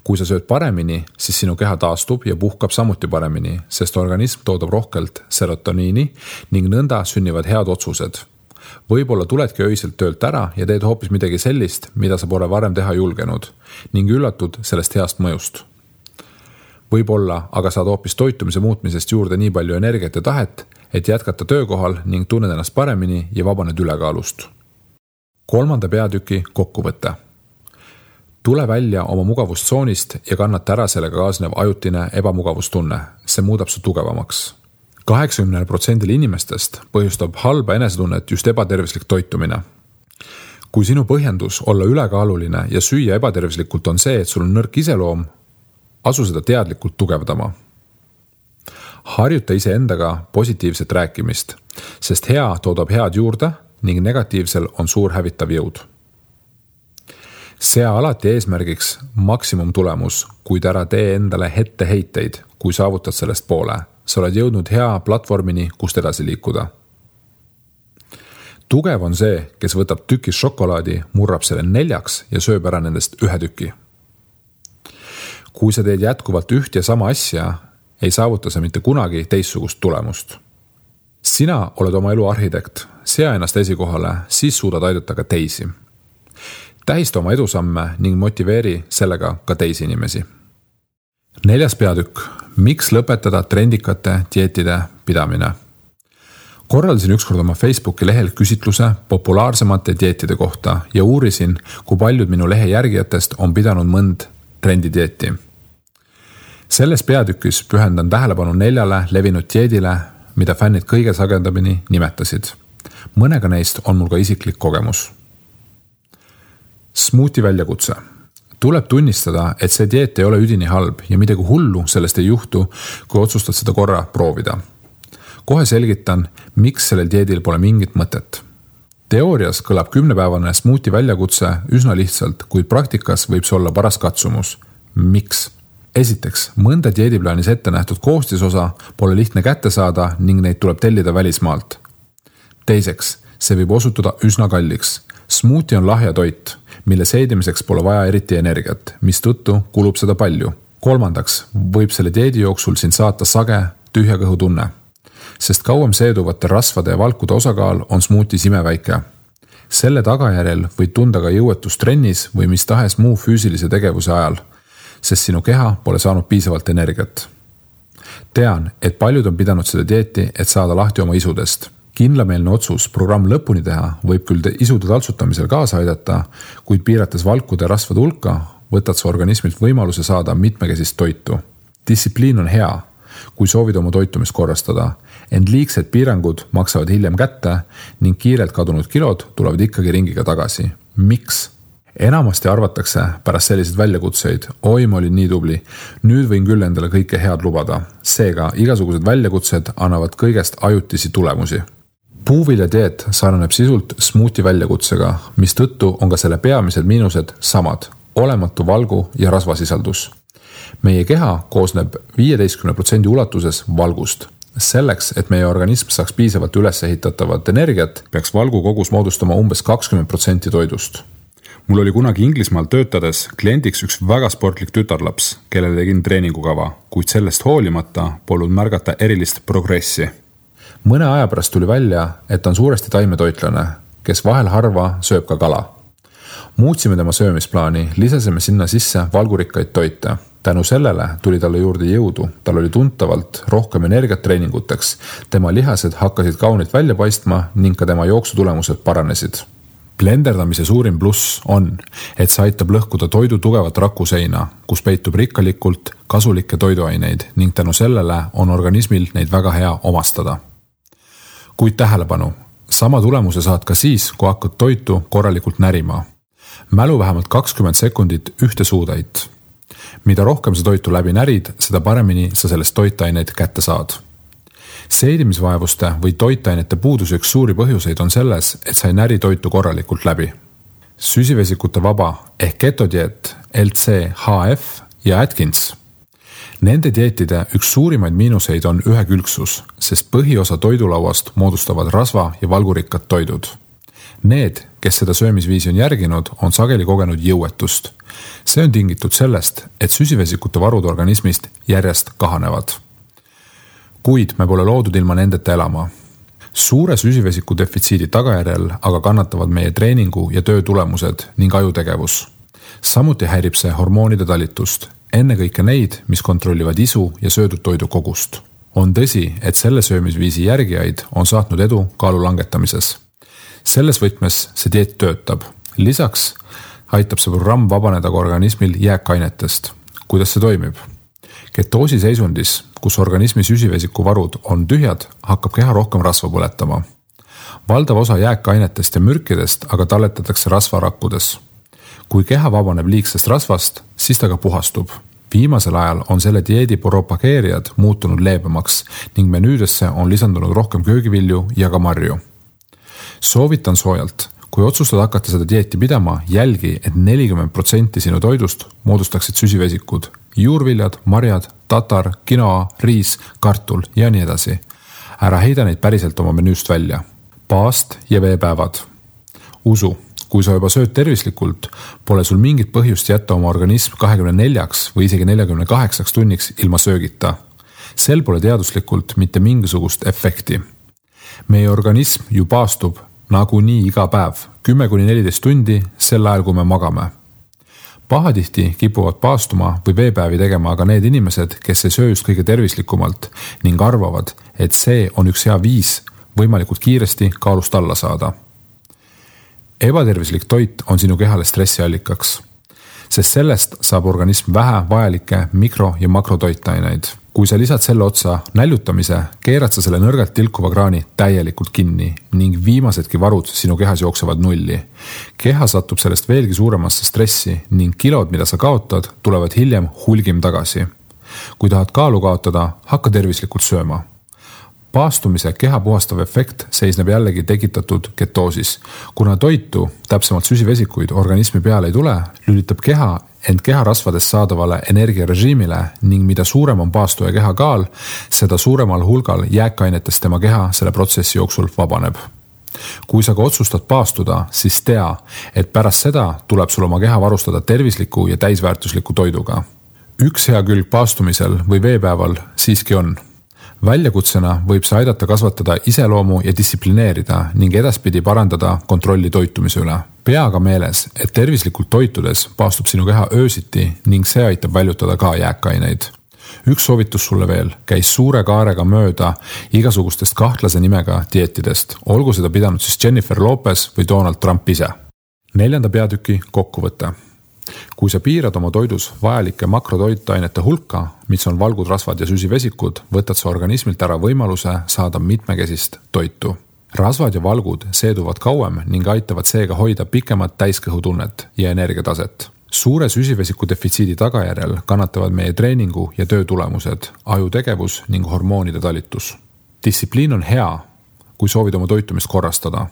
Kui sa sööd paremini, siis sinu keha taastub ja puhkab samuti paremini, sest organism toodab rohkelt serotoniini ning nõnda sünnivad head otsused. Võib-olla tuledki öiselt töölt ära ja teed hoopis midagi sellist, mida sa pole varem teha julgenud ning üllatud sellest heast mõjust. Võib-olla aga saad hoopis toitumise muutmisest juurde nii palju energiat ja tahet, et jätkata töökohal ning tunned ennast paremini ja vabaned ülekaalust. 3. peatüki kokkuvõte. Tule välja oma mugavustsoonist ja kannata ära sellega kaasnev ajutine ebamugavustunne. See muudab su tugevamaks. 80% inimestest põhjustab halba enesetunnet just ebatervislik toitumine. Kui sinu põhjendus olla ülekaaluline ja süüa ebatervislikult on see, et sul on nõrk iseloom, asu seda teadlikult tugevdama. Harjuta iseendaga positiivset rääkimist, sest hea toodab head juurde ning negatiivsel on suur hävitav jõud. Sea alati eesmärgiks maksimumtulemus, kuid ära tee endale etteheiteid, kui saavutad sellest poole. Sa oled jõudnud hea platvormini, kust edasi liikuda. Tugev on see, kes võtab tüki šokolaadi, murrab selle 4 ja sööb ära nendest 1 tüki. Kui sa teed jätkuvalt üht ja sama asja, ei saavuta sa mitte kunagi teistsugust tulemust. Sina oled oma elu arhitekt, sea ennast esikohale, siis suudad aidata ka teisi. Tähista oma edusamme ning motiveeri sellega ka teisi inimesi. 4. peatükk. Miks lõpetada trendikate dieetide pidamine? Korraldasin ükskord oma Facebooki lehel küsitluse populaarsemate dieetide kohta ja uurisin, kui paljud minu lehe järgijatest on pidanud mõnd trendidieeti. Selles peatükis pühendan tähelepanu 4 levinud dieedile, mida fännid kõige sagedamini nimetasid. Mõnega neist on mul ka isiklik kogemus. Smuuti väljakutse. Tuleb tunnistada, et see dieet ei ole üdini halb ja midagi hullu sellest ei juhtu, kui otsustad seda korra proovida. Kohe selgitan, miks sellel dieedil pole mingit mõtet. Teoorias kõlab 10-päevane smuuti väljakutse üsna lihtsalt, kuid praktikas võib see olla paras katsumus. Miks? Esiteks, mõnda dieediplaanis ette nähtud koostisosa pole lihtne kätte saada ning neid tuleb tellida välismaalt. Teiseks, see võib osutuda üsna kalliks. Smuuti on lahja toit, mille seedimiseks pole vaja eriti energiat, mistõttu kulub seda palju. 3. võib selle dieedi jooksul sind saata sage tühja kõhu tunne, sest kauem seeduvate rasvade ja valkude osakaal on smuutis imeväike. Selle tagajärjel võid tunda ka jõuetust trennis või mis tahes muu füüsilise tegevuse ajal, sest sinu keha pole saanud piisavalt energiat. Tean, et paljud on pidanud seda dieeti, et saada lahti oma isudest. Kindlameelne otsus programm lõpuni teha võib küll isude taltsutamisel kaasa aidata, kuid piirates valkude ja rasvade hulka, võtad sa organismilt võimaluse saada mitmekesist toitu. Distsipliin on hea, kui soovid oma toitumist korrastada, ent liigsed piirangud maksavad hiljem kätte ning kiirelt kadunud kilod tulevad ikkagi ringiga tagasi. Miks? Enamasti arvatakse pärast selliseid väljakutseid, oi, ma olin nii tubli, nüüd võin küll endale kõike head lubada. Seega, igasugused väljakutsed annavad kõigest ajutisi tulemusi. Puuvilja dieet sarnaneb sisult smuuti väljakutsega, mis tõttu on ka selle peamised miinused samad, olematu valgu ja rasvasisaldus. Meie keha koosneb 15% ulatuses valgust. Selleks, et meie organism saaks piisavalt üles ehitatavat energiat, peaks valgu kogus moodustama umbes 20% toidust. Mul oli kunagi Inglismaal töötades kliendiks üks väga sportlik tütarlaps, kellele tegin treeningukava, kuid sellest hoolimata polnud märgata erilist progressi. Mõne aja pärast tuli välja, et on suuresti taimetoitlane, kes vahel harva sööb ka kala. Muutsime tema söömisplaani, lisasime sinna sisse valgurikkaid toite. Tänu sellele tuli talle juurde jõudu, tal oli tuntavalt rohkem energiat treeninguteks, tema lihased hakkasid kaunilt välja paistma ning ka tema jooksutulemused paranesid. Blenderdamise suurim pluss on, et see aitab lõhkuda toidu tugevat rakuseina, kus peitub rikkalikult kasulikke toiduaineid ning tänu sellele on organismil neid väga hea omastada. Kuid tähelepanu, sama tulemuse saad ka siis, kui hakkad toitu korralikult närima. Mälu vähemalt 20 sekundit ühte suutäit. Mida rohkem sa toitu läbi närid, seda paremini sa sellest toitaineid kätte saad. Seedimisvaevuste või toitainete puuduse üks suuri põhjuseid on selles, et sa ei näri toitu korralikult läbi. Süsivesikute vaba ehk ketodieet, LCHF ja Atkins. Nende dieetide üks suurimaid miinuseid on ühekülgsus, sest põhiosa toidulauast moodustavad rasva ja valgurikkad toidud. Need, kes seda söömisviisi on järginud, on sageli kogenud jõuetust. See on tingitud sellest, et süsivesikute varud organismist järjest kahanevad. Kuid me pole loodud ilma nendeta elama. Suure süsivesiku defitsiidi tagajärjel aga kannatavad meie treeningu ja töö tulemused ning ajutegevus. Samuti häirib see hormoonide talitust. ennekõike neid, mis kontrollivad isu ja söödud toidu kogust. On tõsi, et selle söömisviisi järgijaid on saatnud edu kaalu langetamises. Selles võtmes see dieet töötab. Lisaks aitab see programm vabaneda ka organismil jääkainetest. Kuidas see toimib? Ketoosi seisundis, kus organismi süsivesikuvarud on tühjad, hakkab keha rohkem rasva põletama. Valdav osa jääkainetest ja mürkidest aga talletatakse rasvarakkudes. Kui keha vabaneb liigsest rasvast, siis ta ka puhastub. Viimasel ajal on selle dieedi propageerijad muutunud leebemaks ning menüüdesse on lisandunud rohkem köögivilju ja ka marju. Soovitan soojalt, kui otsustad hakata seda dieeti pidama, jälgi, et 40% sinu toidust moodustaksid süsivesikud, juurviljad, marjad, tatar, quinoa, riis, kartul ja nii edasi. Ära heida neid päriselt oma menüüst välja. Paast ja veepäevad. Usu, kui sa juba sööd tervislikult, pole sul mingit põhjust jätta oma organism 24 või isegi 48 tunniks ilma söögita. Sel pole teaduslikult mitte mingisugust efekti. Meie organism ju paastub nagunii iga päev, 10-14 tundi sel ajal, kui me magame. Pahatihti kipuvad paastuma või veepäevi tegema aga need inimesed, kes ei söö just kõige tervislikumalt ning arvavad, et see on üks hea viis võimalikult kiiresti kaalust alla saada. Ebatervislik toit on sinu kehale stressiallikaks, sest sellest saab organism vähe vajalikke mikro- ja makrotoitaineid. Kui sa lisad selle otsa näljutamise, keerad sa selle nõrgalt tilkuva kraani täielikult kinni ning viimasedki varud sinu kehas jooksevad nulli. Keha satub sellest veelgi suuremasse stressi ning kilod, mida sa kaotad, tulevad hiljem hulgim tagasi. Kui tahad kaalu kaotada, hakka tervislikult sööma. Paastumise keha puhastav efekt seisneb jällegi tekitatud ketoosis. Kuna toitu, täpsemalt süsivesikuid, organismi peale ei tule, lülitab keha end keharasvadest saadavale energiarežiimile ning mida suurem on paastuja keha kaal, seda suuremal hulgal jääkainetest tema keha selle protsessi jooksul vabaneb. Kui sa ka otsustad paastuda, siis tea, et pärast seda tuleb sul oma keha varustada tervisliku ja täisväärtusliku toiduga. Üks hea külg paastumisel või veepäeval siiski on. Väljakutsena võib see aidata kasvatada iseloomu ja distsiplineerida ning edaspidi parandada kontrolli toitumise üle. Pea aga meeles, et tervislikult toitudes paastub sinu keha öösiti ning see aitab väljutada ka jääkaineid. Üks soovitus sulle veel, käis suure kaarega mööda igasugustest kahtlase nimega dieetidest, olgu seda pidanud siis Jennifer Lopez või Donald Trump ise. 4. peatüki kokkuvõte. Kui sa piirad oma toidus vajalike makrotoitainete hulka, mis on valgud, rasvad ja süsivesikud, võtad sa organismilt ära võimaluse saada mitmekesist toitu. Rasvad ja valgud seeduvad kauem ning aitavad seega hoida pikemat täiskõhutunnet ja energiataset. Suure süsivesiku defitsiidi tagajärjel kannatavad meie treeningu ja töö tulemused, ajutegevus ning hormoonide talitus. Distsipliin on hea, kui soovid oma toitumist korrastada.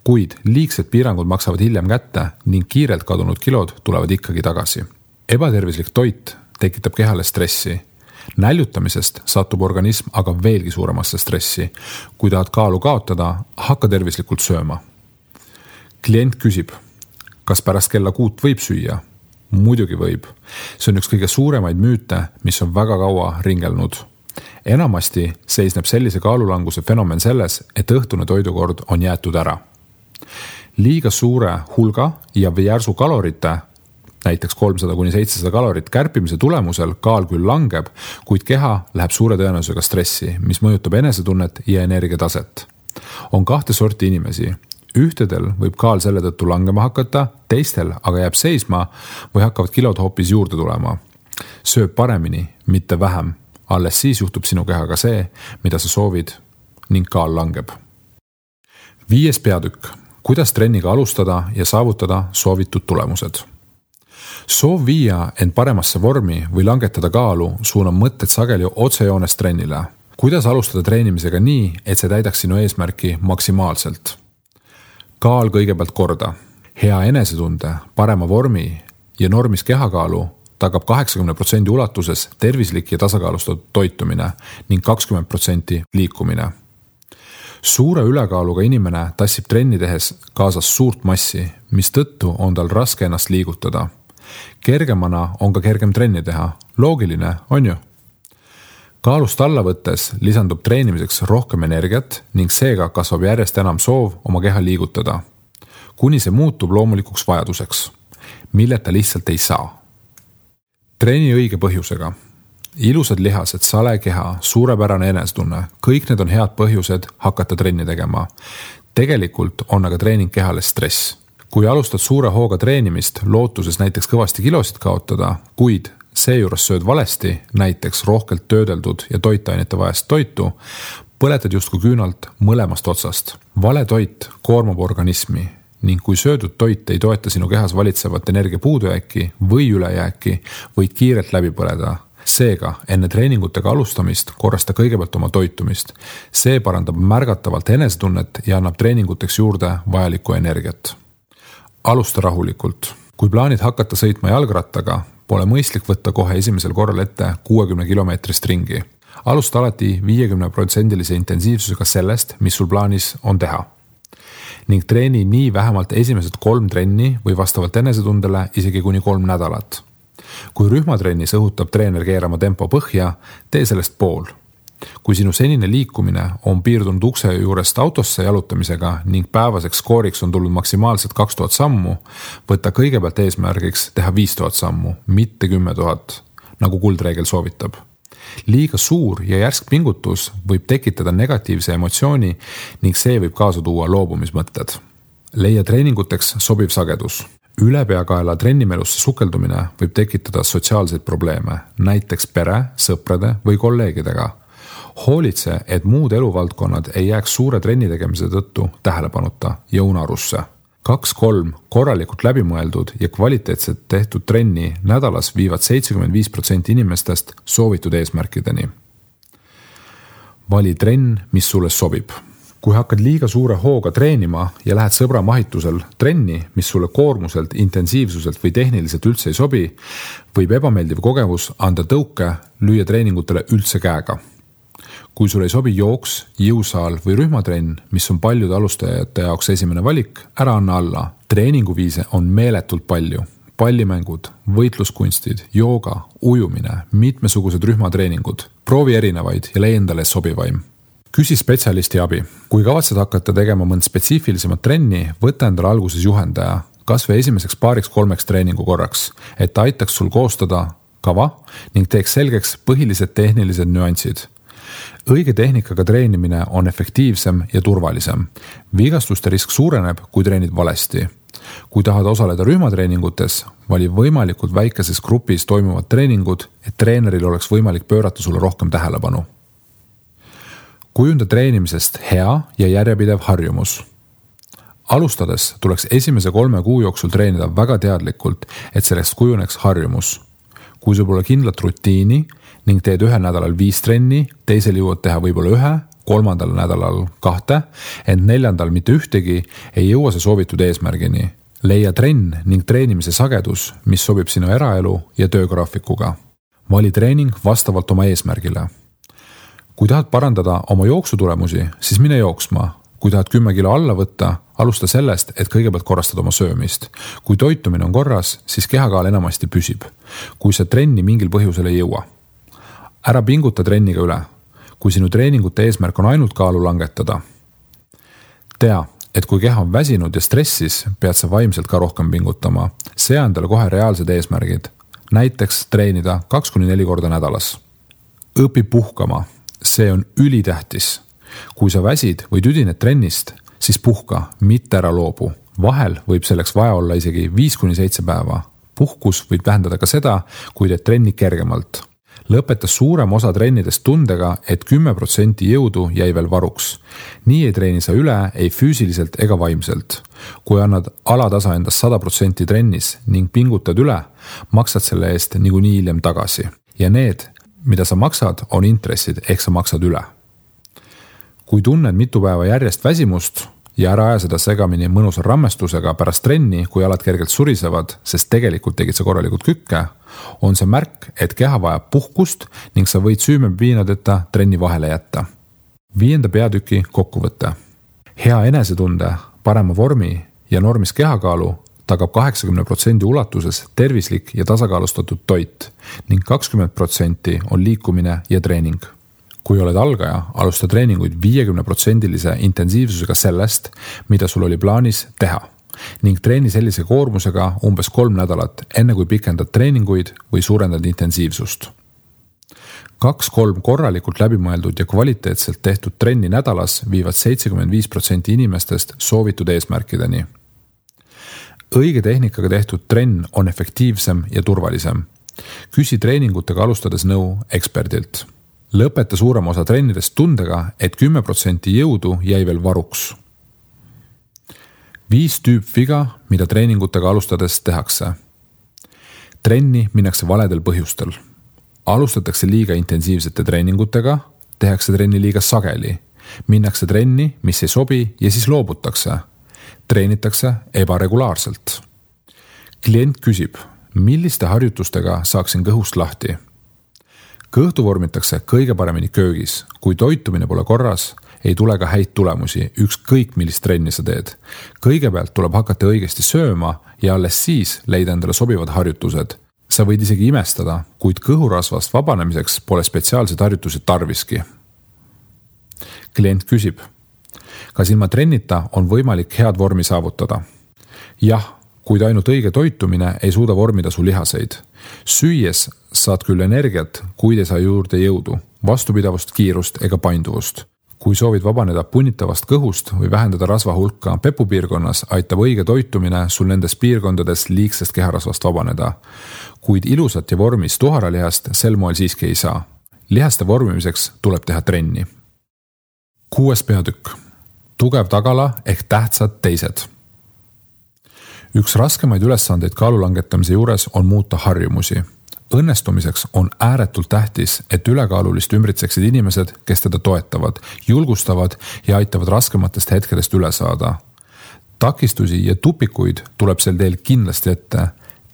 Kuid liigsed piirangud maksavad hiljem kätte ning kiirelt kadunud kilod tulevad ikkagi tagasi. Ebatervislik toit tekitab kehale stressi. Näljutamisest satub organism aga veelgi suuremasse stressi. Kui tahad kaalu kaotada, hakka tervislikult sööma. Klient küsib, kas pärast kella 6 võib süüa? Muidugi võib. See on üks kõige suuremaid müüte, mis on väga kaua ringelnud. Enamasti seisneb sellise kaalulanguse fenomen selles, et õhtune toidukord on jäetud ära. Liiga suure hulga ja järsu kalorite, näiteks 300-700 kalorit kärpimise tulemusel kaal küll langeb, kuid keha läheb suure tõenäosusega stressi, mis mõjutab enesetunnet ja energiataset. On 2 sorti inimesi. Ühtedel võib kaal selle tõttu langema hakata, teistel aga jääb seisma või hakkavad kilod hoopis juurde tulema. Sööb paremini, mitte vähem. Alles siis juhtub sinu kehaga see, mida sa soovid ning kaal langeb. 5. peatükk. Kuidas trenniga alustada ja saavutada soovitud tulemused? Soov viia end paremasse vormi või langetada kaalu suunab mõtted sageli otsejoones trennile. Kuidas alustada treenimisega nii, et see täidaks sinu eesmärki maksimaalselt? Kaal kõigepealt korda. Hea enesetunde, parema vormi ja normis kehakaalu tagab 80% ulatuses tervislik ja tasakaalustatud toitumine ning 20% liikumine. Suure ülekaaluga inimene tassib trenni tehes kaasas suurt massi, mis tõttu on tal raske ennast liigutada. Kergemana on ka kergem trenni teha. Loogiline, on ju? Kaalust alla võttes lisandub treenimiseks rohkem energiat ning seega kasvab järjest enam soov oma keha liigutada. Kuni see muutub loomulikuks vajaduseks, milleta lihtsalt ei saa. Treeni õige põhjusega. Ilusad lihased, sale keha, suurepärane enesetunne, kõik need on head põhjused hakata trenni tegema. Tegelikult on aga treening kehale stress. Kui alustad suure hooga treenimist, lootuses näiteks kõvasti kilosid kaotada, kuid seejuures sööd valesti, näiteks rohkelt töödeldud ja toitainete vajast toitu, põletad justkui küünalt mõlemast otsast. Vale toit koormab organismi ning kui söödud toit ei toeta sinu kehas valitsevat energia puudujääki või ülejääki, võid kiirelt läbi põleda. Seega, enne treeningutega alustamist korrasta kõigepealt oma toitumist. See parandab märgatavalt enesetunnet ja annab treeninguteks juurde vajalikku energiat. Alusta rahulikult. Kui plaanid hakata sõitma jalgrattaga, pole mõistlik võtta kohe esimesel korral ette 60 kilomeetrist ringi. Alusta alati 50% intensiivsusega sellest, mis sul plaanis on teha. Ning treeni nii vähemalt esimesed 3 trenni või vastavalt enesetundele isegi kuni 3 nädalat. Kui rühmatrennis õhutab treener keerama tempo põhja, tee sellest pool. Kui sinu senine liikumine on piirdunud ukse juurest autosse jalutamisega ning päevaseks skooriks on tulnud maksimaalselt 2000 sammu, võtta kõigepealt eesmärgiks teha 5000 sammu, mitte 10 000, nagu kuldreegel soovitab. Liiga suur ja järsk pingutus võib tekitada negatiivse emotsiooni ning see võib kaasa tuua loobumismõtted. Leia treeninguteks sobiv sagedus. Ülepeakaela trennimelusse sukeldumine võib tekitada sotsiaalseid probleeme, näiteks pere, sõprade või kolleegidega. Hoolitse, et muud eluvaldkonnad ei jääks suure trenni tegemise tõttu tähelepanuta ja unarusse. 2-3 korralikult läbimõeldud ja kvaliteetselt tehtud trenni nädalas viivad 75% inimestest soovitud eesmärkideni. Vali trenn, mis sulle sobib. Kui hakkad liiga suure hooga treenima ja lähed sõbra mahitusel trenni, mis sulle koormuselt, intensiivsuselt või tehniliselt üldse ei sobi, võib ebameeldiv kogemus anda tõuke lüüa treeningutele üldse käega. Kui sul ei sobi jooks, jõusaal või rühmatrenn, mis on paljude alustajate jaoks esimene valik, ära anna alla. Treeninguviise on meeletult palju. Pallimängud, võitluskunstid, jooga, ujumine, mitmesugused rühmatreeningud. Proovi erinevaid ja leia endale sobivaim. Küsi spetsialisti abi. Kui kavatsed hakata tegema mõnd spetsiifilisemat trenni, võta endale alguses juhendaja, kas või esimeseks 2-3 treeningu korraks, et aitaks sul koostada kava ning teeks selgeks põhilised tehnilised nüansid. Õige tehnikaga treenimine on efektiivsem ja turvalisem. Vigastuste risk suureneb, kui treenid valesti. Kui tahad osaleda rühmatreeningutes, vali võimalikult väikeses grupis toimuvad treeningud, et treeneril oleks võimalik pöörata sulle rohkem tähelepanu. Kujunda treenimisest hea ja järjepidev harjumus. Alustades tuleks esimese 3 kuu jooksul treenida väga teadlikult, et sellest kujuneks harjumus. Kui sul pole kindlat rutiini ning teed 1 nädalal 5 trenni, teisel jõuad teha võib-olla 1, 3. nädalal 2, ent 4. mitte ühtegi, ei jõua see soovitud eesmärgini. Leia trenn ning treenimise sagedus, mis sobib sinu eraelu ja töögraafikuga. Vali treening vastavalt oma eesmärgile. Kui tahad parandada oma jooksutulemusi, siis mine jooksma. Kui tahad 10 kilo alla võtta, alusta sellest, et kõigepealt korrastad oma söömist. Kui toitumine on korras, siis kehakaal enamasti püsib. Kui sa trenni mingil põhjusel ei jõua. Ära pinguta trenniga üle. Kui sinu treeningute eesmärk on ainult kaalu langetada. Tea, et kui keha on väsinud ja stressis, pead sa vaimselt ka rohkem pingutama. See on talle kohe reaalsed eesmärgid. Näiteks treenida 2-4 korda nädalas. Õpi puhkama. See on ülitähtis. Kui sa väsid või tüdined trennist, siis puhka, mitte ära loobu. Vahel võib selleks vaja olla isegi 5-7 päeva. Puhkus võib tähendada ka seda, kui teed trenni kergemalt. Lõpeta suurem osa trennidest tundega, et 10% jõudu jäi veel varuks. Nii ei treeni sa üle ei füüsiliselt ega vaimselt. Kui annad alatasa endast 100% trennis ning pingutad üle, maksad selle eest niikuinii hiljem tagasi. Ja need, mida sa maksad, on intressid, ehk sa maksad üle. Kui tunned mitu päeva järjest väsimust ja ära aja seda segamini mõnusa rammestusega pärast trenni, kui alad kergelt surisevad, sest tegelikult tegid sa korralikult kükke, on see märk, et keha vajab puhkust ning sa võid süümepiinadeta trenni vahele jätta. 5. peatüki kokkuvõte. Hea enesetunde, parema vormi ja normis kehakaalu tagab 80% ulatuses tervislik ja tasakaalustatud toit ning 20% on liikumine ja treening. Kui oled algaja, alusta treeninguid 50% intensiivsusega sellest, mida sul oli plaanis teha. ning treeni sellise koormusega umbes 3 nädalat, enne kui pikendad treeninguid või suurendad intensiivsust. 2-3 korralikult läbimõeldud ja kvaliteetselt tehtud trenni nädalas viivad 75% inimestest soovitud eesmärkideni. Õige tehnikaga tehtud trenn on efektiivsem ja turvalisem. Küsi treeningutega alustades nõu eksperdilt. Lõpeta suurem osa trennidest tundega, et 10% jõudu jäi veel varuks. 5 tüüpviga, mida treeningutega alustades tehakse. Trenni minnakse valedel põhjustel. Alustatakse liiga intensiivsete treeningutega, tehakse trenni liiga sageli. Minnakse trenni, mis ei sobi ja siis loobutakse. Treenitakse ebaregulaarselt. Klient küsib, milliste harjutustega saaksin kõhust lahti? Kõhtu vormitakse kõige paremini köögis. Kui toitumine pole korras, ei tule ka häid tulemusi, ükskõik millist trenni sa teed. Kõigepealt tuleb hakata õigesti sööma ja alles siis leida endale sobivad harjutused. Sa võid isegi imestada, kuid kõhurasvast vabanemiseks pole spetsiaalseid harjutusi tarviski. Klient küsib, kas ilma trennita on võimalik head vormi saavutada? Jah, kuid ainult õige toitumine ei suuda vormida su lihaseid. Süües saad küll energiat, kuid ei saa juurde jõudu, vastupidavust, kiirust ega painduvust. Kui soovid vabaneda punnitavast kõhust või vähendada rasva hulka pepupiirkonnas, aitab õige toitumine sul nendes piirkondades liigsest keharasvast vabaneda. Kuid ilusat ja vormis tuharalihast sel moel siiski ei saa. Lihaste vormimiseks tuleb teha trenni. 6. peatükk. Tugev tagala ehk tähtsad teised. Üks raskemaid ülesandeid kaalu langetamise juures on muuta harjumusi. Õnnestumiseks on ääretult tähtis, et ülekaalulist ümbritseksid inimesed, kes teda toetavad, julgustavad ja aitavad raskematest hetkedest üle saada. Takistusi ja tupikuid tuleb sel teel kindlasti ette.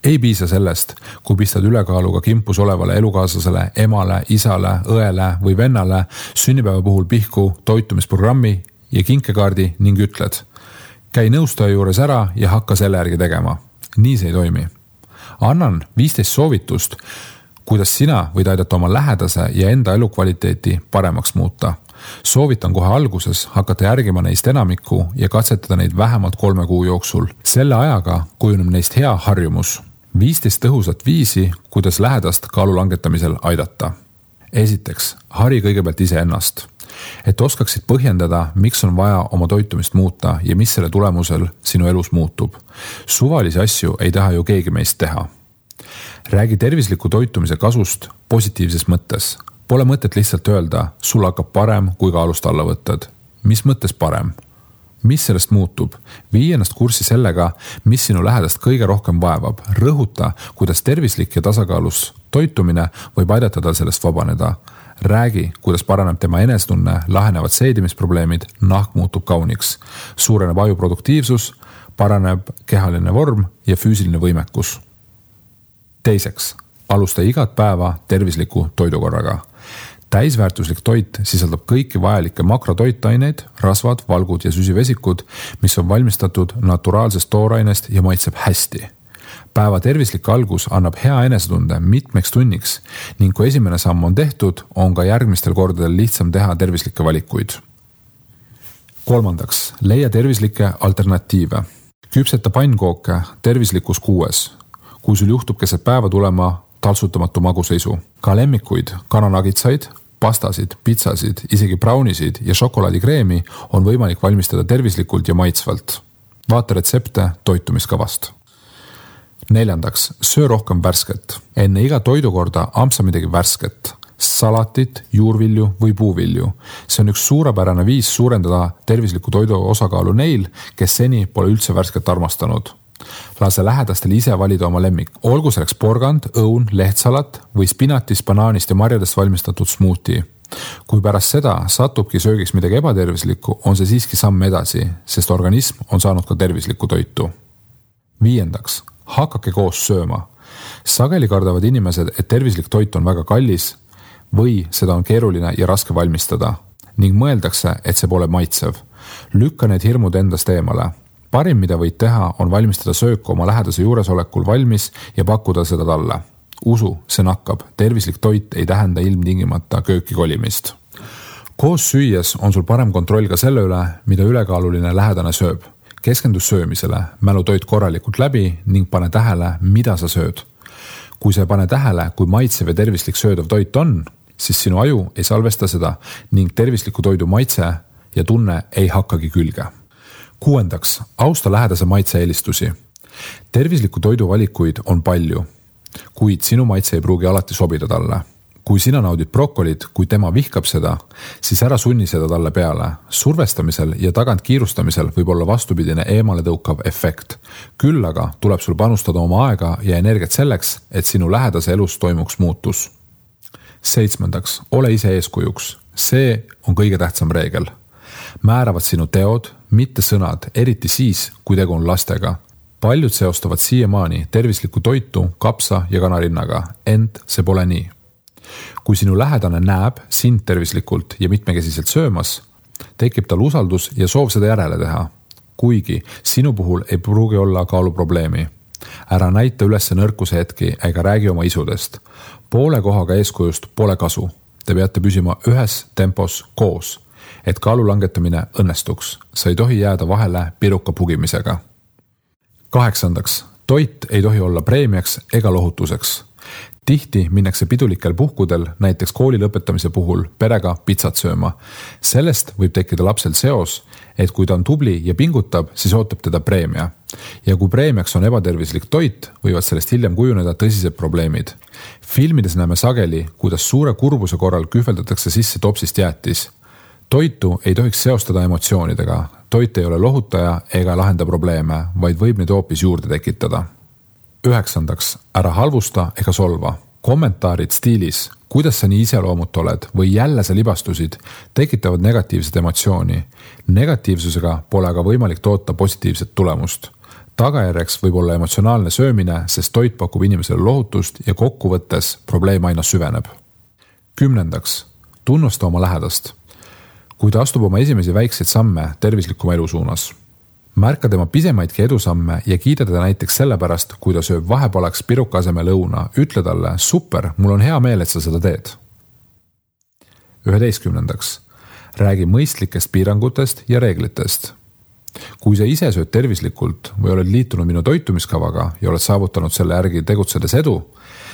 Ei piisa sellest, kui pistad ülekaaluga kimpus olevale elukaaslasele, emale, isale, õele või vennale sünnipäeva puhul pihku toitumisprogrammi ja kinkekaardi ning ütled. Käi nõustaja juures ära ja hakka selle järgi tegema. Nii see ei toimi. Annan 15 soovitust, kuidas sina võid aidata oma lähedase ja enda elukvaliteeti paremaks muuta. Soovitan kohe alguses hakata järgima neist enamikku ja katsetada neid vähemalt 3 kuu jooksul. Selle ajaga kujuneb neist hea harjumus. 15 tõhusat viisi, kuidas lähedast kaalu langetamisel aidata. Esiteks, hari kõigepealt iseennast. Et oskaksid põhjendada, miks on vaja oma toitumist muuta ja mis selle tulemusel sinu elus muutub. Suvalisi asju ei taha ju keegi meist teha. Räägi tervisliku toitumise kasust positiivses mõttes. Pole mõtet lihtsalt öelda, sul hakkab parem, kui kaalust alla võtad. Mis mõttes parem? Mis sellest muutub? Vii ennast kurssi sellega, mis sinu lähedast kõige rohkem vaevab. Rõhuta, kuidas tervislik ja tasakaalus toitumine võib aidata tal sellest vabaneda. Räägi, kuidas paraneb tema enestunne, lahenevad seedimisprobleemid, nahk muutub kauniks. Suureneb aju produktiivsus, paraneb kehaline vorm ja füüsiline võimekus. Teiseks, alusta igat päeva tervisliku toidukorraga. Täisväärtuslik toit sisaldab kõiki vajalikke makrotoitaineid, rasvad, valgud ja süsivesikud, mis on valmistatud naturaalsest toorainest ja maitseb hästi. Päeva tervislik algus annab hea enesetunde mitmeks tunniks ning kui esimene samm on tehtud, on ka järgmistel kordadel lihtsam teha tervislikke valikuid. 3. Leia tervislikke alternatiive. Küpseta pannkooke tervislikus 6. Kui sul juhtub keset päeva tulema taltsutamatu maguseisu. Ka lemmikuid, kananagitsaid, pastasid, pitsasid, isegi braunisid ja šokolaadikreemi on võimalik valmistada tervislikult ja maitsvalt. Vaata retsepte toitumiskavast. 4. Söö rohkem värsket. Enne iga toidukorda ampsa midagi värsket. Salatit, juurvilju või puuvilju. See on üks suurepärane viis suurendada tervisliku toidu osakaalu neil, kes seni pole üldse värsket armastanud. Lase lähedastel ise valida oma lemmik. Olgu selleks porgand, õun, lehtsalat või spinatist, banaanist ja marjadest valmistatud smuuti. Kui pärast seda satubki söögiks midagi ebatervislikku, on see siiski samm edasi, sest organism on saanud ka tervislikku toitu. 5. Hakake koos sööma. Sageli kardavad inimesed, et tervislik toit on väga kallis või seda on keeruline ja raske valmistada ning mõeldakse, et see pole maitsev. Lükka need hirmud endast eemale. Parim, mida võid teha, on valmistada sööku oma lähedase juuresolekul valmis ja pakkuda seda talle. Usu, see nakkab. Tervislik toit ei tähenda ilmtingimata kööki kolimist. Koos süües on sul parem kontroll ka selle üle, mida ülekaaluline lähedane sööb. keskendu söömisele, mälu toit korralikult läbi ning pane tähele, mida sa sööd. Kui sa ei pane tähele, kui maitsev ja tervislik söödav toit on, siis sinu aju ei salvesta seda ning tervisliku toidu maitse ja tunne ei hakkagi külge. 6. Austa lähedase maitse eelistusi. Tervisliku toidu valikuid on palju, kuid sinu maitse ei pruugi alati sobida talle. Kui sina naudid brokolit, kui tema vihkab seda, siis ära sunni seda talle peale. Survestamisel ja tagant kiirustamisel võib olla vastupidine eemale tõukav efekt. Küll aga tuleb sul panustada oma aega ja energiat selleks, et sinu lähedase elus toimuks muutus. 7. Ole ise eeskujuks. See on kõige tähtsam reegel. Määravad sinu teod, mitte sõnad, eriti siis, kui tegu on lastega. Paljud seostavad siiamaani tervislikku toitu kapsa ja kanarinnaga, ent see pole nii. Kui sinu lähedane näeb sind tervislikult ja mitmekesiselt söömas, tekib tal usaldus ja soov seda järele teha. Kuigi sinu puhul ei pruugi olla kaaluprobleemi. Ära näita üles nõrkuse hetki ega räägi oma isudest. Poole kohaga eeskujust pole kasu. Te peate püsima ühes tempos koos, et kaalu langetamine õnnestuks. Sa ei tohi jääda vahele piruka pugimisega. 8. Toit ei tohi olla preemiaks ega lohutuseks. Tihti minnakse pidulikel puhkudel, näiteks kooli lõpetamise puhul, perega pitsat sööma. Sellest võib tekkida lapsel seos, et kui ta on tubli ja pingutab, siis ootab teda preemia. Ja kui preemiaks on ebatervislik toit, võivad sellest hiljem kujuneda tõsised probleemid. Filmides näeme sageli, kuidas suure kurbuse korral kühveldatakse sisse topsist jäätis. Toitu ei tohiks seostada emotsioonidega. Toit ei ole lohutaja ega lahenda probleeme, vaid võib neid hoopis juurde tekitada. 9. Ära halvusta ega solva. Kommentaarid stiilis, kuidas sa nii iseloomut oled või jälle sa libastusid, tekitavad negatiivset emotsiooni. Negatiivsusega pole aga võimalik toota positiivset tulemust. Tagajärjeks võib olla emotsionaalne söömine, sest toit pakub inimesele lohutust ja kokkuvõttes probleem aina süveneb. 10. Tunnusta oma lähedast. Kui ta astub oma esimesi väikseid samme tervislikuma elu suunas. Märka tema pisemaidki edusamme ja kiida teda näiteks sellepärast, kui ta sööb vahepalaks piruka asemel õuna. Ütle talle, super, mul on hea meel, et sa seda teed. 11. Räägi mõistlikest piirangutest ja reeglitest. Kui sa ise sööd tervislikult või oled liitunud minu toitumiskavaga ja oled saavutanud selle järgi tegutsedes edu,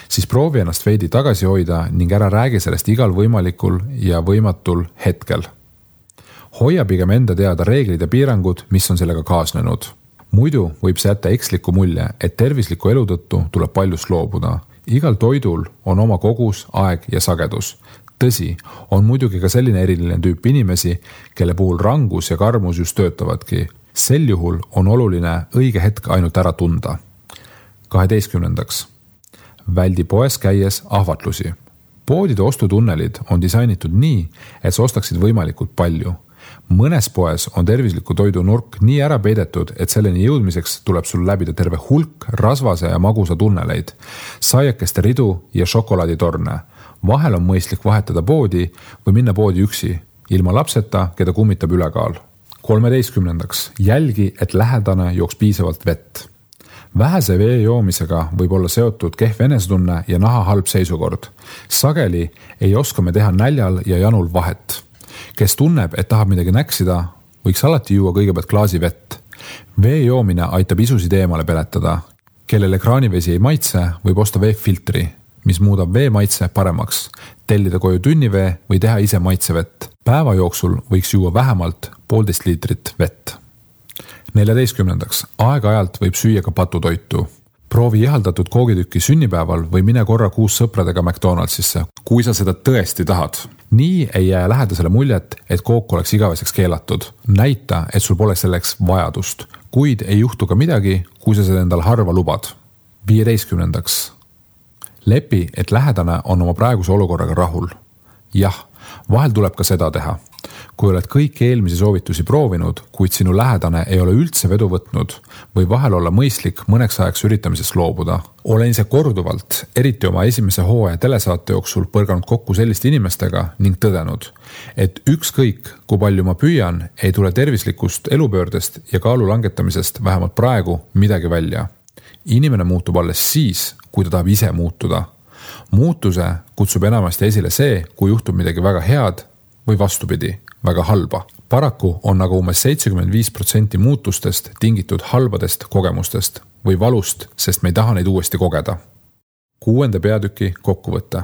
siis proovi ennast veidi tagasi hoida ning ära räägi sellest igal võimalikul ja võimatul hetkel. Hoia pigem enda teada reeglid ja piirangud, mis on sellega kaasnenud. Muidu võib see jätta eksliku mulje, et tervisliku elu tõttu tuleb paljust loobuda. Igal toidul on oma kogus, aeg ja sagedus. Tõsi, on muidugi ka selline eriline tüüp inimesi, kelle puhul rangus ja karmus just töötavadki. Sel juhul on oluline õige hetk ainult ära tunda. 12. Väldi poes käies ahvatlusi. Poodide ostutunnelid on disainitud nii, et sa ostaksid võimalikult palju. Mõnes poes on tervisliku toidu nurk nii ära peidetud, et selleni jõudmiseks tuleb sul läbida terve hulk rasvase ja magusa tunneleid, saiakeste ridu ja šokolaaditorne. Vahel on mõistlik vahetada poodi või minna poodi üksi, ilma lapseta, keda kummitab ülekaal. 13. Jälgi, et lähedane jooks piisavalt vett. Vähese vee joomisega võib olla seotud kehv enesetunne ja naha halb seisukord. Sageli ei oska me teha näljal ja janul vahet. Kes tunneb, et tahab midagi näksida, võiks alati juua kõigepealt klaasi vett. Vee joomine aitab isusid eemale peletada. Kellel ekraanivesi ei maitse, võib osta veefiltri, mis muudab vee maitse paremaks. Tellida koju tünnivee või teha ise maitsevett. Päeva jooksul võiks juua vähemalt 1,5 liitrit vett. 14. Aeg-ajalt võib süüa ka patutoitu. Proovi ihaldatud koogitükki sünnipäeval või mine korra kuus sõpradega McDonaldsisse, kui sa seda tõesti tahad. Nii ei jää lähedasele muljet, et kook oleks igaveseks keelatud. Näita, et sul pole selleks vajadust, kuid ei juhtu ka midagi, kui sa seda endal harva lubad. 15. Lepi, et lähedane on oma praeguse olukorraga rahul. Jah, vahel tuleb ka seda teha. Kui oled kõik eelmisi soovitusi proovinud, kuid sinu lähedane ei ole üldse vedu võtnud, või vahel olla mõistlik mõneks ajaks üritamisest loobuda. Olen ise korduvalt, eriti oma esimese hooaja telesaate jooksul põrganud kokku selliste inimestega ning tõdenud, et ükskõik, kui palju ma püüan, ei tule tervislikust elupöördest ja kaalu langetamisest vähemalt praegu midagi välja. Inimene muutub alles siis, kui ta tahab ise muutuda. Muutuse kutsub enamasti esile see, kui juhtub midagi väga head või vastupidi, väga halba. Paraku on aga umbes 75% muutustest tingitud halbadest kogemustest või valust, sest me ei taha neid uuesti kogeda. 6. peatüki kokkuvõte.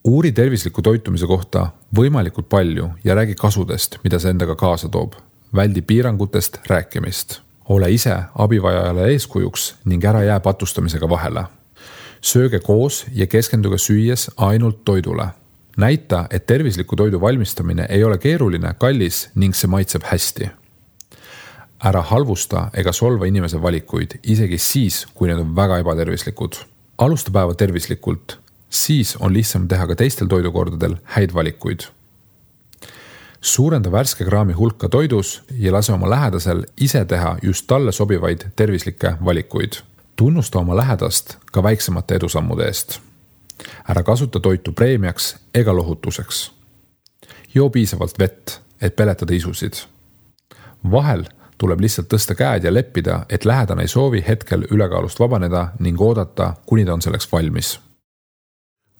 Uuri tervisliku toitumise kohta võimalikult palju ja räägi kasudest, mida see endaga kaasa toob. Väldi piirangutest rääkimist. Ole ise abivajajale eeskujuks ning ära jää patustamisega vahele. Sööge koos ja keskenduge süües ainult toidule. Näita, et tervisliku toidu valmistamine ei ole keeruline, kallis ning see maitseb hästi. Ära halvusta ega solva inimese valikuid, isegi siis, kui need on väga ebatervislikud. Alusta päeva tervislikult, siis on lihtsam teha ka teistel toidukordadel häid valikuid. Suurenda värske kraami hulka toidus ja lase oma lähedasel ise teha just talle sobivaid tervislikke valikuid. Tunnusta oma lähedast ka väiksemate edusammude eest. Ära kasuta toitu preemiaks ega lohutuseks. Joo piisavalt vett, et peletada isusid. Vahel tuleb lihtsalt tõsta käed ja leppida, et lähedane ei soovi hetkel ülekaalust vabaneda ning oodata, kuni ta on selleks valmis.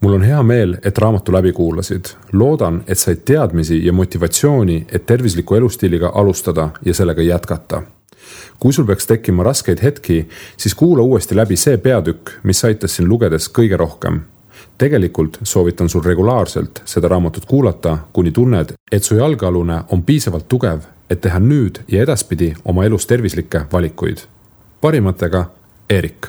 Mul on hea meel, et raamatu läbi kuulasid. Loodan, et said teadmisi ja motivatsiooni, et tervisliku elustiiliga alustada ja sellega jätkata. Kui sul peaks tekkima raskeid hetki, siis kuula uuesti läbi see peatükk, mis aitas siin lugedes kõige rohkem. Tegelikult soovitan sul regulaarselt seda raamatut kuulata, kuni tunned, et su jalgealune on piisavalt tugev, et teha nüüd ja edaspidi oma elus tervislikke valikuid. Parimatega, Erik.